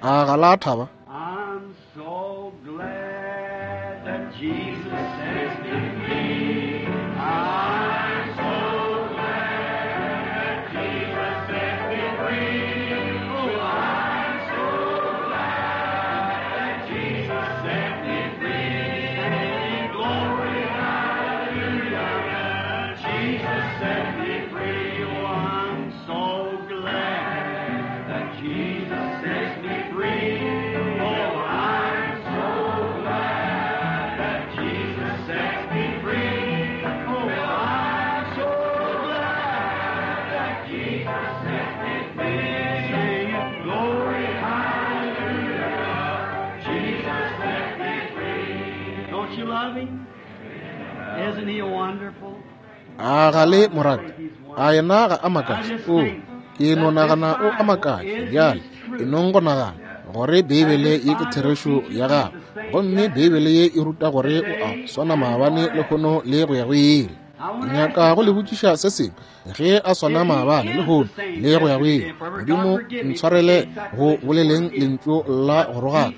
S1: A ga la thaba?
S3: I'm so glad that Jesus sets me free. I'm so glad that Jesus set me free. Oh, I'm so glad that Jesus set me free. Glory, hallelujah. Jesus set me free. Oh, I'm so glad that Jesus sets me free. Oh, I'm so glad that Jesus sets me free. Oh, I'm so glad that Jesus sets me free. Singing glory, hallelujah. Jesus set me free. Don't you love him? Isn't he wonderful?
S1: A ga le morate? A yena ga a makatše? O, ke no nagana o a makatše. Bjale e nong go nagana gore Beibele ye ke therešo ya gagwe, gomme Beibele ye e ruta gore o a swana maabane lehono le go ya go ile. Ke nyaka go le botšiša se sengwe. Ge a swana maabane lehono le go ya go ile, Modimo ntshwarele go boleleng lentšu la go rogaka,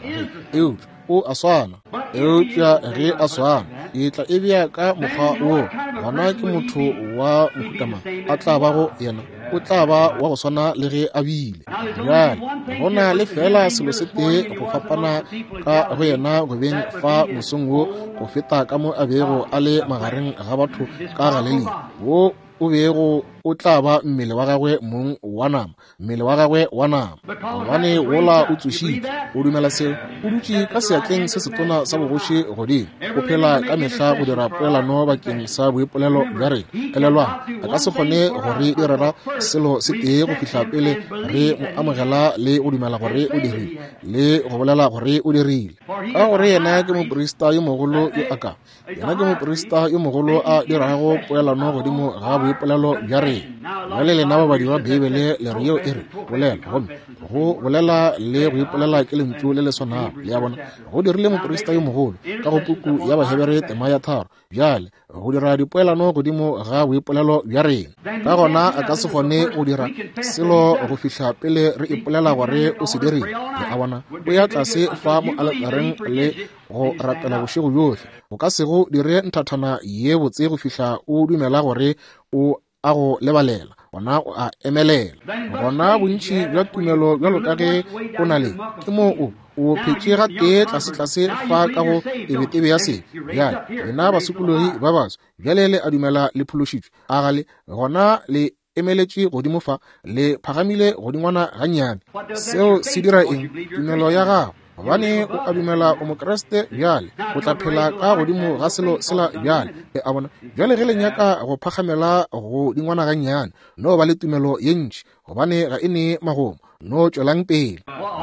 S1: eupša o a swana. Eupša ge a swana, e tla e bea ka mokgwa wo, gona ke motho wa mohuta a tla bago yena, o tla ba wa go swana le ge a bile. Bjale go na le fela selo se tee go fapana ka go yena go beng fa mosong wo go feta ka mo a bego a le magareng ga batho ka Galilea, wo o bego o tla ba mmele wa gagwe mong wa nama, mmele wa gagwe wa nama, gobane wola o tsošitšwe. O dumela seo? O dutše ka seatleng se setona sa bogoši godimo, o phela ka mehla go dira poelano bakeng sa boipolelo bja rena. Elelwang, a ka se kgone go re direla selo se tee go fihla pele re mo amogela le go dumela gore o dirile le go bolela gore o dirile, ka gore yena ke moprista yo mogolo yo a ka yena ke moprista yo mogolo a dirago poelano godimo ga boipolelo bja rena. Bjale lena babadi ba Beibele le re yeo e re bolela, gomme go bolela le go ipolela ke lentšu le le swanago. Le a bona, go dirile moprista yo mogolo ka go puku ya Bahebere tema ya tharo, bjale go dira dipoelano godimo ga boipolelo bja rena. Ka gona a ka se kgone go dira selo go fihla pele re ipolela gore o se dirile. Le a bona, o ya tlase fa mo aletareng le go rapela bošego bjohle, o ka se go dire nthathana ye botse go fihla o dumela gore o a go lebalela, gona o a emelela. Gona bontši bja tumelo bjalo ka ge o na le, ke moo o o phetše gatee tlasetlase fa ka go tebetebe ya sebe. Bjale lena basokologi ba baso, bjale le a dumela le phološitšwe, a gale gona le emeletše godimo fa, le phagamile godingwana gannyane. Seo se dira eng? Tumelo ya gago, gobane o a dumela o Mokreste bjale, o tla phela ka godimo ga selo sela bjale. Le a bona, bjale ge le nyaka go phagamela go dingwana gannyane, no ba le tumelo ye ntši, gobane ga e ne magomo, no tšwelang pele.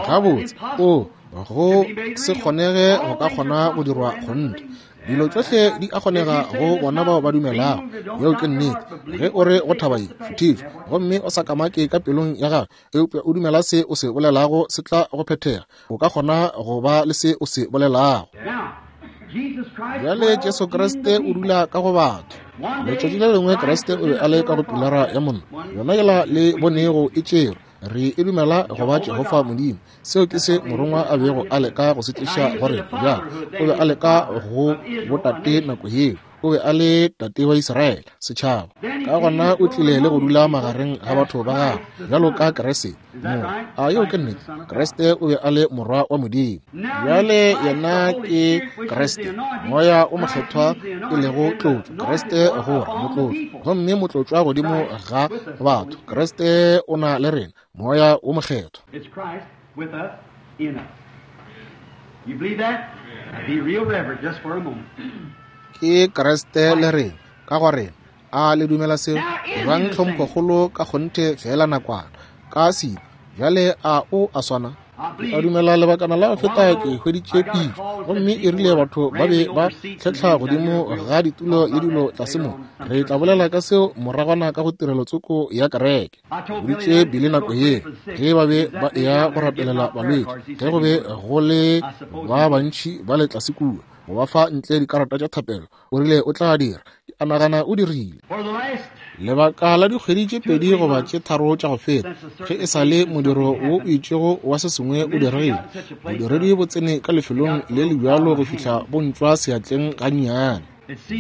S1: Gabotse, o go se kgonege go ka kgona go dirwa kgonthe. Dilo tšohle di a kgonega go bona bao ba dumelago. Yeo ke nnete. Ge o re go thaba ye, šuthišwa, gomme o sa kamake ka pelong ya gago, eupša o dumela se o se bolelago se tla go phethega, o ka kgona go ba le se o se bolelago. Bjale Jesu Kriste o dula ka go batho. Letšatši le lengwe Kriste o be a le ka go pilara ya mollo, yona yela le bonego e tšerwe. Re e dumela go ba Jehofa Modimo. Seo ke se morongwa a bego a leka go se tliša go rena. Bjale o be a leka go botate nako yeo, o be a le tate wa Israele, setšhaba. Ka gona o tlile le go dula magareng ga batho ba gagwe bjalo ka Kriste. Mo a yeo ke nnete, Kriste o be a le morwa wa Modimo. Bjale yena ke Kriste, moya o mokgethwa e lego tlotšo. Kriste gore motlotšo, gomme motlotšwa godimo ga batho. Kriste o na le rena, moya o mokgethwa.
S3: It's Christ with us, in us. You believe that? Now be real reverent just for a moment.
S1: Ke Kriste le rena, ka go rena. A le dumela seo? Ebang tlhomphokgolo ka kgonthe fela nakwana ka sebe. Bjale a o a swana? Ke a dumela lebakana la go feta ke hweditše pitšo, gomme e rile batho ba be ba tlhetlha godimo ga ditulo le dilo tlase mo. Re tla bolela ka seo moragwana ka go tirelo tsoko ya kereke. Boditše Billy nako ye ge ba be ba eya go rapelela balwetši, ge go be go le ba bantši ba le tlase kua, go ba fa ntle dikarata tša thapelo, o rile o tla dira. Ke a nagana o dirile. Lebaka la dikgwedi tše pedi goba tše tharo tša go feta, ge e sa le modiro wo o itšego wa se sengwe o diregile, bodiredi bo tsene ka lefelong le le bjalo go fihla bo ntšwa seatleng gannyane.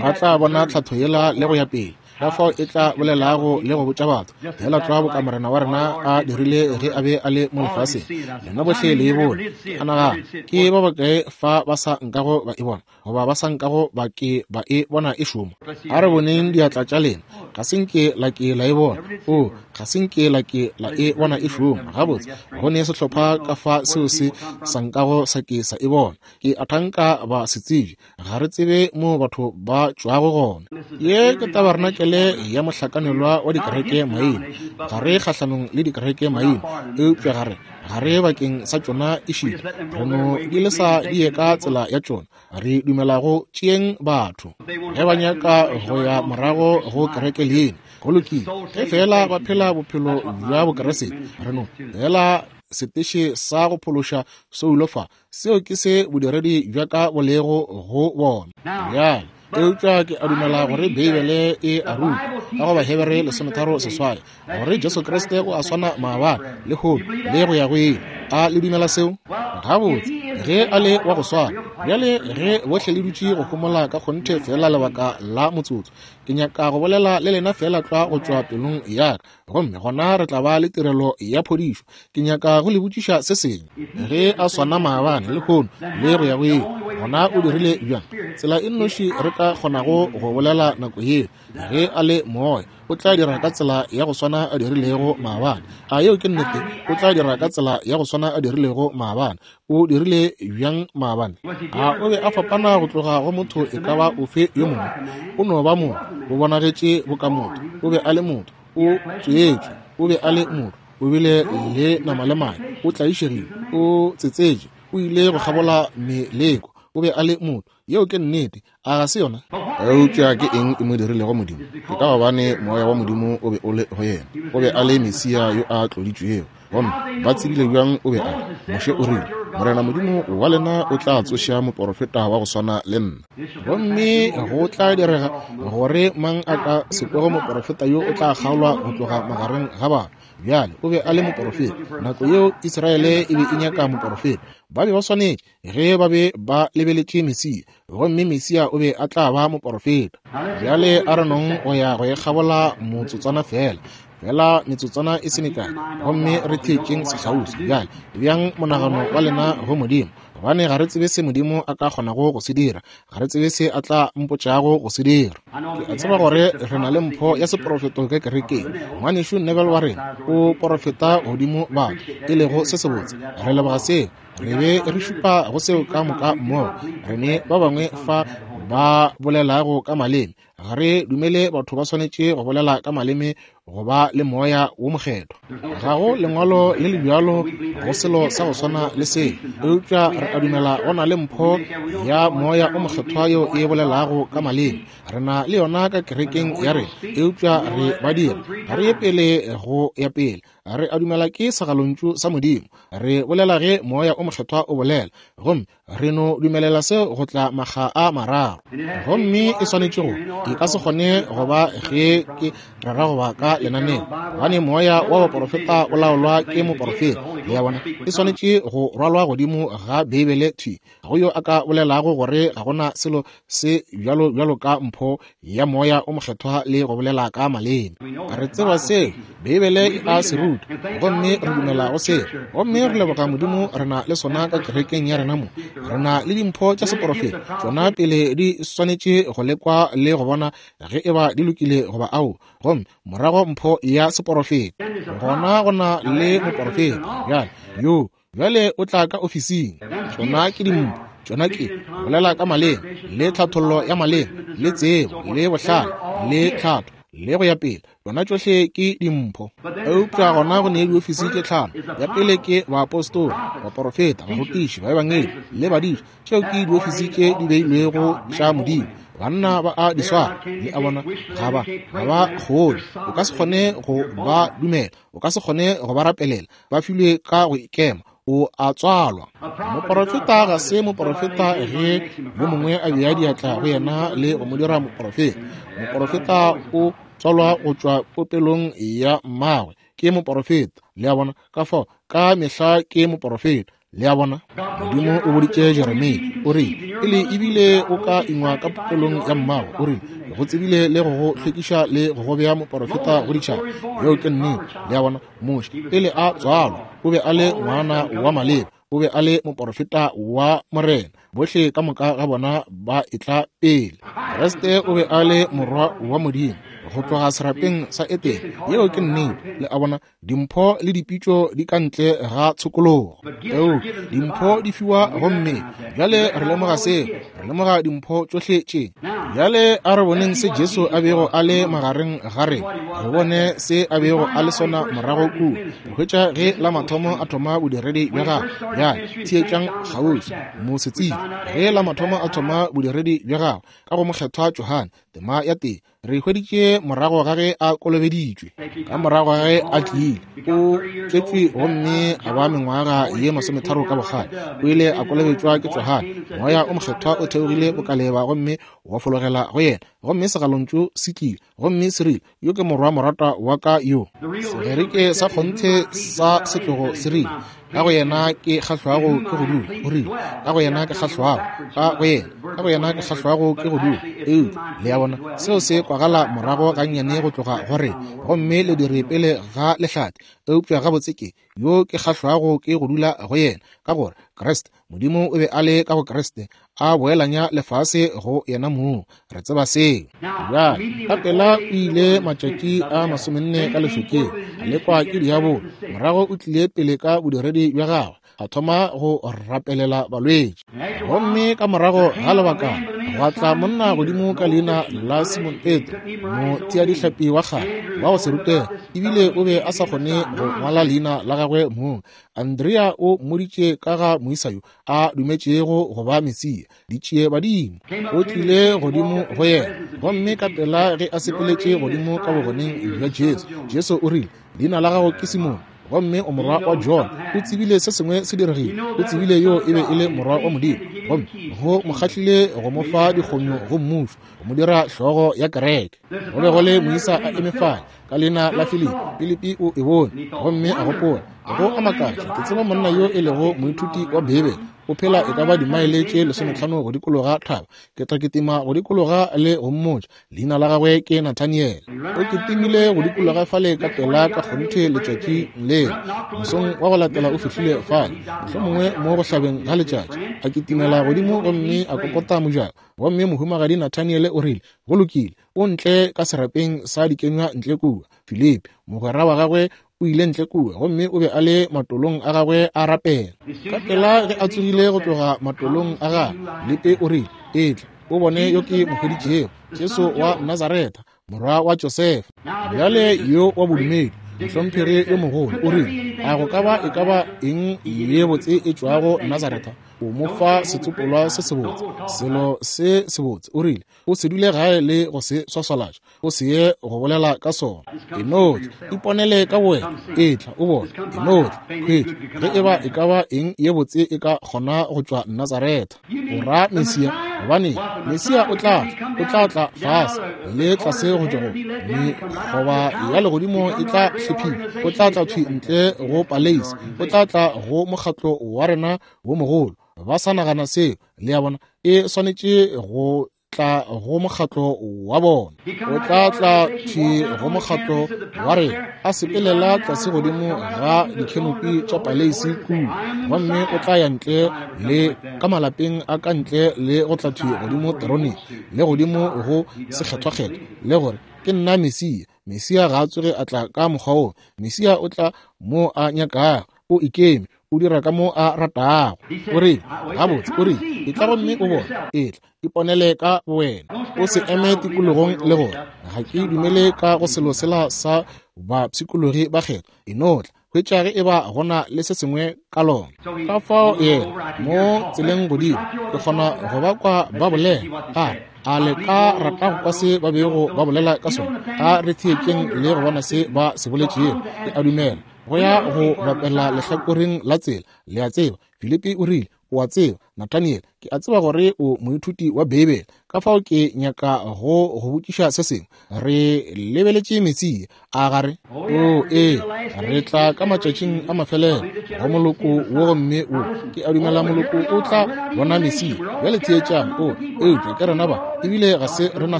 S1: Ba tla bona tlhatho yela le go ya pele, ka fao e tla bolelago le go botša batho fela tlwa boka Morena wa rena a dirile ge a be a le mo lefaseng. Lena bohle le e bone. A nagana ke ba bakae fa ba sa nkago ba e bona, goba ba sa nkago ba ke ba e bona e šoma? A re boneng diatla tša lena. Ga se nke la ke la e bona. O, ga se nke la ke la e bona e šoma. Gabotse, go ne sehlopha ka fa seo se sa nkago sa ke sa e bona. Ke a thanka ba se tsebe. Ga re tsebe mo batho ba tšwago gona. Ye ke tabarenakele ya mohlakanelwa wa dikereke maina. Ga re kgahlanong le dikereke maina, eupša ga re ga re bakeng sa tšona ešita. Re no di lesa di ye ka tsela ya tšona. Re dumela go tšeeng batho ge ba nyaka go ya morago go kereke leina, go lokile. Ge fela ba phela bophelo bja Bokriste, re no fela seteše sa go phološa soulo fa. Seo ke se bodiredi bja ka bo lego go bona. Bjale eupša ke a dumela gore Beibele e a ruta ka go Bahebere lesometharo seswai gore Jesu Kriste o a swana maabane, lehono le go ya go ile. A le dumela seo? Gabotse, ge a le wa go swana. Bjale ge bohle le dutše go homola ka kgonthe fela lebaka la motsotso, ke Ke nyaka go bolela le lena fela tlwa go tšwa pelong ya ka, gomme gona re tla ba le tirelo ya phodišo. Ke nyaka go le botšiša se sengwe. Ge a swana maabane, lehono le go ya go ile, gona o dirile bjang? Tsela e nnoši re ka kgonago go bolela nako yeo, ge a le moya, o tla dira ka tsela ya go swana a dirilego maabane. A yeo ke nnete? O tla dira ka tsela ya go swana a dirilego maabane. O dirile bjang maabane? A o be a fapana go tloga go motho e ka ba ofe yo mongwe? O no ba motho, o bonagetše boka motho, o be a le motho, o tswetšwe, o be a le motho, o bile le nama le madi, o tlaišegile, o tsetsetše, o ile go kgabola meleko, o be a le motho. Yeo ke nnete, a ga se yona? Eupša ke eng e mo dirilego Modimo? Ke ka gobane moya wa Modimo o be o le go yena. O be a le Mesia yo a tloditšwego. Gomme ba tsebile bjang o be a le? Moshe o rile, Morena Modimo wa lena o tla tsoša moporofeta wa go swana le nna. Gomme go tla direga gore mang a ka se kwego moporofeta yo o tla kgaolwa go tloga magareng ga batho. Bjale o be a le moporofeta. Nako yeo Israele e be e nyaka moporofeta. Ba be ba swanetše ge ba be ba lebeletše Mesia, gomme Mesia o be a tla ba moporofeta. Bjale a re nong go ya go e kgabola motsotswana fela, fela metsotswana e se mekae, gomme re theetšeng sekgauswi. Bjale bjang monagano wa lena go Modimo, gobane ga re tsebe se Modimo a ka kgonago go se dira, ga re tsebe se a tla mpotšago go se dira. Ke a tseba gore re na le mpho ya seporofeto ka kerekeng. Ngwanešu Neville wa rena o porofeta godimo batho, e lego se sebotse. Re leboga seo, re be re šupa go seo ka moka mmogo. Re ne ba bangwe fa ba bolelago ka maleme. Ga re dumele batho ba swanetše go bolela ka maleme go ba le moya wo mokgethwa. Ga go lengwalo le le bjalo go selo sa go swana le se, eupša re a dumela go na le mpho ya moya o mokgethwa yeo e bolelago ka maleme. Re na le yona ka kerekeng ya rena, eupša re ba dira ga re ye pele go ya pele. Re a dumela ke segalontšu sa Modimo. Re bolela ge moya o mokgethwa o bolela, gomme re no dumelela seo go tla makga a mararo. Gomme e swanetše go, e ka se kgone go ba ge ke rera go ba ka lenaneo, gobane moya wa baporofeta o laolwa ke moporofeta. Le a bona, e swanetše go rwalwa godimo ga Beibele thwi. Ga go yo a ka bolelago gore ga gona selo se bjalo bjalo ka mpho ya moya o mokgethwa le go bolela ka maleme. Re tseba seo Beibele e a se ruta, gomme re dumela go seo, gomme re leboga Modimo re na le sona ka kerekeng ya rena mo. Re na le dimpho tša seporofeta, tšona pele di swanetše go lekwa le go bona ge e ba di lokile goba ao, gomme morago mpho ya seporofeta. Gona go na le moporofeta bjale yo bjale o tla ka ofising. Tšona ke dimpho, tšona ke bolela ka maleme le tlhathollo ya maleme le tsebo le bohlale le tlhatho le go ya pele. Tšona tšohle ke dimpho. Eupša gona go ne diofisi tše tlhano. Ya pele ke baapostola, baporofeta, barutiši, baebangedi le badiši. Tšeo ke diofisi tše di beilwego tša Modimo. Banna ba a di swara, le a bona, ga ba ga ba kgone. O ka se kgone go ba dumela, o ka se kgone go ba rapelela. Ba filwe ka go ikema, o a tswalwa. Moporofeta ga se moporofeta ge yo mongwe a bea diatla go yena le go mo dira moporofeta. Moporofeta o tswalwa go tšwa popelong ya mmagwe, ke moporofeta. Le a bona, ka fao ka mehla ke moporofeta. Le a bona, Modimo o boditše Jeremia, o rile, pele ebile o ka ingwa ka popelong ya mmago, o rile, go tsebile le go go hlwekiša le go go bea moporofeta go ditšhaba. Yeo ke nnete. Le a bona, Moshe pele a tswalwa o be a le ngwana wa maleba, o be a le moporofeta wa Morena. Bohle ka moka ga bona ba etla pele. Kriste o be a le morwa wa Modimo go tloga serapeng sa Etene. Yeo ke nnete. Le a bona, dimpho le dipitšo di ka ntle ga tshokologo. Eo dimpho di fiwa gomme bjale re lemoga seo, re lemoga dimpho tšohle tše. Bjale a re boneng se Jesu a bego a le magareng ga rena, re bone se a bego a le sona morago kua. Re hwetša ge la mathomo a thoma bodiredi bja gagwe. Bjale theetšang kgauswi, mosetsebje. Ge la mathomo a thoma bodiredi bja gagwe ka go mokgethwa Johane, tema ya tee, re hweditše morago ga ge a kolobeditšwe, ka morago ga ge a tlile, o tswetšwe gomme a ba mengwaga ye masometharo ka bokgale. O ile a kolobetšwa ke Johane. Moya o mokgethwa o theogile bokaleba gomme wa fologela go yena, gomme segalontšu se tlile gomme se rile, yo ke morwa morata wa ka yo. Segerike sa kgonthe sa setlogo se rile, Ka go yena ke kgahlwago ke go dula. O rile, ka go yena ke kgahlwago. Ka go yena, ka go yena ke kgahlwago ke go dula. Eupša, le a bona, seo se kwagala morago gannyane go tloga go rena, gomme le dire pele ga lehlate. Eupša gabotse ke yo ke kgahlwago ke go dula go yena, ka gore Kriste, Modimo o be a le ka go Kriste, a boelanya lefase go yena mong. Re tseba seo. Bjale, ka pela o ile matšatši a masomenne ka lešokeng, a lekwa ke diabolo. Morago o tlile pele ka bodiredi bja gagwe, a thoma go rapelela balwetši. Gomme ka morago ga lebaka gwa tla monna godimo ka leina la Simon Petro, motheadihlapi wa kgale wa go se rutege, ebile o be a sa kgone go ngwala leina la gagwe mong. Andrea o mmoditše ka ga moisa yo a dumetšego go ba Mesia, ditšie badimo. O tlile godimo go yena, gomme ka pela ge a sepeletše godimo ka bogoneng bja Jesu, Jesu o rile, leina la gago ke Simon, gomme o morwa wa John. O tsebile se sengwe se diregile. O tsebile yo e be e le morwa wa Modimo, gomme go mo kgahlile go mo fa dikgonyo go mmušo, go mo dira hlogo ya kereke. Go be go le moisa a eme fale ka leina la Filipi. Filipi o e bone gomme a gopola, go a makatša, ke tseba monna yo e lego moithuti wa Beibele, o phela e ka ba dimaele tše lesometlhano go dikologa thaba. Ke tla kitima go dikologa le go mmotša. Leina la gagwe ke Nathaniel. O kitimile go dikologa fale ka pela ka kgonthe letšatši lela. Mosong wa go latela o fihlile fale, mohlomongwe mo go hlabeng ga letšatši, a kitimela godimo gomme a kokota mojako. Gomme mohumagadi Nathaniel o rile, go lokile, o ntle ka serapeng sa dikenywa ntle kua. Filipi, mogwera wa gagwe, o ile ntle kua, gomme o be a le matolong a gagwe a rapela. Ka pela ge a tsogile go tloga matolong a gagwe, Filipi o rile, etla o bone yo ke mo hweditšego, Jesu wa Nazaretha, morwa wa Josefa. Bjale yo wa bodumedi, mohlomphegi yo mogolo, o rile, a go ka ba e ka ba eng ye botse e tšwago Nazaretha? O mo fa setsopolwa se sebotse, selo se sebotse. O rile, o se dule gae le go se swaswalatša, o se ye go bolela ka sona. E no tla, iponele ka bowena, etla o bone. E no tla, hwetša ge e ba e ka ba eng ye botse e ka kgona go tšwa Nazaretha. O ra Mesia, gobane Mesia o tla tla, o tla tla fase le tlase go tšwa go mekgoba ya legodimo e tla hlephiwa. O tla tla thwi ntle go paleisi, o tla tla go mokgatlo wa rena wo mogolo. Ba sa nagana seo, le a bona, e swanetše go tla go mokgatlo wa bona. O tla tla thwi go mokgatlo wa rena, a sepelela tlase godimo ga dikhenopi tša paleisi kua, gomme o tla ya ntle le ka malapeng a ka ntle le go tla thwi godimo teroneng le godimo go sekgethwakgethwa, le gore ke nna Mesia. Mesia ga a tsoge a tla ka mokgwa wo. Mesia o tla mo a nyakago, o ikeme, o dira ka mo a ratago. O rile, gabotse, o rile, etla gomme o bone, etla, iponele ka bowena. O se eme tikologong le gore ga ke dumele ka go selo sela sa bapshikologi ba kgetho. E no tla, hwetša ge e ba gona le se sengwe ka lona. Ka fao yena mo tseleng godimo, ke kgona go ba kwa ba bolela, a re, a le ka rata go kwa se ba bego ba bolela ka sona? A re theetšeng le go bona se ba se boletšego. Ke a dumela go ya go bapela lehlakoreng la tsela. Le a tseba, Filipi o rile, o a tseba, Nathaniel, ke a tseba gore o moithuti wa Beibele, ka fao ke nyaka go go botšiša se sengwe. Re lebeletše Mesia, a gare? O ee, re tla ka matšatšing a mafelelo go moloko wo, gomme wo ke a dumela moloko o tla bona Mesia. Bjale theetšang, o eupša ke rena ba, ebile ga se rena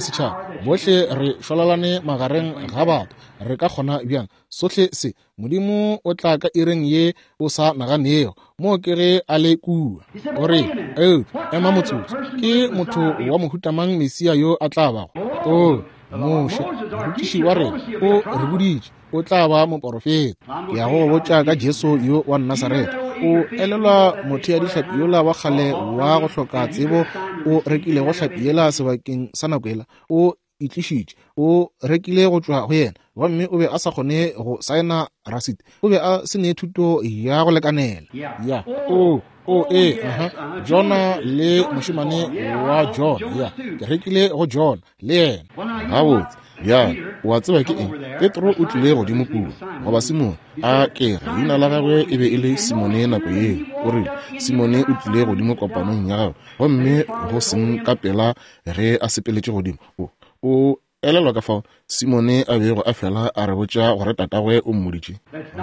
S1: setšhaba, bohle re šwalalane magareng ga batho. Re ka kgona bjang sohle se? Modimo o tla ka iring ye o sa naganego, mo ke ge a le kua. O re, eupša ema motsotso, ke motho wa mohuta mang Mesia yo a tla bago? O Moshe, morutiši wa rena, o re boditše o tla ba moporofeta. Ke ya go botša ka Jesu yo wa Nasaretha. O elelwa motheadihlapi yola wa kgale wa go hloka tsebo o rekilego hlapi yela sebakeng sa nako yela? O itlišitše, o rekile go tšwa go yena, gomme o be a sa kgone go saena rasiti. O be a se ne thuto ya go lekanela. Ya, o o ee, aha, Jona le mošemane wa Jona. Ya, ke rekile go Jona le yena. Gabotse, bjale o a tseba ke eng? Petro o tlile godimo kua, goba Simone, a ke re leina la gagwe e be e le Simone nako yeo. O rile, Simone o tlile godimo kopanong ya gagwe, gomme go seng ka pela ge a sepeletše godimo, o o Elelwa ka fao Simone a bego a fela a re botša gore tatagwe o mmoditše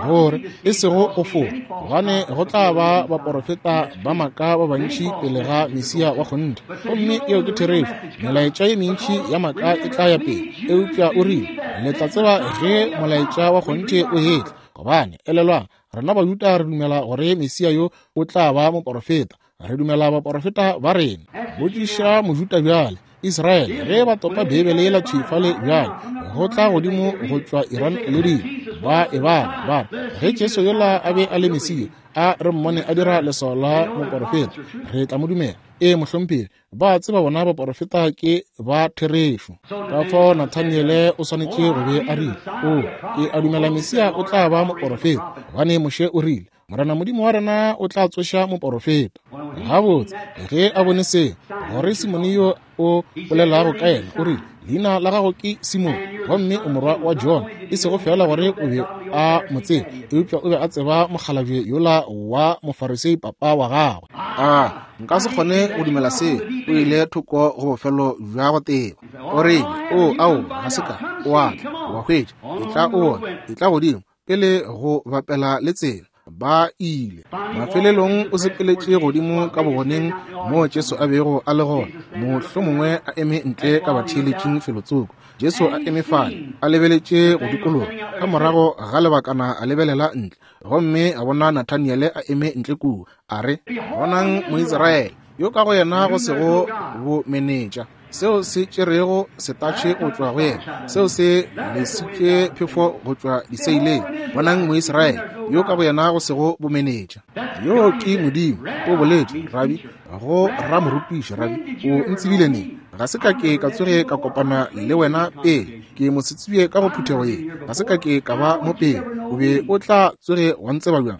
S1: gore e sego go fora, gobane go tla ba baporofeta ba maaka ba bantši pele ga Mesia wa kgonthe. Gomme eo ke therešo, melaetša ye mentši ya maaka e tla ya pele. Eupša o rile, le tla tseba ge molaetša wa kgonthe o etla, gobane elelwang, rena Bajuda re dumela gore Mesia yo o tla ba moporofeta. Re dumela baporofeta ba rena. Botšiša Mojuda bjale, Israele, ge ba topa Beibele yela thwi fale bjale, go tla godimo go tšwa Iran le dilo, ba e bala, ba re, ge Jesu yola a be a le Mesia, a re mmone a dira leswao la moporofeta, re tla mo dumela. Ee, mohlomphegi, ba tseba bona baporofeta ke ba therešo. Ka fao Nathaniele o swanetše go be a rile, o, ke a dumela Mesia o tla ba moporofeta, gobane Moshe o rile, Morena Modimo wa rena o tla tsoša moporofeta. Gabotse, ge a bone se, gore Simone yo o bolelago ka yena, o rile, leina la gago ke Simone, gomme o morwa wa John. E sego fela gore o be a mo tseba, eupša o be a tseba mokgalabje yola wa Mofarisei papa wa gagwe. A nka se kgone go dumela se, o ile thoko go bofelo bja go teba. O rile, o, ao, ga se ka, o a tla, wa hwetša, etla o bone, etla godimo, pele go bapela le tsela. Ba ile. Mafelelong o sepeletše godimo ka bogoneng moo Jesu a bego a le gona, mohlomongwe a eme ntle ka batheeletšing felotsoko. Jesu a eme fale, a lebeletše go dikologa. Ka morago ga lebakana a lebelela ntle, gomme a bona Nathaniele a eme ntle kua. A re, bonang Moisraele yo ka go yena go sego bomenetša, seo se tšerego setatšhe go tšwa go yena, seo se lesitše phefo go tšwa diseileng. Bonang Moisraele yo ka go yena go sego bomenetša. Yo ke Modimo, o boletše, Rabi, go ramorutiši, Rabi, o ntsebile neng? Ga se ka ke ka tsoge ka kopana le wena pele, ke mosetsebje ka go phuthego ye, ga se ka ke ka ba mo pele, o be o tla tsoge wa ntseba bjang?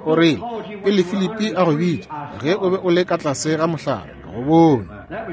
S1: O rile, pele Filipi a go bitša, ge o be o le ka tlase ga mohlare, ka go bone.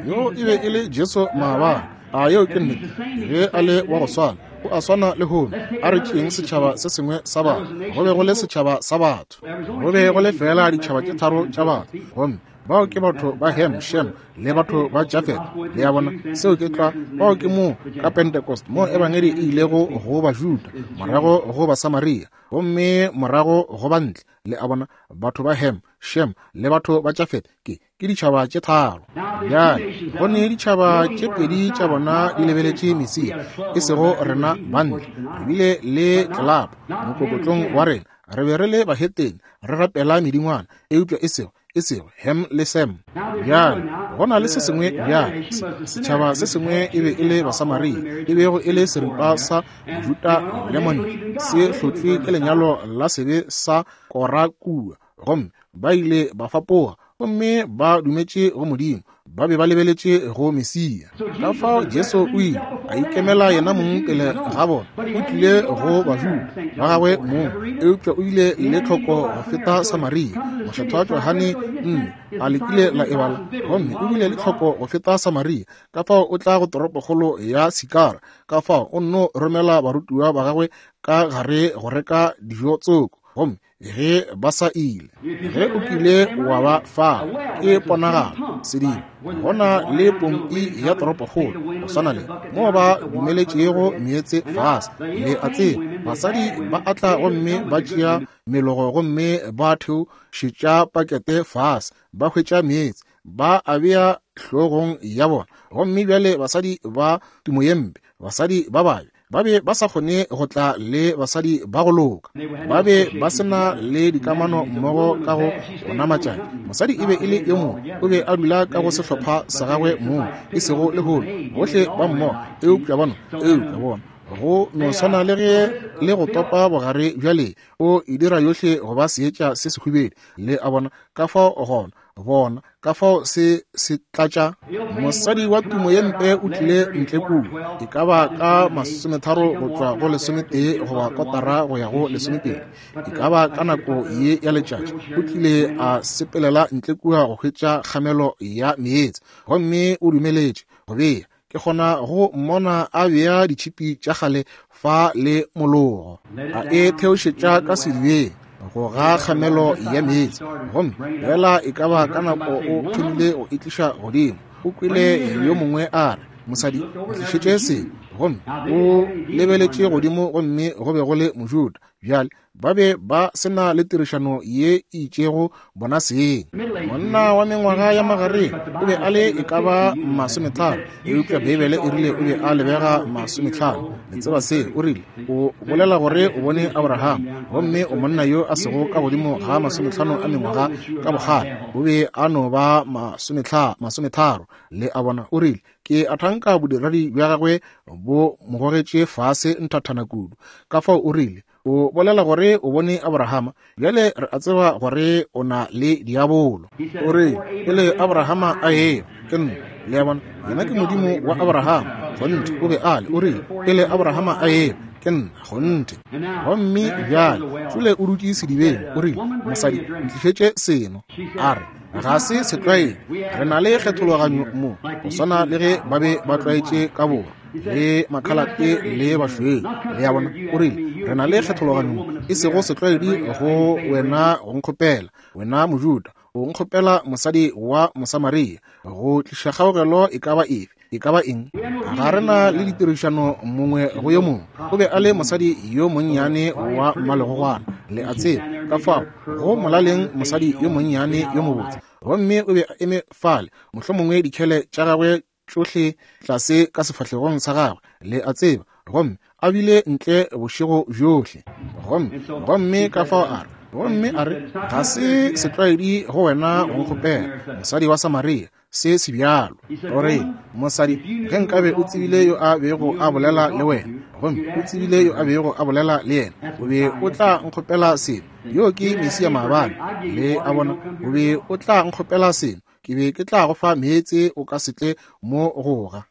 S1: Yo e be e le Jesu maabane. A yeo ke nnete? Ge a le wa go swana, o a swana le lehono. A re tšeeng setšhaba se sengwe sa batho. Go be go le setšhaba sa batho. Go be go le fela ditšhaba tše tharo tša batho. Gomme bao ke batho ba Ham, Shem le batho ba Jafet. Le a bona, seo ke tlwa. Bao ke moo ka Pentecost moo ebangedi e ilego go Bajuda, morago go Basamaria, gomme morago go bantle. Le a bona, batho ba Ham, Shem le batho ba Jafet ke ke ditšhaba tše tharo. Bjale go ne ditšhaba tše pedi tša bona di lebeletše Mesia, e sego rena bantle. Re bile le tlelapo mokokotlong wa rena, re be re le bahetene, re rapela medingwana, eupša e sego e sego Ham le Sem. Bjale go na le se sengwe bjale, setšhaba se sengwe e be e le Basamaria, e bego e le seripa sa Mojuda le montle, se hlotšwe ke lenyalo la sebe sa Kora kua, gomme ba ile ba fapoga, gomme ba dumetše go Modimo, ba be ba lebeletše go Mesia. Ka fao Jesu o ile a ikemela yena mong pele ga bona. O tlile go Bajuda ba gagwe mong, eupša o ile le tlhoko go feta Samaria. Mokgethwa Johane nne a lekile la e bala, gomme o bile le tlhoko go feta Samaria. Ka fao o tla go toropokgolo ya Sikara. Ka fao o nno romela barutiwa ba gagwe ka gare go reka dijo tsoko, gomme ge ba sa ile, ge o kile wa ba fa, ke ponagalo sedimo gona le pompi ya toropokgolo go swana le moo ba dumeletšego meetse fase. Le a tseba, basadi ba atla gomme ba tšea melogo gomme ba theošetša pakete fase, ba hwetša meetse, ba a bea hlogong ya bona. Gomme bjale basadi ba tumo ye mpe, basadi ba babe, ba be ba sa kgone go tla le basadi ba go loka. Ba be ba sena le dikamano mmogo ka go ona matšatši. Mosadi e be e le yo mongwe, o be a dula ka go sehlopha sa gagwe mong, e sego lehono, bohle ba mmogo, eupša bona, eupša bona go no swana le ge le go topa bogare bjale, o e dira yohle go ba seetša se sehubedu. Le a bona ka fao gona, bona ka fao se se tlatša. Mosadi wa tumo ye mpe o tlile ntle kua, e ka ba ka masometharo go tšwa go lesometee goba kotara go ya go lesomepedi, e ka ba ka nako ye ya letšatši, o tlile a sepelela ntle kua go hwetša kgamelo ya meetse, gomme o dumeletše go bea. Ke kgona go mmona a bea ditšhipi tša kgale fa le mologo, a e theošetša ka sedibeng go ga kgamelo ya meetse, gomme fela e ka ba ka nako o thomile go e tliša godimo. O kwele yo mongwe a re, Mosadi, ntlišetše se. Gomme o lebeletše godimo, gomme go be go le Mojuda. Bjale ba be ba se na le tirišano ye e itšego bona seng. Monna wa mengwaga ya magareng o be a le e ka ba masometharo, eupša Beibele e rile o be a lebega masometlhano. Le tseba se, o rile, o bolela gore o bone Abraham, gomme o monna yo a sego ka godimo ga masometlhano a mengwaga ka bokgale, o be a no ba masometharo. Le a bona, o rile, ke a thanka bodiredi bja gagwe bo mo gogetše fase nthathana kudu. Ka fao o rile, o bolela gore o bone Abrahama, bjale re a tseba gore o na le diabolo. O re, pele Abrahama a ewa, ke nna. Le a bona, yena ke Modimo wa Abrahama. Kgonthe, o be a le. O rile, pele Abrahama a ewa, ke nna. Kgonthe. Gomme bjale Šule o dutše sedibeng. O rile, mosadi, ntlišetše seno. A re, ga se setlwaedi, re na le kgethologanyo mo, go swana le ge ba be ba tlwaetše ka borwa le makhalate le bašweu. Le a bona, o rile, re na le kgethologanyo mo, e sego setlwaedi go wena go nkgopela, wena Mojuda, o nkgopela mosadi wa Mosamaria go tliša kgaogelo e ka ba efe, e ka ba eng. Ga re na le ditirišano mongwe go yo mongwe. O be a le mosadi yo monnyane wa mmalegogwana, le a tseba, ka fao go molaleng mosadi yo monnyane yo mobotse. Gomme o be a eme fale, mohlomongwe dikhele tša gagwe tšohle tlase ka sefahlegong sa gagwe, le a tseba, gomme a bile ntle bošego bjohle. Gomme gomme ka fao a re, gomme a re, ga se setlwaedi go wena go nkgopela, mosadi wa Samaria, se se bjalo. O re, mosadi, ge nkabe o tsebile yo a bego a bolela le wena, gomme o tsebile yo a bego a bolela le yena, o be o tla nkgopela seno. Yo ke Mesia maabane. Le a bona, o be o tla nkgopela seno, ke be ke tla go fa meetse o ka se tle mo goga.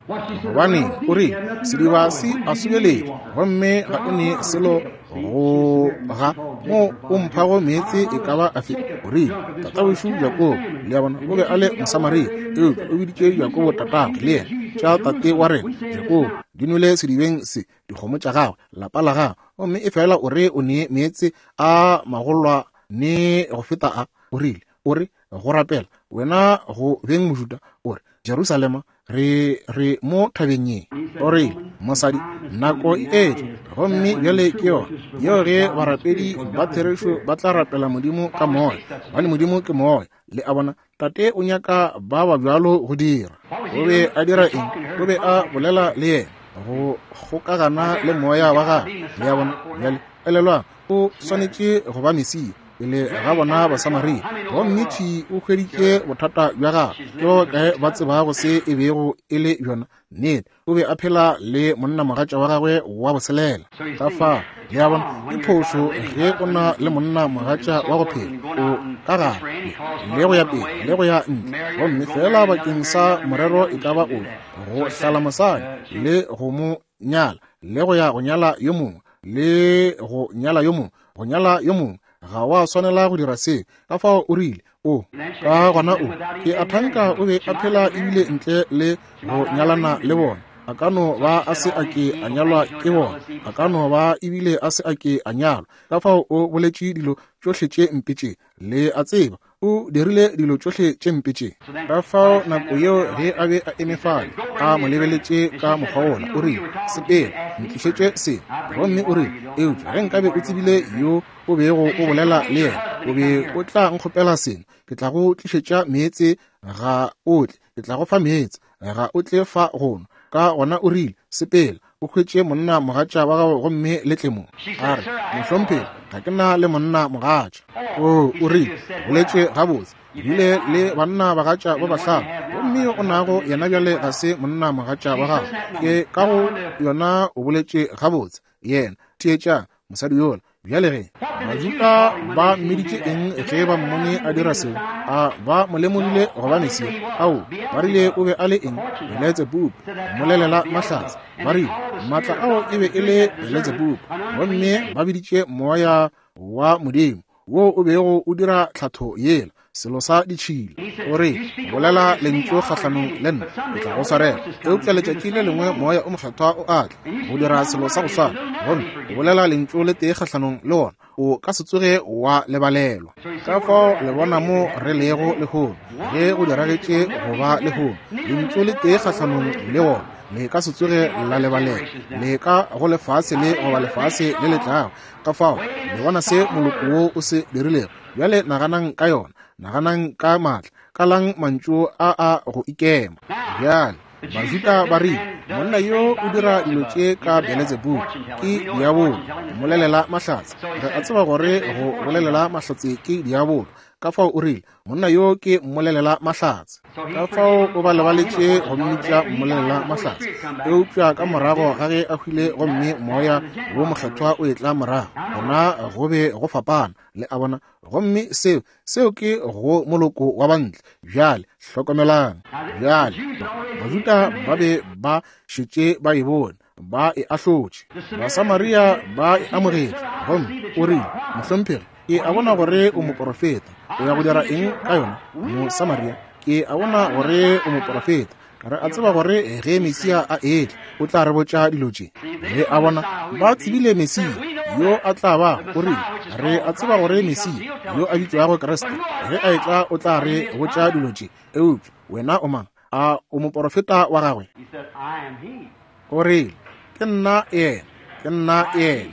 S1: Gobane o rile, sediba se a subeletše, gomme ga o ne selo go ga mo o mphago meetse e ka ba afe. O rile, tatawešu Jakobo, le a bona, o be a le Mosamaria, eupša o biditše Jakobo tatagwe, le yena, tša tate wa rena Jakobo di nwele sedibeng se, dikgomo tša gagwe, lapa la gagwe, gomme e fela o re o ne meetse a magolwa ne go feta a. O rile, o re go rapela wena go beng Mojuda, o re Jerusalema, re re mo thabeng ye. O re, mosadi, nako e etla, gomme bjale ke yona yeo ge barapedi ba therešo ba tla rapela Modimo ka moya, gobane Modimo ke moya. Le a bona, tate o nyaka ba ba bjalo go dira. O be a dira eng? O be a bolela le yena, go kgokagana le moya wa gagwe. Le a bona, bjale elelwang, o swanetše go ba Mesia pele ga bona Basamaria. Gomme thwi o hweditše bothata bja gagwe. Ke ba bakae ba tsebago se e bego e le bjona? Nnete, o be a phela le monnamogatša wa gagwe wa boselela. Ka fao, le a bona, ke phošo ge o na le monnamogatša wa go phela o ka gare le go ya pele le go ya ntle, gomme fela bakeng sa morero e ka ba ofe, go hlala mosadi le go mo nyala, le go ya go nyala yo mongwe, le go nyala yo mongwe, go nyala yo mongwe. Ga wa swanela go dira se. Ka fao o rile, o ka gona o ke a thanka o be a phela ebile ntle le go nyalana le bona. A ka no ba a se a ke a nyalwa ke bona, a ka no ba ebile a se a ke a nyalwa. Ka fao o boletše dilo tšohle tše mpe tše, le a tseba, o dirile dilo tšohle tše mpe tše. Ka fao nako yeo ge a be a eme fale, a mo lebeletše ka mokgwa wola, o rile, sepela, ntlišetše seno. Gomme o rile, eupša ge nkabe o tsebile yo o bego o bolela le yena, o be o tla nkgopela seno, ke tla go tlišetša meetse, ga o tle, ke tla go fa meetse, ga o tle fa go nwa. Ka gona o rile, sepela, o hwetše monna mogatša wa gago gomme le tle mo. A re, mohlomphegi, ga ke na le monna mogatša. O, o rile, boletše gabotse, bile le banna bagatša ba bahlano, gomme yo o nago yena bjale ga se monna mogatša wa gago. Ke ka go yona o boletše gabotse. Yena, theetša, mosadi yola. Bjale ge Bajuda ba mmiditše eng ge ba mmone a dira seo? A ba mo lemogile goba Mesia? Ao, ba rile o be a le eng? Beletsebubu, mmolelela mahlatse. Ba rile maatla ao e be e le Beletsebubu, gomme ba biditše moya wa Modimo wo o bego o dira tlhatho yela, selo sa ditšhila. O re, bolela lentšu kgahlanong le nna, ke tla go swarela. Eupša letšatši le lengwe moya o mokgethwa o a tla go dira selo sa go swana, gomme o bolela lentšu le tee kgahlanong le wona, o ka se tsoge wa lebalelwa. Ka fao le bona mo re lego lehono, ge go diragetše go ba lehono, lentšu le tee kgahlanong le wona, Le ka se tsoge la lebalela. Le ka go lefase le goba lefase le le tlago. Ka fao, le bona se moloko wo o se dirilego. Bjale naganang ka yona. Naganang ka maatla. Kalang mantšu a a go ikema. Bjale, Bajuda ba rile, monna yo o dira dilo tše ka Beelzebub, ke diabolo, mmolelela mahlatse. Re a tseba gore go bolelela mahlatse ke diabolo. Ka fao o rile, monna yo ke mmolelela mahlatse. Ka fao o ba lebaletše go mmitša mmolelela mahlatse. Eupša ka morago ga ge a hwile gomme moya wo mokgethwa o etla morago, gona go be go fapana. Le a bona? Gomme seo, seo ke go moloko wa bantle. Bjale, hlokomelang. Bjale, Bajuda ba be ba šetše ba e bone, ba e ahlotše. Basamaria ba e amogetše. Gomme o rile, mohlomphegi, ke a bona gore o moporofeta. O ya go dira eng ka yona, Mosamaria? Ke a bona gore o moporofeta. Re a tseba gore ge Mesia a etla, o tla re botša dilo tše. Le a bona, ba tsebile Mesia yo a tla ba, o rile, re a tseba gore Mesia yo a bitšwago Kriste, ge a etla o tla re botša dilo tše. Eupša wena o mang? A o moporofeta wa gagwe? O rile, ke nna yena, ke nna yena.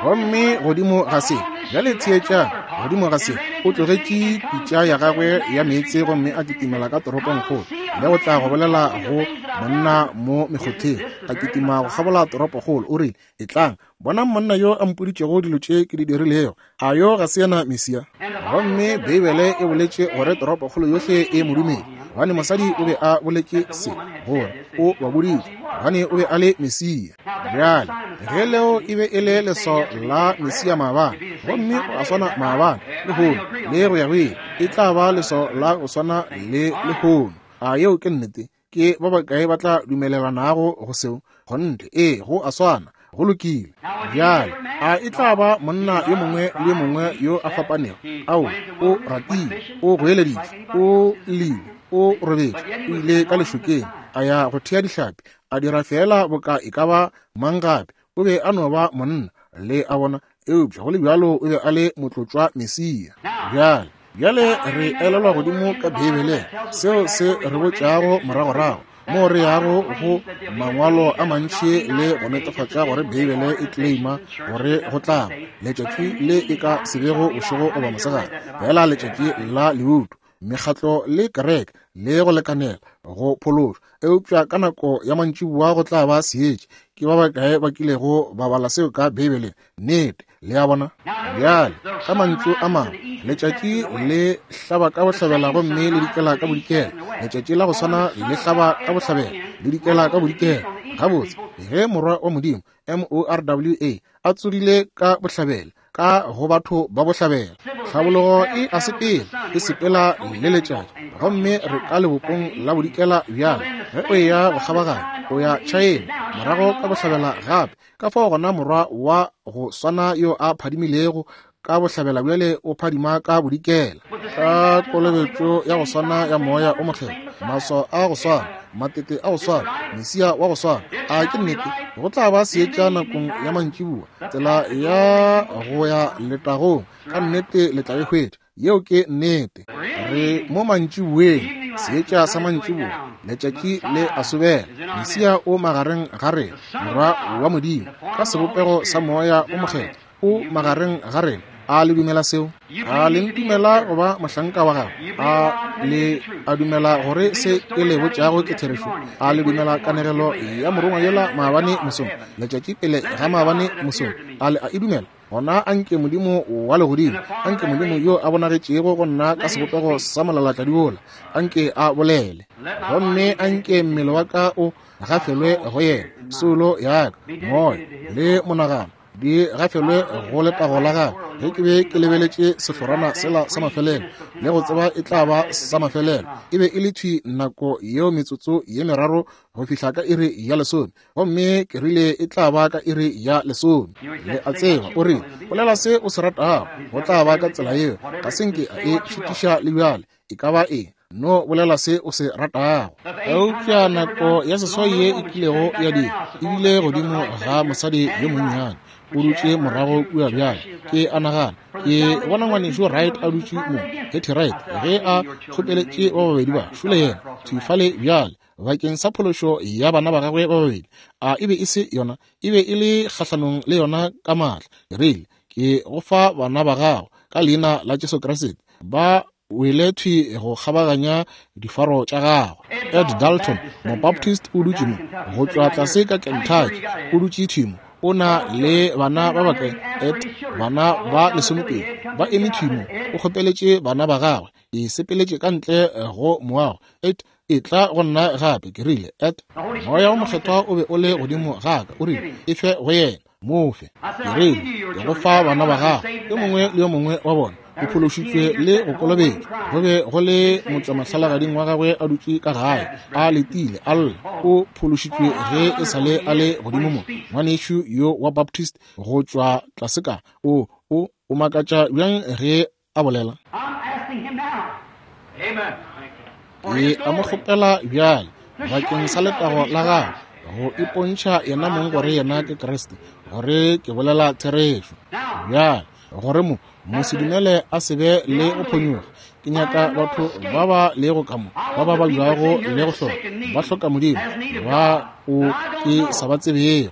S1: Gomme godimo ga se, bjale theetšang, godimo ga se, o tlogetše pitša ya gagwe ya meetse gomme a kitimela ka toropongkgolo, le go tla go bolela go monna mo mekgotheng. A kitima go kgabola toropokgolo. O rile, etlang, bonang monna yo a mpoditšego dilo tše ke di dirilego. A yo ga se yena Mesia? Gomme Beibele e boletše gore toropokgolo yohle e mo dumele, gobane mosadi o be a boletše se, gore o ba boditše, gobane o be a le Mesia. Bjale, ge leo e be e le leswao la Mesia maabane, gomme o a swana maabane, lehono, le go ya go ile, e tla ba leswao la go swana le lehono. A yeo ke nnete? Ke ba bakae ba tla dumelelanago go seo? Kgonthe, ee, go a swana. Go lokile. Bjale, a e tla ba monna yo mongwe le yo mongwe yo a fapanego? Ao, o ratile, o goeleditše, o llile, o robetše, o ile ka lešokeng, a ya go thea dihlapi, a dira feela boka e ka ba mang gape. O be a no ba monna, le a bona, eupša go le bjalo o be a le motlotšwa Mesia. Bjale, bjale re elelwa godimo ka Beibeleng seo se re botšago moragorago, mo re yago go mangwalo a mantši le go netefatša gore Beibele e claima gore go tla letšatši le e ka se bego bošego goba mosegare, fela letšatši la leuto, mekgatlo le kereke le go lekanela go phološwa. Eupša ka nako ya mantšiboa go tla ba seetša. Ke ba bakae ba kilego ba bala seo ka Beibeleng? Nnete. Le a bona? Bjale, ka mantšu a mangwe, letšatši le hlaba ka bohlabela gomme le dikela ka bodikela. Letšatši la go swana le hlaba ka bohlabela, le dikela ka bodikela. Gabotse, ge morwa wa Modimo, M O R W A, a tsogile ka bohlabela, ka go batho ba bohlabela, tlhabologo e a sepela, e sepela le letšatši, gomme re ka lebopong la bodikela bjale. Ge o eya go kgabaganya, o ya China, morago ka bohlabela gape. Ka fao gona morwa wa go swana yo a phadimilego ka bohlabela bjale o phadima ka bodikela, ka kolobetšo ya go swana ya moya o mokgethwa, maswao a go swana, matete a go swana, Mesia wa go swana. A ke nnete? Go tla ba seetša nakong ya mantšiboa, tsela ya go ya letagong. Ka nnete le tla e hwetša. Yeo ke nnete. Re mo mantšiboeng, seetša sa mantšiboa, letšatši le a sobela. Mesia o magareng ga rena, morwa wa Modimo, ka sebopego sa moya o mokgethwa, o magareng ga rena. A le dumela seo? A le ntumela go ba mohlanka wa gagwe? A le a dumela gore se ke le botšago ke therešo? A le dumela kanegelo ya morongwa yola maabane mosong, letšatši pele ga maabane mosong? A le a e dumela? Gona anke Modimo wa legodimo, anke Modimo yo a bonagetšego go nna ka sebopego sa molalatladi wola, anke a bolele, gomme anke mmele wa ka o gafelwe go yena, soulo ya ka, moya le monagano di gafelwe go letago la gagwe. Ge ke be ke lebeletše sehlorana sela sa mafelelo, le go tseba e tla ba sa mafelelo, e be e le thwi nako yeo metsotso ye meraro go fihla ka iri ya lesome, gomme ke rile e tla ba ka iri ya lesome. Le a tseba, o rile, bolela se o se ratago, go tla ba ka tsela yeo. Ga se nke a e šitiša le bjale, e ka ba eng, no bolela se o se ratago. Eupša nako ya seswai ye e kilego ya dira e bile godimo ga mosadi yo monnyane, o dutše morago kua bjale. Ke a nagana ke bona ngwanešu Wright a dutše mo, Hetty Wright, ge a kgopeletše ba babedi ba šole yena thwi fale bjale. bakeng sa phološo ya bana ba gagwe ba babedi. A e be e se yona, e be e le kgahlanong le yona ka maatla. Ke rile, ke go fa bana ba gago ka leina la Jesu Kriste. Ba wele thwi go kgabaganya difaro tša gagwe. Ed Dalton, Mobaptist, o dutše mo go tšwa tlase ka Kentucky, o dutše thwi mo. O na le bana ba bakae? Ed, bana ba lesomepedi ba eme thwi mo. O kgopeletše bana ba gagwe. E sepeletše ka ntle go moago. Ed, e tla go nna gape. Ke rile, Ed, moya wo mokgethwa o be o le godimo ga ka. O rile, e fe go yena, mo fe. Ke rile, ke go fa bana ba gago, yo mongwe le yo mongwe wa bona o phološitšwe le go kolobetšwa. Go be go le motšwamahlalagading wa gagwe a dutše ka gae a letile a lla. O phološitšwe ge e sa le a le godimo mo. Ngwanešu yo wa Baptist go tšwa tlase ka o o o makatša bjang ge a bolela. Ke a mo kgopela bjale bakeng sa letago la gagwe go ipontšha yena mong gore yena ke Kriste, gore ke bolela therešo. Bjale gore mo mosedumele a se be le go phonyoga. Ke nyaka batho ba ba lego ka mo, ba ba babjago le go hloka, ba hloka Modimo, ba o ke sa ba tsebego,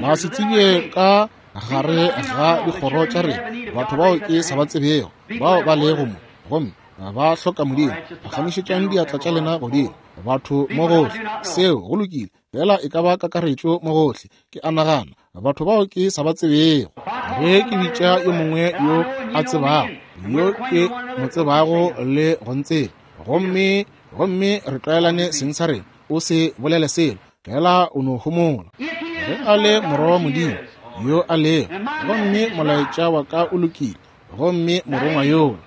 S1: ba se tsebje ka gare ga dikgoro tša rena, batho bao ke sa ba tsebego, bao ba lego mo gomme ba hloka Modimo. Phagamišetšang diatla tša lena godimo, batho mo gohle. Seo go lokile, fela e ka ba kakaretšo mo gohle. Ke a nagana batho bao ke sa ba tsebego. Ge ke bitša yo mongwe yo a tsebago, yo ke mo tsebago le go ntseba, gomme gomme re tlwaelane seng sa rena, o se bolele selo, fela o no homola. Ge a le morwa wa Modimo yo a lego, gomme molaetša wa ka o lokile, gomme morongwa yola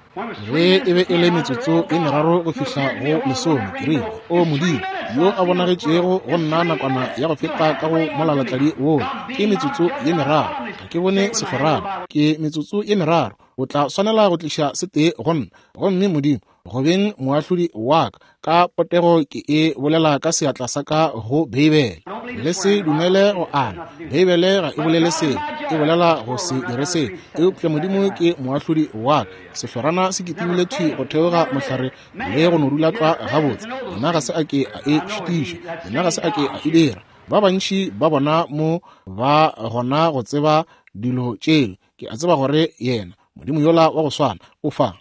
S1: ge e be e le metsotso e meraro go fihla go lesome, ke rile, o Modimo yo a bonagetšego go nna nakwana ya go feta ka go molalatladi wola, ke metsotso ye meraro, ga ke bone sehlorana, ke metsotso ye meraro, o tla swanela go tliša se tee go nna. Gomme Modimo go beng moahlodi wa ka, ka potego ke e bolela ka seatla sa ka go Beibele. Le se dumele go ana, Beibele ga e bolele seo, e bolela go se dire seo. Eupša Modimo ke moahlodi wa ka. Sehlorana se kitimile thwi go theoga mohlare le go no dula tlwa gabotse. Yena ga se a ke a e šitiša, yena ga se a ke a e dira. Ba bantši ba bona mo ba gona go tseba dilo tšeo. Ke a tseba gore yena Modimo yola wa go swana o fa.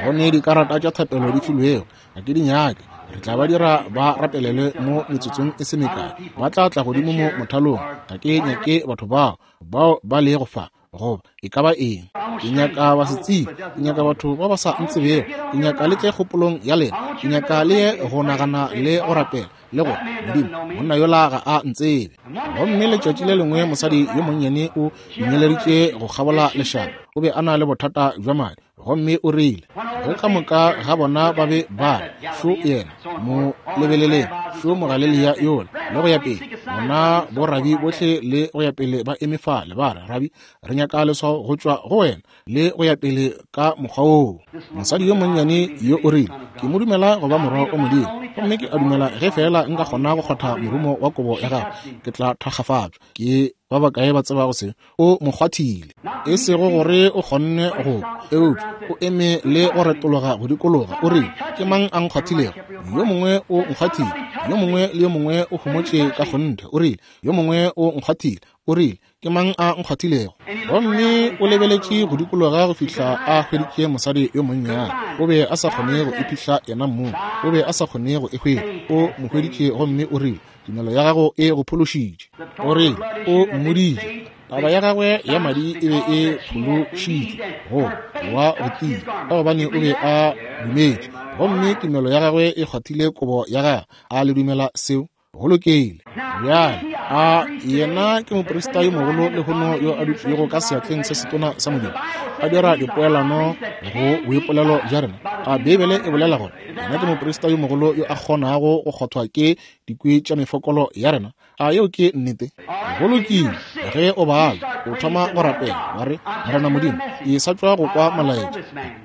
S1: Go ne dikarata tša thapelo di filwego, ga ke di nyake. Re tla ba dira ba rapelele mo metsotsong e se mekae. Ba tla tla godimo mo mothalong. Ga ke nyake batho bao bao ba lego fa goba e ka ba eng. Ke nyaka ba se tsebe, ke nyaka batho ba ba sa ntsebego, ke nyaka le tle kgopolong ya lena, ke nyaka le ye go nagana le go rapela le gore Modimo monna yola ga a ntsebe. Gomme letšatši le lengwe mosadi yo monnyane o inyeleditše go kgabola lešaba. O be a na le bothata bja madi, gomme o rile ge ka moka ga bona ba be ba re, šo yena, mo lebeleleng, šo Mogalelia yola, le go ya pele. Bona borabi bohle le go ya pele ba eme fale ba re, Rabi, re nyaka leswao go tšwa go wena, le go ya pele ka mokgwa woo. Mosadi yo monnyane yo o rile, ke mo dumela go ba morwa wa Modimo, gomme ke a dumela ge fela nka kgona go kgotha morumo wa kobo ya gagwe, ke tla thakgafatšwa. Ke ba bakae ba tsebago se? O mo kgwathile, e sego gore o kgonne go, eupša o eme le go retologa go dikologa. O rile, ke mang a nkgwathilego? Yo mongwe o nkgwathile. Yo mongwe le yo mongwe o homotše ka kgonthe. O rile, yo mongwe o nkgwathile. O rile, ke mang a nkgwathilego? Gomme o lebeletše go dikologa go fihla a hweditše mosadi yo monnyane. O be a sa kgone go iphihla yena mong, o be a sa kgone go e hwetša. O mo hweditše gomme o rile, tumelo ya gago e go phološitše. O rile, o mmoditše taba ya gagwe ya madi e be e phološitšwe go wa go tia, ka gobane o be a dumetše, gomme tumelo ya gagwe e kgwathile kobo ya gagwe. A le dumela seo? Go lokile. Bjale a yena ke moprista yo mogolo lehono yo a dutšego ka seatleng se setona sa Modimo, a dira dipoelano go boipolelo bja rena. A Beibele e bolela gore yena ke moprista yo mogolo yo a kgonago go kgothwa ke dikwi tša mefokolo ya rena. A yeo ke nnete? Go lokile. Ge o bala, o thoma go rapela, wa re, Morena Modimo, ke sa tšwa go kwa molaetša,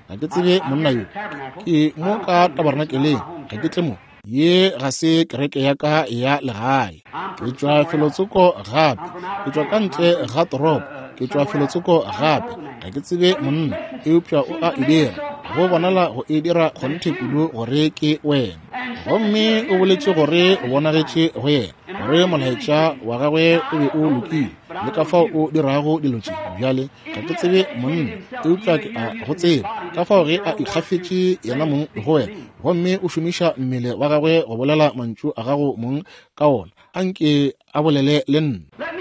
S1: ga ke tsebe monna yo, ke mo ka tabernakeleng, ga ke tle mo. Ye ga se kereke ya ka ya legae. Ke tšwa felotsoko gape, ke tšwa ka ntle ga toropo, ke tšwa felotsoko gape. Ga ke tsebe monna, eupša o a e dira. Go bonala go e dira kgonthe kudu gore ke wena. Gomme o boletše gore o bonagetše go yena, gore molaetša wa gagwe o be o lokile, le ka fao o dirago dilo tše. Bjale ga ke tsebe monna, eupša ke a go tseba. Ka fao ge a ikgafetše yena mong go wena, gomme o šomiša mmele wa gagwe go bolela mantšu a gago mong ka ona, anke a bolele le nna.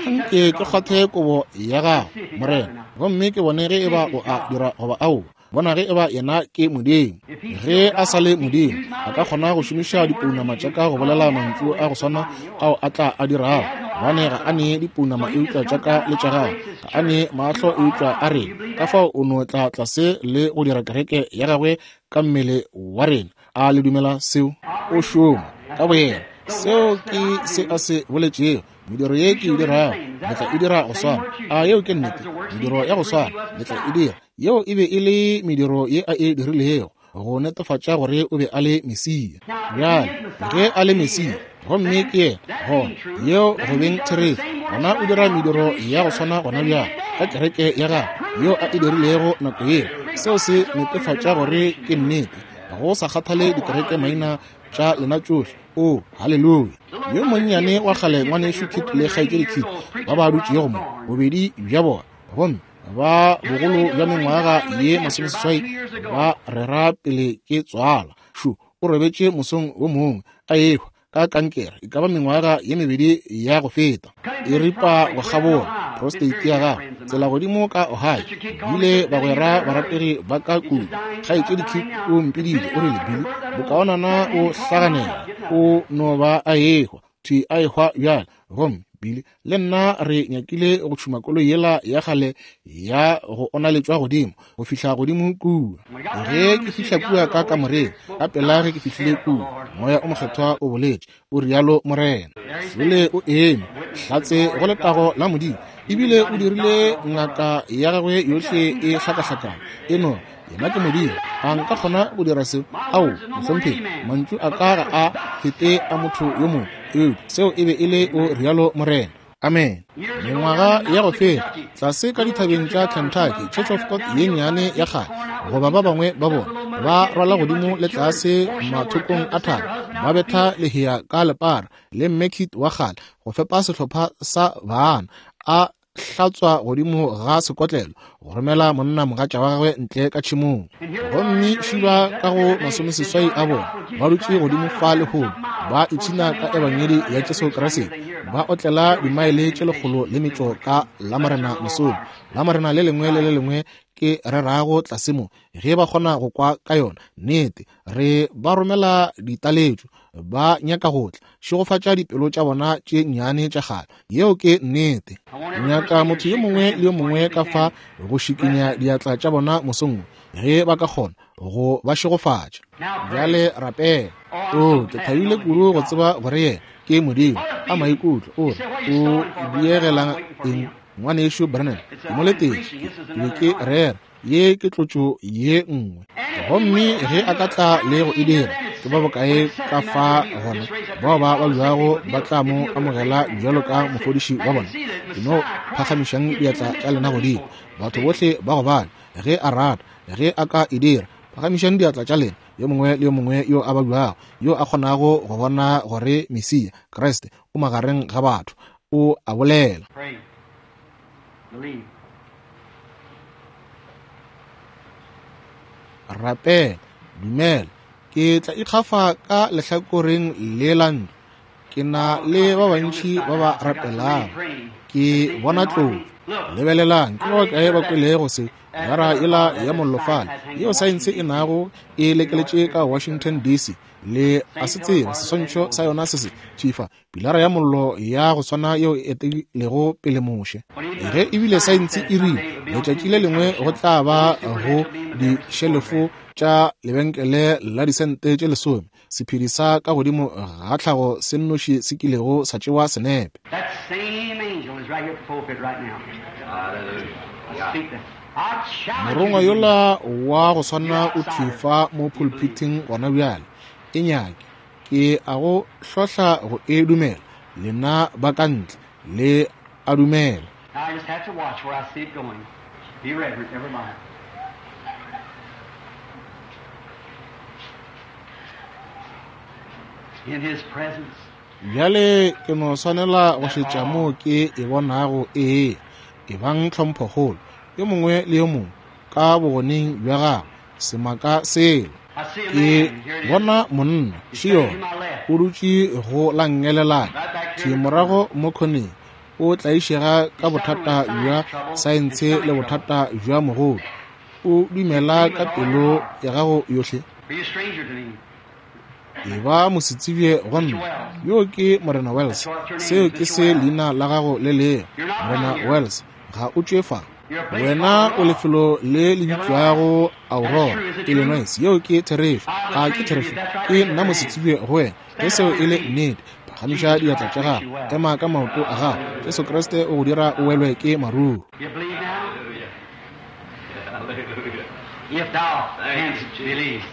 S1: Anke ke kgwathe kobo ya gago, Morena, gomme ke bone ge eba o a dira goba aowa. Bona ge eba yena ke Modimo. Ge a sa le Modimo, a ka kgona go šomiša dipounama tša ka go bolela mantšu a go swana ao a tla a dirago. Gobane ga a ne dipounama eupša tša ka le tša gago, ga a ne mahlo eupša a rena. Ka fao o no tla tlase le go dira kereke ya gagwe ka mmele wa rena. A le dumela seo? O šoma ka boyena. Seo ke se a se boletšego. Mediro ye ke e dirago, le tla e dira go swana. A yeo ke nnete? Mediro ya go swana le tla e dira. Yeo e be e le mediro ye a e dirilego go netefatša gore o be a le Mesia. Bjale ge a le Mesia, gomme ke yena, gona yeo go beng therešo, gona o dira mediro ya go swana gona bjale ka kereke ya gagwe yeo a e dirilego nako yeo. Seo se netefatša gore ke nnete, go sa kgathale dikereke maina tša lena tšohle. O, haleluya. Yo monnyane wa kgale ngwanešu Kit le kgaetšedi Kit ba ba dutšego mo, bobedi bja bona, gomme ba bogolo bja mengwaga ye masomeseswai ba rera pele ke tswala. Šo o robetše mosong wo mongwe a ehwa ka kankere, e ka ba mengwaga ye mebedi ya go feta, e ripa go kgabola prostate ya gagwe tsela godimo ka Ohio. Bile bagwera barategi ba ka kudu. Kgaetšedi Kit o mpiditše, o rile, Billy, bokaonana o hlaganela, o no ba a ehwa thwi a ehwa bjale. Gomme Billy le nna re nyakile go tšhuma koloi yela ya kgale ya go onaletšwa godimo go fihla godimo kua. Ge ke fihla kua ka kamoreng, ka pela ge ke fihlile kua, Moya o Mokgethwa o boletše, o rialo Morena. Šole o eme hlatse go letago la Modimo, ebile o dirile ngaka ya gagwe yohle e hlakahlakana. E no yena ke Modimo. A nka kgona go dira seo? Ao, mohlomphegi, mantšu a ka ga a fete a motho yo mongwe. Eupša seo e be e le o rialo Morena. Amen. Mengwaga ya go feta, tlase ka dithabeng tša Kentucky, Church of God ye nnyane ya kgale, goba ba bangwe ba bona ba rwala godimo le tlase mathokong a thaba, ba betha lehea ka lepara le mme Kit wa kgale go fepa sehlopha sa baana, a hlatswa godimo ga sekotlelo go romela monna mogatša wa gagwe ntle ka tšhemong. Gomme šiba ka go masomeseswai a bona ba dutše godimo fa lehono, ba ipshina ka ebangedi ya Jesu Kriste, ba otlela dimaele tše lekgolo le metšo ka Lamorena mosong, Lamorena le lengwe le le lengwe ke rerago tlase mo, ge ba kgona go kwa ka yona nnete. Re ba romela ditaletšo, ba nyaka go tla. Šegofatša dipelo tša bona tše nnyane tša kgale. Yeo ke nnete. Nyaka motho yo mongwe le yo mongwe ka fa go šikinya diatla tša bona mosong ge ba ka kgona go ba šegofatša. Bjale rapela. O, ke thabile kudu go tseba gore yena ke Modimo. A maikutlo, o re o diegelang eng ngwanešu Branham? Ke mo letetše, ke be ke rera. Ye ke tlotšo ye nngwe. Gomme ge a ka tla le go e dira, ke ba bokae ka fa gona bao ba babjago ba tla mo amogela bjalo ka mofodiši wa bona? Ke no phagamišang diatla tša lena godimo, batho bohle ba gobane. Ge a rata, ge a ka e dira, phagamišang diatla tša lena, yo mongwe le yo mongwe yo a babjago, yo a kgonago go bona gore Mesia Kriste o magareng ga batho, o a bolela. Rapela, dumela. Ke tla ikgafa ka lehlakoreng le la ntlo. Ke na le ba bantši ba ba rapelago. Ke bona tlotšo. Lebelelang, ke ba bakae ba kwelego se? Gara yela ya mollo fale yeo saense e nago e lekeletše ka Washington D C, le a se tseba seswantšho sa yona se se tšhifa, pilara ya mollo ya go swana yeo e etilego pele Moshe. Ge ebile saense e rile letšatši le lengwe go tla ba go dišelefo tša lebenkele la disente tše lesome, sephedi sa ka godimo ga tlhago se nnoši se kilego sa tšewa senepe. Morongwa yola wa go swana o thwi fa mo pulpiting gona bjale. E nyake, ke a go hlohla go e dumela. Lena ba ka ntle le a dumela.
S3: In His presence.
S1: Bjale ke no swanela go šetša moo ke e bonago ee, e bang tlhomphokgolo yo mongwe le yo mongwe ka bogoneng bja gagwe semaka selo.
S3: I see a
S1: Ke
S3: man. Here it is.
S1: bona monna
S3: He's standing to
S1: še
S3: my left.
S1: o dutše go la ngelelana
S3: Right back
S1: thwi
S3: here in the corner.
S1: morago mo khoneng. O tlaišega ka
S3: He's suffering
S1: bothata
S3: with
S1: bja
S3: sinus trouble and
S1: saense le
S3: stomach trouble.
S1: bothata bja mogodu. O dumela
S3: Believe
S1: ka
S3: with all your
S1: pelo
S3: heart.
S1: ya gago yohle.
S3: Are you a stranger to me?
S1: E ba mosetsebje go
S3: Mister
S1: nna.
S3: Wells.
S1: Yo ke Morena
S3: That's
S1: Wells.
S3: what your name
S1: Seo
S3: is,
S1: ke
S3: Mister
S1: se
S3: Wells.
S1: leina la gago le lego.
S3: You're not
S1: Morena
S3: from here.
S1: Wells, ga o tšwe fa.
S3: You're a place
S1: Wena
S3: called
S1: o
S3: Aurora,
S1: lefelo le le
S3: Illinois.
S1: bitšwago
S3: That is
S1: Aurora,
S3: true. Is it true?
S1: Illinois. Yeo ke therešo.
S3: I'm a
S1: Ga ke
S3: stranger to you.
S1: therešo.
S3: That's right.
S1: Ke
S3: Raise up
S1: nna
S3: your hand.
S1: mosetsebje go wena. Ge
S3: Stand up
S1: seo
S3: on
S1: e
S3: your
S1: le
S3: feet.
S1: nnete, phagamiša
S3: Jesus
S1: diatla
S3: Christ
S1: tša
S3: makes you
S1: gago.
S3: well.
S1: Ema ka maoto a gago. Jesu Kriste o go dira o welwe ke maruo.
S3: You believe now?
S4: Hallelujah. Hallelujah.
S3: If thou
S4: Thank
S3: canst
S4: you, Jesus.
S3: believe.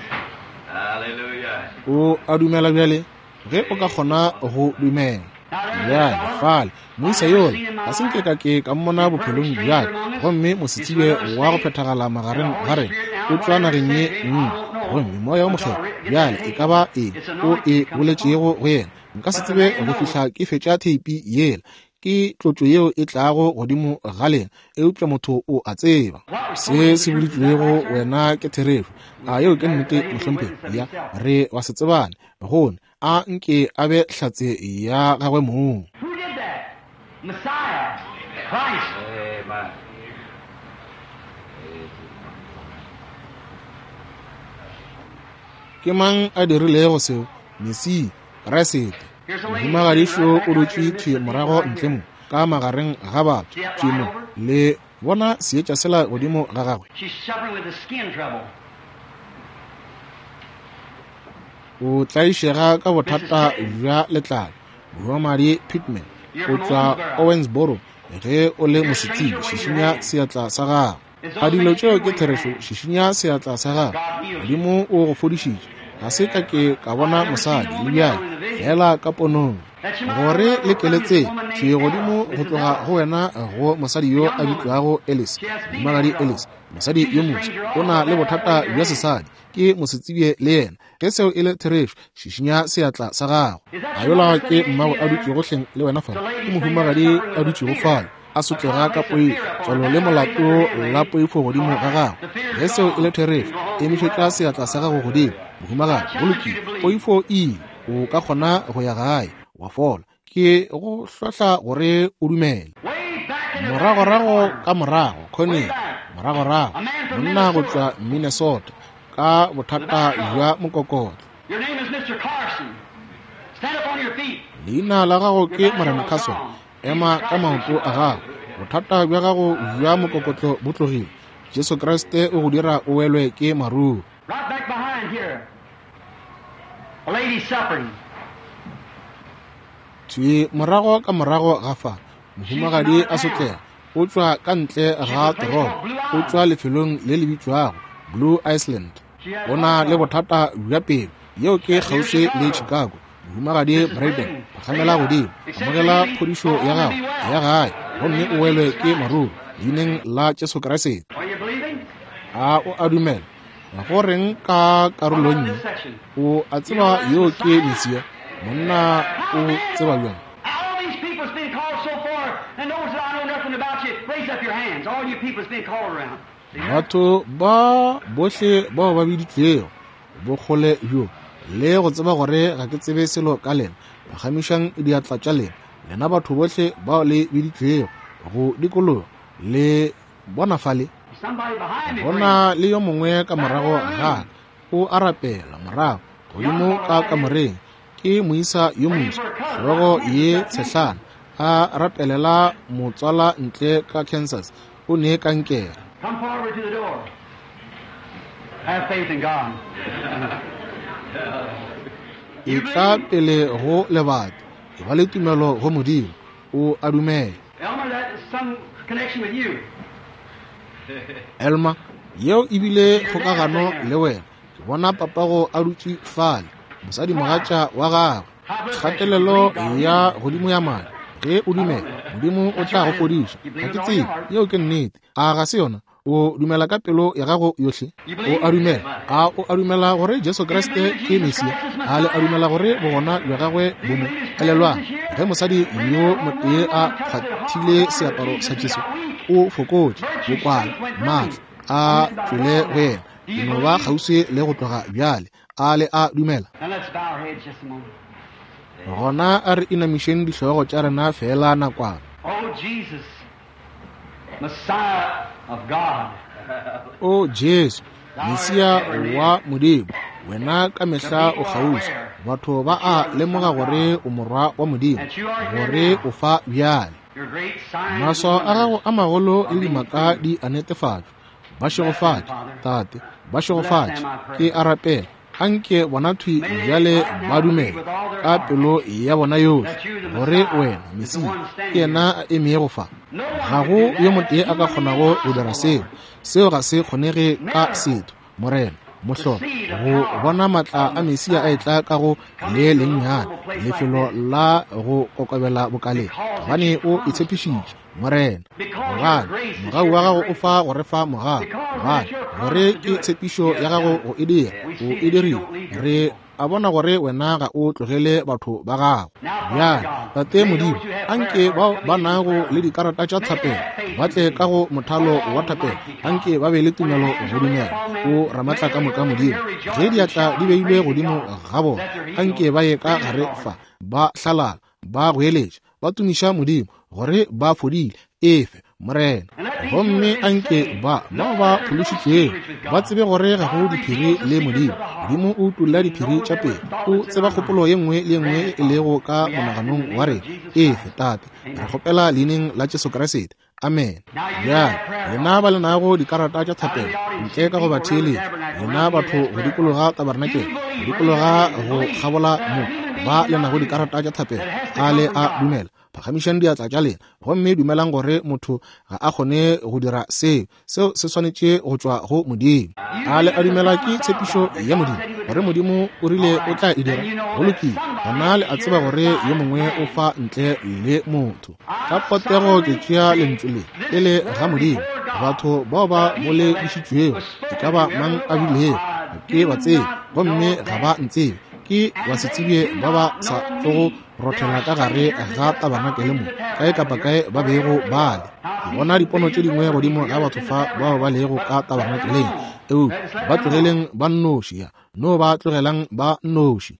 S4: Hallelujah.
S1: O a dumela bjale? Ge o ka kgona go dumela.
S3: Now there's a
S1: Bjale
S3: fellow
S1: fale
S3: I've
S1: moisa
S3: never
S1: yola
S3: seen in my
S1: ga se nke
S3: life.
S1: ka ke ka mmona
S3: A perfect
S1: bophelong
S3: stranger
S1: bjaka,
S3: among us.
S1: gomme
S3: He's from
S1: mosetsebje
S3: another
S1: wa go
S3: state.
S1: phethagala
S3: And the
S1: magareng
S3: Holy
S1: ga rena
S3: Spirit
S1: o
S3: now,
S1: tšwa
S3: whatever
S1: nageng
S3: said
S1: ye
S3: to him, I
S1: nngwe,
S3: won't know
S1: gomme moya o
S3: until I
S1: mokgethwa
S3: re- get that
S1: bjale e
S3: tape.
S1: ka ba eng
S3: It's
S1: o
S3: anointing
S1: e
S3: comes upon.
S1: boletšego go yena. Nka se
S3: But the
S1: tsebe
S3: man
S1: go
S3: knows.
S1: fihla ke fetša theipi yela. Ke tlotšo yeo e tlago godimo ga lena, eupša motho o a tseba
S3: What was told you
S1: se
S3: the
S1: se
S3: truth. Is that
S1: boditšwego
S3: right, sir?
S1: wena ke therešo. A yeo ke
S3: That,
S1: nnete
S3: that he be
S1: mohlomphegi?
S3: witness of
S1: Ya
S3: himself.
S1: re wa se tsebane gone a nke a be hlatse ya gagwe mong.
S3: Who did that? Messiah, Christ.
S4: Amen.
S1: Ke mang a dirilego seo? Mesia, Kriste.
S3: Here's a lady sitting
S1: Mohumagadišo
S3: right back
S1: o
S3: out here
S1: dutše
S3: in the midst
S1: thwi
S3: of people
S1: morago
S3: right
S1: ntle
S3: here.
S1: mo ka magareng ga batho
S3: See that
S1: thwi
S3: light
S1: mo.
S3: over?
S1: Le bona seetša sela godimo ga gagwe.
S3: She's suffering with the skin trouble.
S1: O tlaišega ka
S3: Missus
S1: bothata
S3: Pittman,
S1: bja letlalo. Mohumagadi Pittman
S3: you're
S1: o
S3: from
S1: tšwa
S3: Owensboro.
S1: Owensboro. Ge o le
S3: If you're a
S1: mosetsebje,
S3: stranger, wave your
S1: šišinya
S3: hand.
S1: seatla sa gago.
S3: It's
S1: A
S3: those
S1: dilo
S3: things
S1: tšeo
S3: true,
S1: ke
S3: wave your
S1: therešo,
S3: hand.
S1: šišinya seatla sa gago.
S3: God heals you.
S1: Modimo o go fodišitše. Ga se ka ke ka
S3: I've
S1: bona
S3: never seen
S1: mosadi
S3: the
S1: le
S3: woman
S1: bjale
S3: yet in the vision.
S1: fela ka ponong.
S3: That you might
S1: Gore
S3: know
S1: le
S3: from this
S1: keletse
S3: woman
S1: thwi
S3: named
S1: godimo
S3: Ella,
S1: go
S3: Missus
S1: tloga
S3: Ellis,
S1: go wena go mosadi
S3: a
S1: yo
S3: young
S1: a
S3: woman.
S1: bitšwago Ellis,
S3: She has female
S1: mohumagadi
S3: trouble.
S1: Ellis, mosadi
S3: She's
S1: yo
S3: a
S1: moswa
S3: stranger
S1: o
S3: also.
S1: na le
S3: Right out,
S1: bothata
S3: wave your
S1: bja
S3: hand.
S1: sesadi, ke mosetsebje le yena. Ge seo e le therešo, šišinya seatla sa gago.
S3: Is that
S1: A
S3: your
S1: yola
S3: mother
S1: ke
S3: sitting next to
S1: mmago
S3: you
S1: a
S3: there?
S1: dutšego hleng le wena
S3: The
S1: fale. Ke
S3: lady sitting there
S1: mohumagadi
S3: suffering
S1: a
S3: with a
S1: dutšego
S3: fear,
S1: fale, a
S3: a
S1: sotlega ka
S3: complex of
S1: poifo,
S3: fear upon her.
S1: tswalo le
S3: That's right, raise up
S1: molato
S3: your hand,
S1: la
S3: lady.
S1: poifo
S3: All
S1: godimo ga
S3: right.
S1: gagwe.
S3: The fear's
S1: Ge seo e le
S3: gone. You
S1: therešo,
S3: can go home and be
S1: emišetša
S3: well.
S1: seatla sa gago godimo. Mohumagadi,
S3: I
S1: go
S3: challenge you
S1: lokile.
S3: to believe.
S1: Poifo e ile. O ka kgona go ya gae wa fola. Ke go hlohla gore o dumele.
S3: Way back in the back in the
S1: Moragorago
S3: corner.
S1: ka morago
S3: Way
S1: khoneng,
S3: back.
S1: moragorago
S3: A man from
S1: monna go
S3: Minnesota.
S1: tšwa Minnesota ka
S3: With a
S1: bothata
S3: back trouble.
S1: bja mokokotlo.
S3: Your name is Mister Carson. Stand up on your feet.
S1: Leina la gago
S3: Your
S1: ke
S3: back
S1: Morena
S3: trouble's
S1: Carson.
S3: gone.
S1: Ema
S3: Jesus
S1: ka
S3: Christ makes
S1: maoto
S3: you
S1: a
S3: well.
S1: gago. Bothata bja gago bja mokokotlo bo tlogile. Jesu Kriste o go dira o welwe ke maruo.
S3: Right back behind here. A lady suffering.
S1: Thwi morago ka morago ga fa,
S3: She's from
S1: mohumagadi
S3: out
S1: a
S3: of town.
S1: sotlega. O tšwa ka ntle
S3: She's
S1: ga
S3: a place
S1: toropo.
S3: called Blue
S1: O
S3: Island.
S1: tšwa lefelong le le bitšwago Blue Iceland.
S3: She has
S1: O
S3: heart
S1: na le
S3: trouble.
S1: bothata bja pelo. Yeo ke
S3: Near
S1: kgauswi le
S3: Chicago.
S1: Chicago. Mohumagadi
S3: Missus
S1: Braden,
S3: Braden, raise
S1: phagamela
S3: up.
S1: godimo.
S3: Accept your
S1: Amogela
S3: healing.
S1: phodišo
S3: Go
S1: ya
S3: home and
S1: gago
S3: be
S1: ya
S3: well.
S1: gae
S3: In the
S1: gomme
S3: name
S1: o
S3: of
S1: welwe
S3: Jesus
S1: ke
S3: Christ.
S1: maruo leineng la Jesu Kriste.
S3: Are you believing?
S1: A o a dumela? Go reng ka
S3: What about
S1: karolong ye?
S3: this section?
S1: O a
S3: You know
S1: tseba
S3: that's
S1: yo ke
S3: Messiah?
S1: Mesia. Monna
S3: How
S1: o
S3: man
S1: tseba bjang?
S3: All these people that's been called so far and those that I know nothing about you, raise up your hands. All you people that's been called around. See there?
S1: Batho ba bohle bao ba biditšwego bokgole bjo le go tseba gore ga ke tsebe selo ka lena, phagamišang diatla tša lena. Lena batho bohle bao le biditšwego go dikologa le bona fale.
S3: Somebody behind me
S1: Go
S3: praying.
S1: na le yo mongwe ka
S3: Back
S1: morago
S3: in the
S1: ga
S3: room.
S1: ka o a rapela morago
S3: Young
S1: godimo
S3: fellow
S1: ka
S3: right here.
S1: kamoreng. Ke moisa yo
S3: Praying
S1: moso,
S3: for a cousin out
S1: hlogo
S3: of Kansas,
S1: ye
S3: out Kansas.
S1: tshehlana, a rapelela motswala ntle ka Kansas. O ne kankere.
S3: Come forward to the door. Have faith in God.
S1: E
S3: You
S1: tla
S3: believe?
S1: pele go lebati. E ba le tumelo go Modimo. O a dumela.
S3: Elmer, that is some connection with you.
S1: Elma, yeo ebile
S3: Your dad
S1: kgokagano
S3: sitting
S1: le
S3: there.
S1: wena. Ke bona papago a dutše fale, mosadimogatša wa gagwe.
S3: High blood pressure. You
S1: Kgatelelo
S3: believe God will heal
S1: ya
S3: you.
S1: godimo ya madi. Ge o
S3: I don't
S1: dumela,
S3: know.
S1: Modimo o
S3: That's
S1: tla go
S3: right, isn't it?
S1: fodiša.
S3: You
S1: Ga
S3: believe
S1: ke
S3: with all your
S1: tsebe,
S3: heart.
S1: yeo ke nnete. A ga se yona? O dumela ka pelo ya gago yohle? O a dumela? A o a dumela gore Jesu Kriste ke Mesia? A le a dumela gore bogona bja gagwe bo mo? Elelwang, ge mosadi yo motee a kgwathile seaparo sa Jesu, o fokotše, bokwala, maatla a tšwele go yena. Ke no ba kgauswi le go tloga bjale. A le a dumela? Gona a re inamišeng dihlogo tša rena fela nakwana. O Jesu, Mesia wa Modimo, wena ka mehla o kgauswi. Batho ba a lemoga gore o morwa wa Modimo, gore o fa bjale. Maswao a gago a magolo le dimaka di a netefatšwa. Ba šegofatše, Tate, ba šegofatše. Ke a rapela, anke bona thwi bjale ba dumele ka pelo ya bona yohle gore wena Mesia ke yena a emego fa. Ga go yo motee a ka kgonago go dira seo. Seo ga se kgonege ka setho, Morena. Mohlolo go bona maatla a Mesia a etla ka go le lennyane lefelo la go kokobela bokaleng, gobane o itshepišitše, Morena. Gobane mogau wa gago o fa go re fa mogau, gobane gore ke tshepišo ya gago go e dira, o e dirile. Re a bona gore wena ga o tlogele batho ba gago. Bjale, Tate Modimo, anke bao ba nago le dikarata tša thapelo ba tle ka go mothalo wa thapelo, anke ba be le tumelo go dumela. O Ramatla ka moka Modimo, ge diatla di beilwe godimo ga bona, anke ba ye ka gare fa, ba hlalala, ba goeletša, ba tumiša Modimo gore ba fodile. Efe, Morena. Gomme anke ba bao ba phološitšwego ba tsebe gore ga go diphiri le Modimo. Modimo o utolla diphiri tša pele, o tseba kgopolo ye nngwe le ye nngwe e lego ka monaganong wa rena. Efe, Tate, re kgopela leineng la Jesu Kriste. Amen. Bjale, lena ba le nago dikarata tša thapelo, ntle ka go ba theeletša, lena batho go dikologa tabarnakele, go dikologa go kgabola mo, ba le nago dikarata tša thapelo, a le a dumela? Phagamišang diatla tša lena gomme dumelang gore motho ga a kgone go dira seo. Seo se swanetše go tšwa go Modimo. A le a dumela ke tshepišo ya Modimo gore Modimo o rile o tla e dira? Go lokile. Gona le a tseba gore yo mongwe o fa ntle le motho. Ka potego ke tšea lentšu le e le ga Modimo. Batho bao ba boledišitšwego e ka ba mang a bilego, ke ba tsebe, gomme ga ba ntsebe. Ke basetsebje ba ba sa tlogo rothela ka gare ga tabarnakele mo, kae kapa kae ba bego ba le. Ke bona dipono tše dingwe godimo ga batho fa bao ba lego ka tabarnakeleng, eupša ba tlogeleng ba nnoši, ya no ba tlogelang ba nnoši.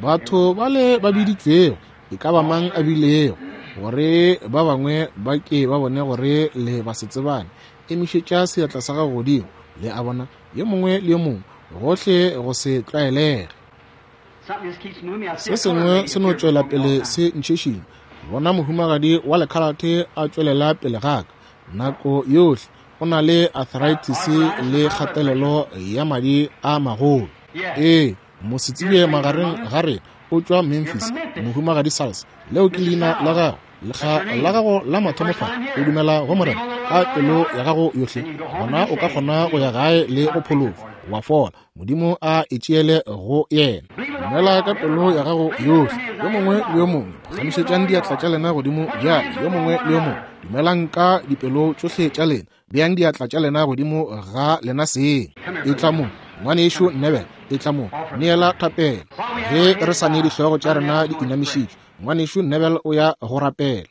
S1: Batho bale ba biditšwego, e ka ba mang a bilego, gore ba bangwe ba ke ba bone gore le basetsebane, emišetša seatla sa gago godimo. Le a bona, yo mongwe le yo mongwe, gohle go se tlwaelege. Se sengwe se no tšwela pele se ntšhešing. Bona mohumagadi wa lekhalate a tšwelela pele ga ka nako yohle. O na le arthritis le kgatelelo ya madi a magolo. Ee, mosetsebje magareng ga rena, o tšwa Memphis, mohumagadi Sals. Leo ke leina la gago, lekga la gago la mathomo fa. O dumela go Morena ka pelo ya gago yohle, gona o ka kgona go ya gae le go phološwa, wa fola. Modimo a e tšeele go yena. Dumela ka pelo ya gago yohle. Yo mongwe le yo mongwe, phagamišetšang diatla tša lena godimo bjale. Yo mongwe le yo mongwe, dumelang ka dipelo tšohle tša lena. Beang diatla tša lena godimo ga lena seng. Etla mo, ngwanešo Nebel, etla mo, neela thapelo. Ge re sa ne dihlogo tša rena di inamišitšwe, ngwanešo Nebel o ya go rapela.